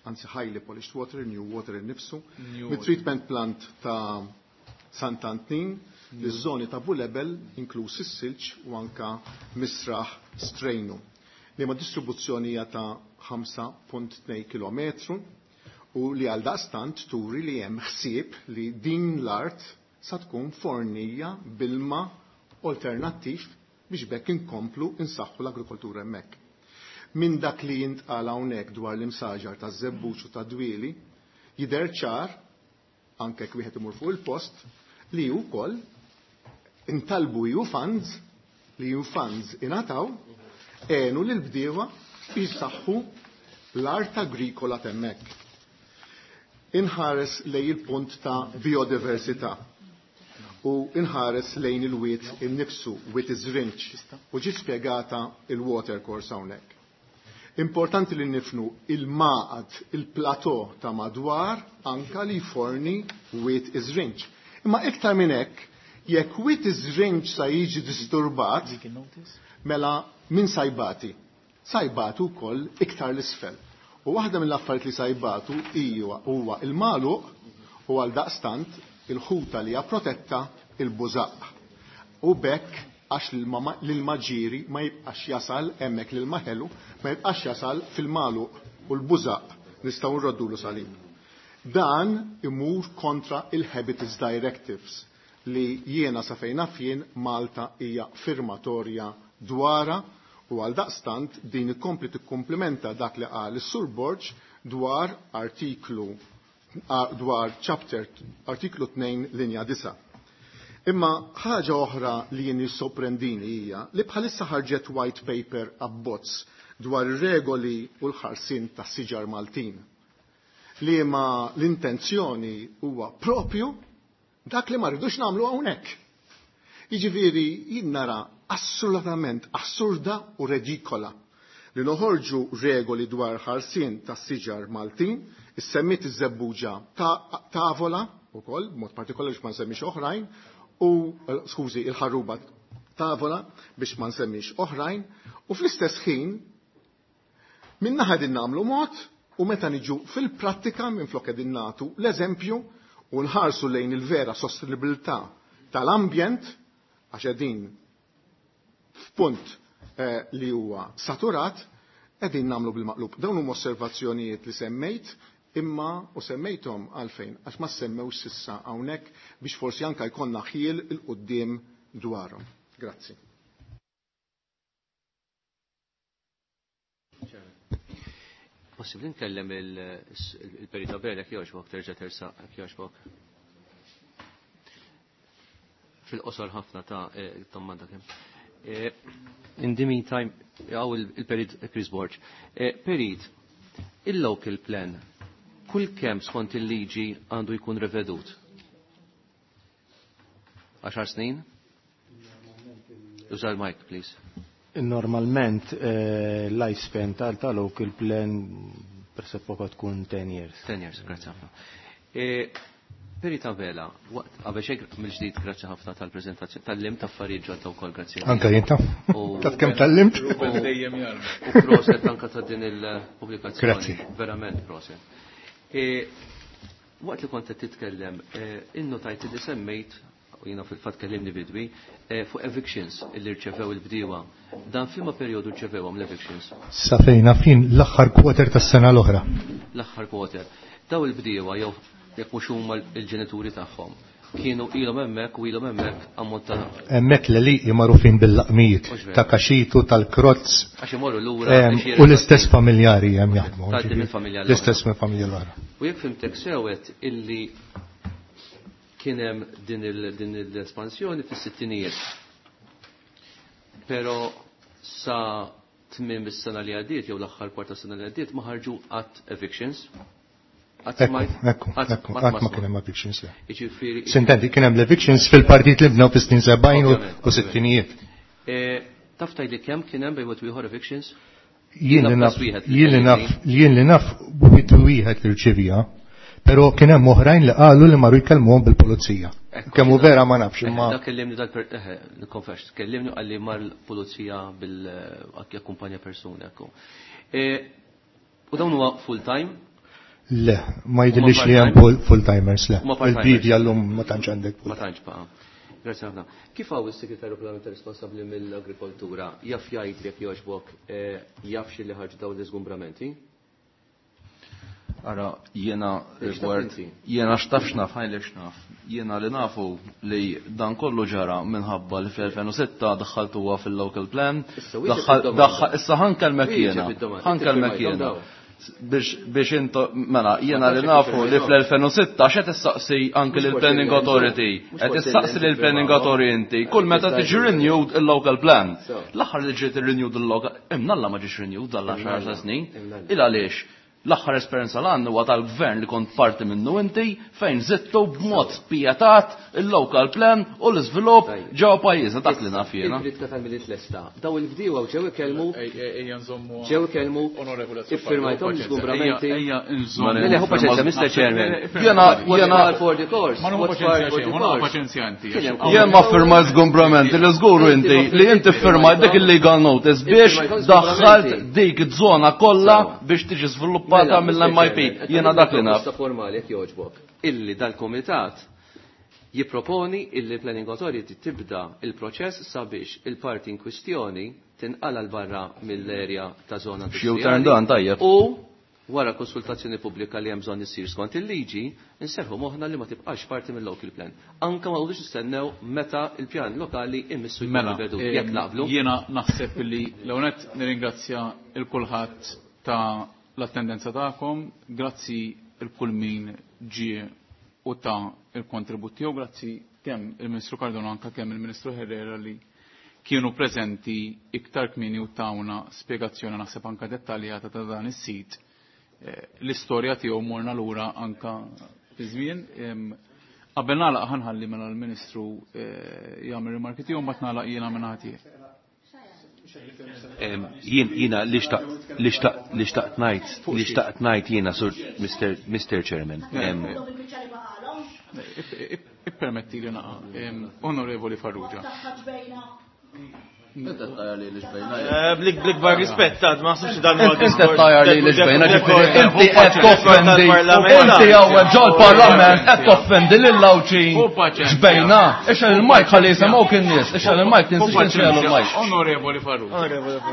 anzi highly polished water, new water innifsu, mit-treatment plant ta' Sant'Antnin, li żoni ta' Bulebel, inkluż is-silġ u anka Misraħ Strejnu. Li ma' distribuzzjoni hija ta' ħamsa punt tnejn kilometru u li għal daqstant turi li hemm ħsieb li din l-art sa tkun fornija bilma alternattiv biex bekk inkomplu insaħħu l-agrikoltura hemmhekk. Minn dak li jintqal hawnhekk dwar l-imsaġar taż-żebbuġ u tad-dwieli, jidher ċar, anke jekk wieħed imur fuq il-post, li wkoll intalbu E U funds, li E U funds ingħataw, għenu lil bdiewa biex jisaħħu l-art agrikola t'hemmhekk. Inħares lejn il-punt ta' biodiversità u inħares lejn il-wiet innifsu, wiet iż-żrinġ, u ġi spjegata il-water course hawnhekk. Importanti li nifnu il-maqad, il-plateau ta' madwar anka li forni wiet iż-żrinġ. Imma iktar minn hekk, jekk wiet iż-żrinġ sa jiġi disturbat, mela min sajbati? Sajbatu wkoll iktar l-isfel. U waħda mill-affarijiet li sajbatu hija huwa il-magħluq u għal daqstant il-ħuta li hija protetta il-bużaq. U bekk għax l-ilma ġiri ma jibqax jasal hemmhekk l-ilma ħelu, ma jibqax jasal fil-magħluq u l-bużaq nistgħu nroddulu salib. Dan imur kontra il-Habitats Directives li jiena sa fejn naf jien Malta hija firmatorja dwara u għal daqstant din ikompli tikkumplimenta dak li qal is-Sur Borg dwar artiklu dwar chapter artiklu tnejn linja disgħa. Imma ħaġa oħra li jien jissorprendini hija li bħalissa ħarġet white paper abbozz dwar ir-regoli u l-ħarsien tas-siġar Maltin. Li ma l-intenzjoni huwa propju dak li ma rridux nagħmlu hawnhekk. Jiġifieri jien nara assolutament assurda u redikola li noħorġu regoli dwar ħarsien tas-siġar Maltin, issemmit iż-żebbuġa ta' tavola ukoll, b'mod partikolari biex ma nsemmix oħrajn, u skużi, il-ħarruba tavola biex ma nsemmix oħrajn, u fl-istess ħin minna ħadin nagħmlu mod u meta niġu fil-prattika minflok qegħdin nagħtu l-eżempju u nħarsu lejn il-vera sostenibilità tal-ambjent għax qegħdin f'punt eh, li huwa saturat, qegħdin nagħmlu bil-maqlub. Dawn huma osservazzjonijiet li semmejt imma u semmejthom għalfejn għax ma semmewx sissa hawnhekk biex forsi anke jkollna ħiel il-quddiem dwarhom. Grazzi. Possibbli nkellem il-Perit Abela jogħġbok, terġa' tersaq jogħġbok. Fil-qosor ħafna ta' domanda kemm. In the meantime, għaw il-Perit Chris Borg. Perit, il-local plan, kull kemm skont il-liġi għandu jkun revedut? Għaxar snin? Uża l-mic, please. Normalment lifespan tal-local plan presuppoka tkun ten years. ten years, grazzi ħafna. Perit Abela, waqt qabel xejn mill-ġdid grazzi ħafna tal-preżentazzjoni, tal-limt affarijiet ġodda wkoll grazzi. Anka jien taf. Taf kemm tal-limt? U proset anka ta' din il-pubblikazzjoni. Grazzi. Verament proset. Waqt li kont qed titkellem, innotajt li semmejt u jiena fil-fatt kellimni bidwi, fuq evictions illi rċevew il-bdiewa. Dan f'liema perjodu rċevewhom l-evictions? Sa fejn fin l-aħħar quarter tas-sena l-oħra. L-aħħar quarter. Daw il-bdiewa jew jekk mhux huma l-ġenituri tagħhom kienu ilhom hemmhekk u ilhom hemmhekk ammont ta' hemmhekk l-għelieqi magħrufin bil-laqmijiet ta' kaxitu tal-krozz. Għax imorru lura u l-istess familjari hemm jaħdmu. Tgħaddi mill-familja l-oħra. L-istess mill-familja l-oħra. U jekk fimtek sewet illi kien hemm din l-espansjoni fis-sittinijiet. Però sa tmiem is-sena li għaddiet jew l-aħħar kwarta sena li għaddiet ma ħarġu qatt evictions. Ekku, ekku, ekku, qatt ma kien hemm evictions. Sintendi, kien hemm l-evictions fil-partit li bnew fis-snin sebgħin u sittinijiet. Taf tgħidli kemm kien hemm bejn wieħed ieħor evictions? Jien li naf, jien li naf, jien li naf wieħed wieħed li rċevija. Pero kien hemm oħrajn li qalu li marru jkellmuhom bil-pulizija. Kemm hu vera ma nafx imma. Dak kellimni dal eħe, nikkonfess, kellimni qal li mar l-pulizija bil akkumpanja persuna ekku. U dawn huwa full time? Le, ma jidhirlix li hemm full timers le. Il-bidja llum ma tantx għandek. Ma tantx baqa'. Grazie ħafna. Kif hawn is-Segretarju Parlamentari responsabbli mill-Agrikoltura jaf jgħid jekk jogħġbok jaf xi li ħarġu dawn l-iżgumbramenti? Ara, jena rigward, jena xtaf xnaf, ħajli xnaf. Jena li nafu li dan kollu ġara minħabba li fl-elfejn u sitta daħħaltuha fil-local plan. Issa ħankelmek jena, ħankelmek jena. Biex intu, mela, jena li nafu li fl-elfejn u sitta x'qed issaqsi anke lill-Planning Authority, qed issaqsi lill-Planning Authority inti, kull meta tiġi renewed il-local plan. L-aħħar li ġiet renewed il-local, imnalla ma ġiex renewed dal-għaxar snin, il għaliex? L-aħħar esperjenza l għandu huwa tal-gvern li kont parti minnu inti fejn zittu b'mod spjetat il-local plan u l-iżvilupp ġewwa pajjiżna dak li naf jiena. Il-kritika tal-Milied lesta. Daw il-bdiewa ġew ikellmu ġew ikellmu iffirmajthom l-iżgumbramenti. Mela ħu paċenzja, Mister Chairman. Jiena jiena for the course. Ma nieħu paċenzja xejn, ma nieħu paċenzja inti. Jien ma ffirmajt żgumbramenti li żguru inti li inti ffirmajt dik il-legal notice biex daħħalt dik iż-żona kollha biex tiġi żviluppata mill-M I P. Jiena dak li naf. Formali jekk jogħġbok. Illi dal-komitat jipproponi illi Planning Authority tibda il-proċess sabiex il-parti in kwistjoni tinqala l barra mill-erja ta' zona industrijali. Dan tajjeb. U wara konsultazzjoni pubblika li hemm bżonn issir skont il-liġi, inserħu moħħna li ma tibqax parti mill-local plan. Anke ma nqogħdux nistennew meta il-pjan lokali immissu jkun rivedut jekk naqblu. Jiena naħseb li l-ewwel nirringrazzja il kulħadd ta' l-attendenza tagħkom, grazzi il-kull min ġie u ta' il-kontribut tiegħu, grazzi kemm il-Ministru Cardona anka kemm il-Ministru Herrera li kienu preżenti iktar kmieni u tawna spjegazzjoni naħseb anka dettaljata ta' dan is-sit. L-istorja tiegħu morna lura anka fi żmien. Qabel nagħlaq ħanħalli mela l-Ministru jagħmel rimarki tiegħu mbagħad nagħlaq jiena minn ħadd. Jiena li xtaqt li xtaqt li xtaqt ngħid li xtaqt ngħid jiena sur Mister Chairman. Ippermetti li naqa' Onorevoli Farrugia. Blik-bar rispett, għad ma naħsibx dan huwa Inti tajjar li l-ġbejna, ġifieri inti qed toffendi, inti hawn ġol-Parlament qed toffendi lil Għawdxin ġbejna. Ixgħel il-mike ħalli jisimgħuk in-nies, ixgħel il-mike tinsiex tixgħel il-mike. Onorevoli Farrugia.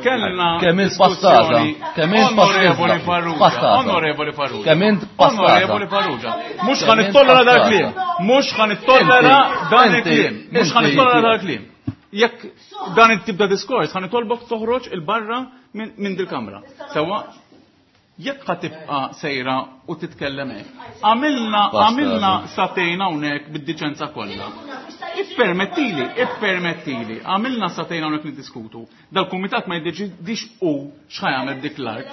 Kellna kemm int passata, kemm int Onorevoli Farrugia, Onorevoli Farrugia. Kemm int passata. Onorevoli Farrugia. Mhux ħa nittollera dal-kliem, mhux ħa nittollera dan il-kliem, mhux ħa nittollera dal-kliem. Jekk dan it-tip ta' diskors ħa nitolbok toħroġ il-barra minn dil-kamra. Sewa, jekk ħa tibqa' sejra u titkellem hekk. Għamilna għamilna satejna hawnhekk bid-diċenza kollha. Ippermettili, ippermettili, għamilna satejna hawnhekk niddiskutu. Dal-kumitat ma jiddeċidix hu x'ħa jagħmel dik l-art.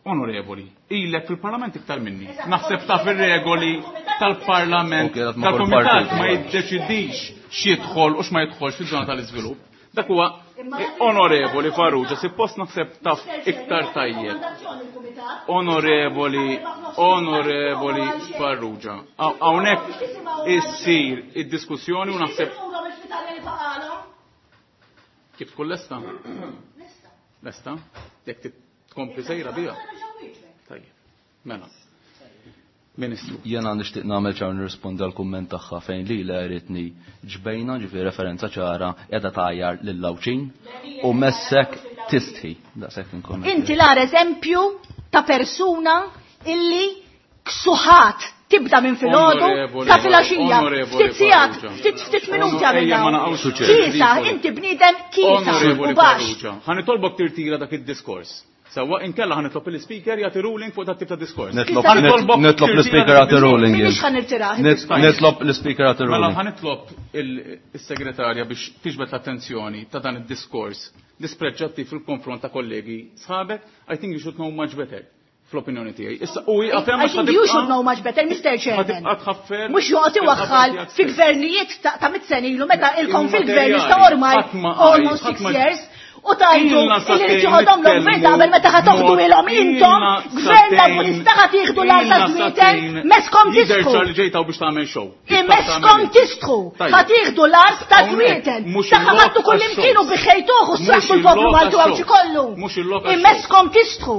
Onorevoli, ilek fil-parlament iktar minni. Naħseb taf ir-regoli tal-parlament, tal-kumitat ma jiddeċidix x'jidħol u x'ma jidħolx fiż-żona tal-iżvilupp. Dak huwa Onorevoli Farrugia, suppost naħseb taf iktar tajjeb. Onorevoli, Onorevoli Farrugia. Hawnhekk issir id-diskussjoni u naħseb kif tkun lesta? Lesta? Jekk tkompli sejra biha. Tajjeb. Mela. Ministru. Jena nixtieq nagħmel ċar nirrispondi għal kumment tagħha fejn li la jridni ġbejna, ġifieri referenza ċara qiegħda tgħajjar lil Għawdxin u messek tistħi. Daqshekk inkun. Inti l-ar eżempju ta' persuna illi ksuħat tibda minn filgħodu sa filgħaxija. Ftit sigħat, ftit ftit minuti għamilna. Kisa, inti bniedem kisa u baxx. Ħa nitolbok tirtira dak id-diskors. Sawa inkella ħa nitlob il-speaker jagħti ruling fuq dat tip ta' diskors. Nitlob l-speaker jagħti ruling. Mhix ħa nirtirah. Nitlob l-speaker jagħti ruling. Mela ħa nitlob is-segretarja biex tiġbed l-attenzjoni ta' dan id-diskors dispreġġattiv fil-konfront ta' kollegi sħabek. I think you should know much better. Fl-opinjoni tiegħi. Issa u hija I think you should know much better, Mister Chairman. Mhux joqgħod iwaħħal fi gvernijiet ta' mit sena ilu meta ilkom fil-gvern issa ormai almost six years. U tajdu li rrid joħodhom l-gvern qabel meta ħa toħdu ilhom intom gvern Laburista ħa tieħdu l-art ta' Żwieten meskom tistħu. Jidher li ġejtaw biex tagħmel show. Meskom tistħu. Ħa tieħdu l-art ta' Żwieten. Ta' ħadtu kull imkien u biħejtuh u sraħtu l-poplu Malti u Għawdxi kollu. Imeskom tistħu.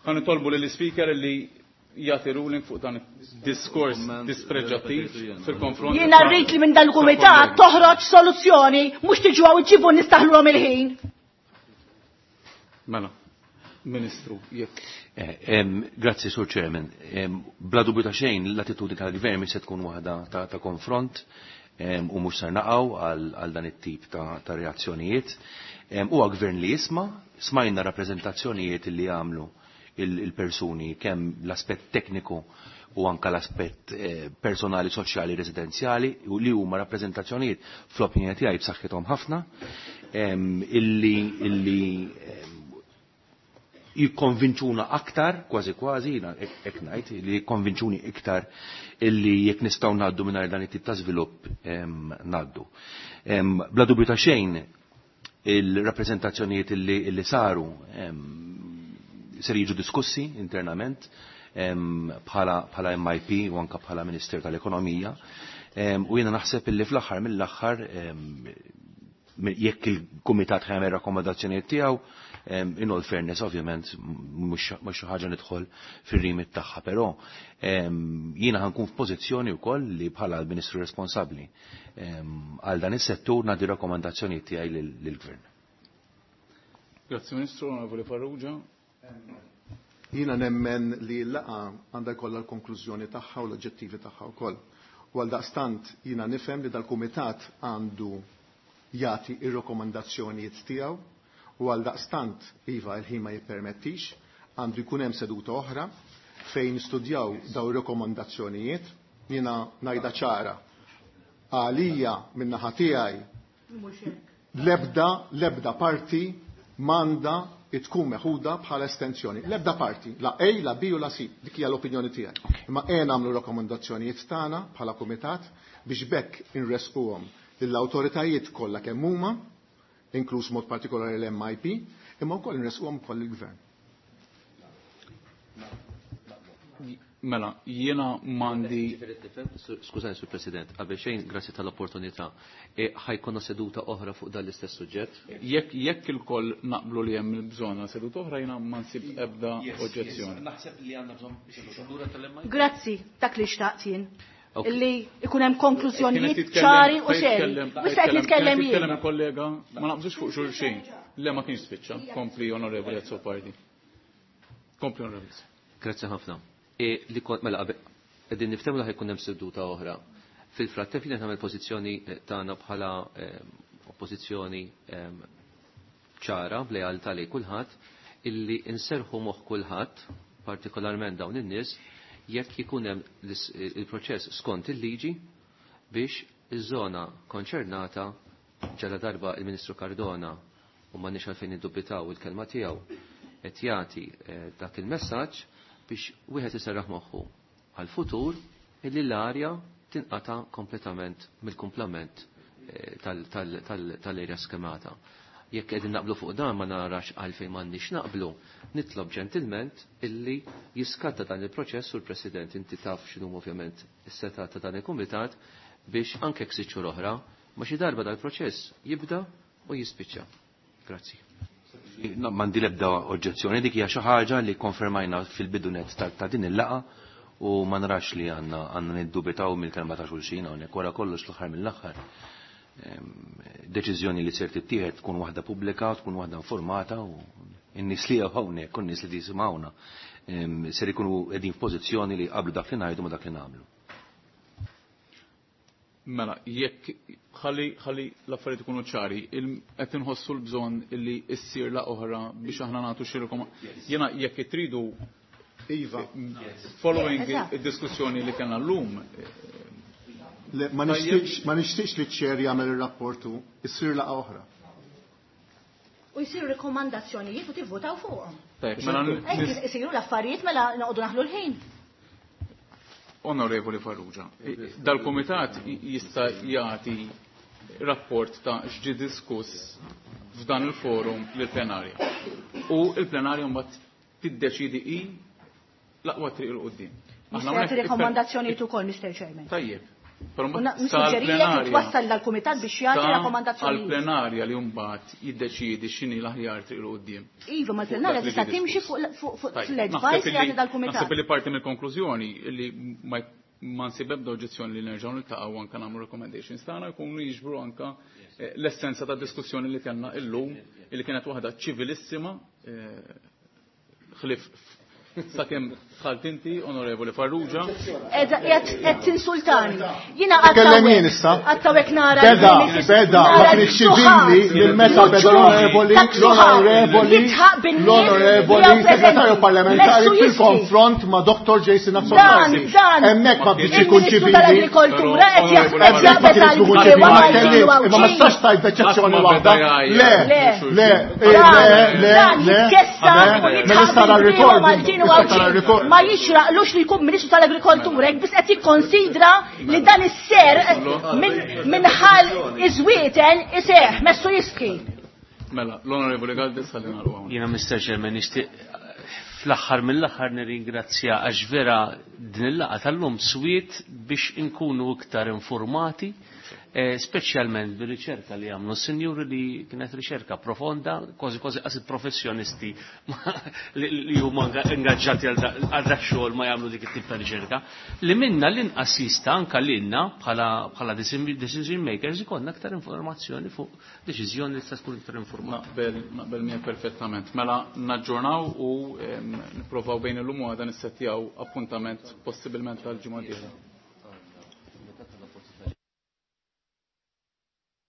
Ħa nitolbu lill-speaker li jagħti ruling fuq dan diskors dispreġġattiv fil-konfront. Jiena rrid li minn dal-kumitat toħroġ soluzzjoni, mhux tiġu hawn iġibu nistaħluhom il-ħin. Mela, Ministru, jekk. Grazzi, Sur Chairman. Bla dubju ta' xejn, l-attitudni tal-gvern se tkun waħda ta' konfront u mhux ser naqgħu għal dan it-tip ta' reazzjonijiet. Huwa gvern li jisma', smajna rappreżentazzjonijiet li jagħmlu il-persuni kemm l-aspett tekniku u anka l-aspett personali, soċjali, residenzjali, u li huma rappreżentazzjonijiet fl-opinjoni tiegħi b'saħħithom ħafna, illi illi jikkonvinċuna aktar, kważi kważi, hekk ngħid, li jikkonvinċuni iktar illi jekk nistgħu ngħaddu mingħajr dan it-tip ta' żvilupp ngħaddu. Bla dubju ta' xejn il-rappreżentazzjonijiet illi saru ser jiġu diskussi internament bħala M I P u anka bħala Minister tal-Ekonomija. U jiena naħseb illi fl-aħħar mill-aħħar jekk il-kumitat ħajmel rakkomandazzjonijiet tiegħu, in all fairness ovvjament mhux xi ħaġa nidħol fir-rimit tagħha, però jiena ħankun f'pożizzjoni wkoll li bħala l-Ministru responsabbli għal dan is-settur nagħti rakkomandazzjonijiet tiegħi lill-Gvern. Grazzi Ministru, Onorevoli Farrugia. Jiena nemmen li l-laqgħa għandha jkollha l-konklużjoni tagħha u l-oġġettivi tagħha wkoll. U għaldaqstant jiena nifhem li dal-kumitat għandu jagħti ir-rakkomandazzjonijiet tiegħu u għaldaqstant iva l-ħin ma jippermettix, Għandu jkun hemm seduta oħra fejn nistudjaw daw ir-rekomandazzjonijiet. Jiena ngħidha ċara. Għalija min-naħa tiegħi l-ebda l-ebda parti m'għandha tkun meħuda bħala estensjoni. L-ebda parti, la A, la B u la C, dik hija l-opinjoni tiegħi. Imma ejja nagħmlu rakkomandazzjonijiet tagħna bħala kumitat biex bekk inresquhom lill-awtoritajiet kollha kemm huma, inkluż mod partikolari l-M I P, imma wkoll inresquhom ukoll il-gvern. Mela, jiena m'għandi. Skużani, Sur President, qabel xejn, grazzi tal-opportunità. E, ħajkonna seduta oħra fuq dan l-istess suġġett? Jekk, jekk il-koll naqblu li hemm bżonn għal seduta oħra, jiena ma nsib ebda oġġezzjoni. Naħseb li għandna bżonn seduta tal-M I P. Grazzi, dak li xtaqt jien. Ok. Illi ikun hemm konklużjonijiet Kienet titkellem, ċari u kienet seri. titkellem, Mhux qed nitkellem kienet jien. titkellem il-kollega, ma naqbżux fuq xulxin. Le ma kienx spiċċa. Kompli Onorevoli Azzopardi. Kompli Onorevoli. Grazzi ħafna. E, li kont, mela, qabel, qegħdin niftehmu li ħajkun hemm seduta oħra. Fil-frattemp jien nagħmel pożizzjoni, eh, tagħna bħala, eh, oppożizzjoni, eh, ċara, b'lealtà lejn kulħadd, illi inserħu moħħ kulħadd, partikolarment dawn in-nies, jekk ikun hemm l-is-, il-proċess skont il-liġi biex iż-żona konċernata ġala darba il-Ministru Cardona u m'għandniex għalfejn niddubitaw il-kelma tiegħu qed jagħti, eh, dak il-messaġġ biex wieħed iserraħ moħħu għal-futur illi l-arja tinqata' kompletament mill-kumplament, eh, tal-, tal-, tal-, tal-erja skemata. Jekk qegħdin naqblu fuq dan ma narax għalfejn m'għandniex naqblu, nitlob ġentilment illi jiskatta dan il-proċess u l-President inti taf x'inhu ovvjament is-seta ta' dan il-kumitat biex anke sitt xhur oħra ma xi darba dal-proċess jibda u jispiċċa. Grazzi. No, m'għandi l-ebda oġġezzjoni, dik hija xi ħaġa li konfermajna fil-bidunet ta', ta' din il-laqgħa u ma narax li għandna, għandna niddubitaw mill-kelma ta' xulxin hawnhekk wara kollox l-aħħar mill-aħħar. Ehm, deċiżjoni li ser tittieħed tkun waħda pubblika, tkun waħda informata u n-nies li hawnhekk u n-nies li jisimgħuna, ehm, ser ikunu qegħdin f'pożizzjoni li qablu dak li ngħidu ma dak li nagħmlu. Mela, jekk ħalli, ħalli l-affarijiet ikunu ċari, il-, qed inħossu l-bżonn illi ssir la oħra biex aħna nagħtu xi rekom-, Jiena jekk tridu Iva. Following Eżatt. id-diskussjoni li kellna llum, Le, ma nixtieqx, ma nixtieqx li ċ-ċer jagħmel ir-rapportu, issir laqgħa oħra. U jsiru rekomandazzjonijiet u tivvotaw fuqhom. Tajjeb, mela Hekk nis- isiru l-affarijiet mela noqogħdu naħlu l-ħin. Onorevoli Farrugia, dal-komitat jista' jagħti rapport ta' x'ġie diskuss f'dan il-forum lill-plenarja. U l-plenarja mbagħad tiddeċidi hi l-aqwa triq il quddiem. Aħna Nista' jagħti hawnhekk iktar- rekomandazzjonijiet ukoll, Mister Chairman. Tajjeb. Però U mbagħad na- nissuġġerija li sal-plenarja twassal dal-kumitat biex jagħti sa rakkomandazzjonijiet. għall-plenarja li mbagħad jiddeċiedi x'inhi l-aħjar triq il quddiem. Iva, ma l-plenarja Dak li tista' ġie timxi diskuss. fuq fuq, fuq Tajjeb, l-advice naħseb li jagħti illi- dal-kumitat. Naħseb li parti mill-konklużjoni li ma jk-, ma nsib ebda oġġezzjoni li nerġgħu niltaqgħu anke nagħmlu recommendations tagħna jkunu jiġbru anke, eh, l-essenza ta' diskussjoni li kellna illum li kienet waħda ċivilissima, eh, ħlif sakemm dħalt inti, Onorevoli Farrugia. Ed, ed, ed tinsultani. Jiena Tkellem jien għattawek issa. għattawek nara Beda, li beda, ma nara kienx li ċivili suħat. lil meta beda l-Onorevoli, Dak suħat. l-Onorevoli, Jitħaq bin-nies l-Onorevoli li hawn Segretarju preżenti. Parlamentari Messu jistri. fil-konfront ma' Doktor Jason Dan, Azzopardi. dan. Hemmhekk ma bdietx ikun Il-Ministru ċivili. tal-Agrikoltura qed Però, jaħ- Onorevoli qed Hemmhekk ma jaqbel kienx ikun tal-bdiewa ċivili, ma Maltin u kellix, imma ma Għawdxin. tistax tgħid b'eċċezzjoni Qatt ma waħda. beda jgħajjar. Le, Le. le, Dan, le, le, dan le, jitkessa le, u jitħaq mela issa bil-bdiewa recording, Maltin u issa tara Għawdxin. recording. Ma jixraqlux li jkun Ministru tal-Agrikoltura, jekk biss qed jikkonsidra li dan is-ser minn minħal iż-żwieten iseħ, messu jistħi. Mela, l-Onorevoli Galdes ħalli nagħlqu hawn. Jiena Mister Chairman nixtieq fl-aħħar mill-aħħar nirringrazzja għax vera din il-laqgħa tal-lum swiet biex inkunu iktar informati, eh, speċjalment bir-riċerka li għamlu s-sinjuri li kienet riċerka profonda, kważi kważi qas il-professjonisti li, li huma inga-, ingaġġati għal da-, għal dak xogħol ma jagħmlu dik it-tip ta' riċerka, li minna l-inqas jista' anke lilna bħala, bħala decision, decision makers ikollna aktar informazzjoni fuq deċiżjoni li tista' tkun iktar informata. Naqbel, naqbel miegħek perfettament. Mela naġġornaw u, ehm, nipprovaw bejn illum u għada nissettjaw appuntament possibilment tal-ġimgħa d-dieħla.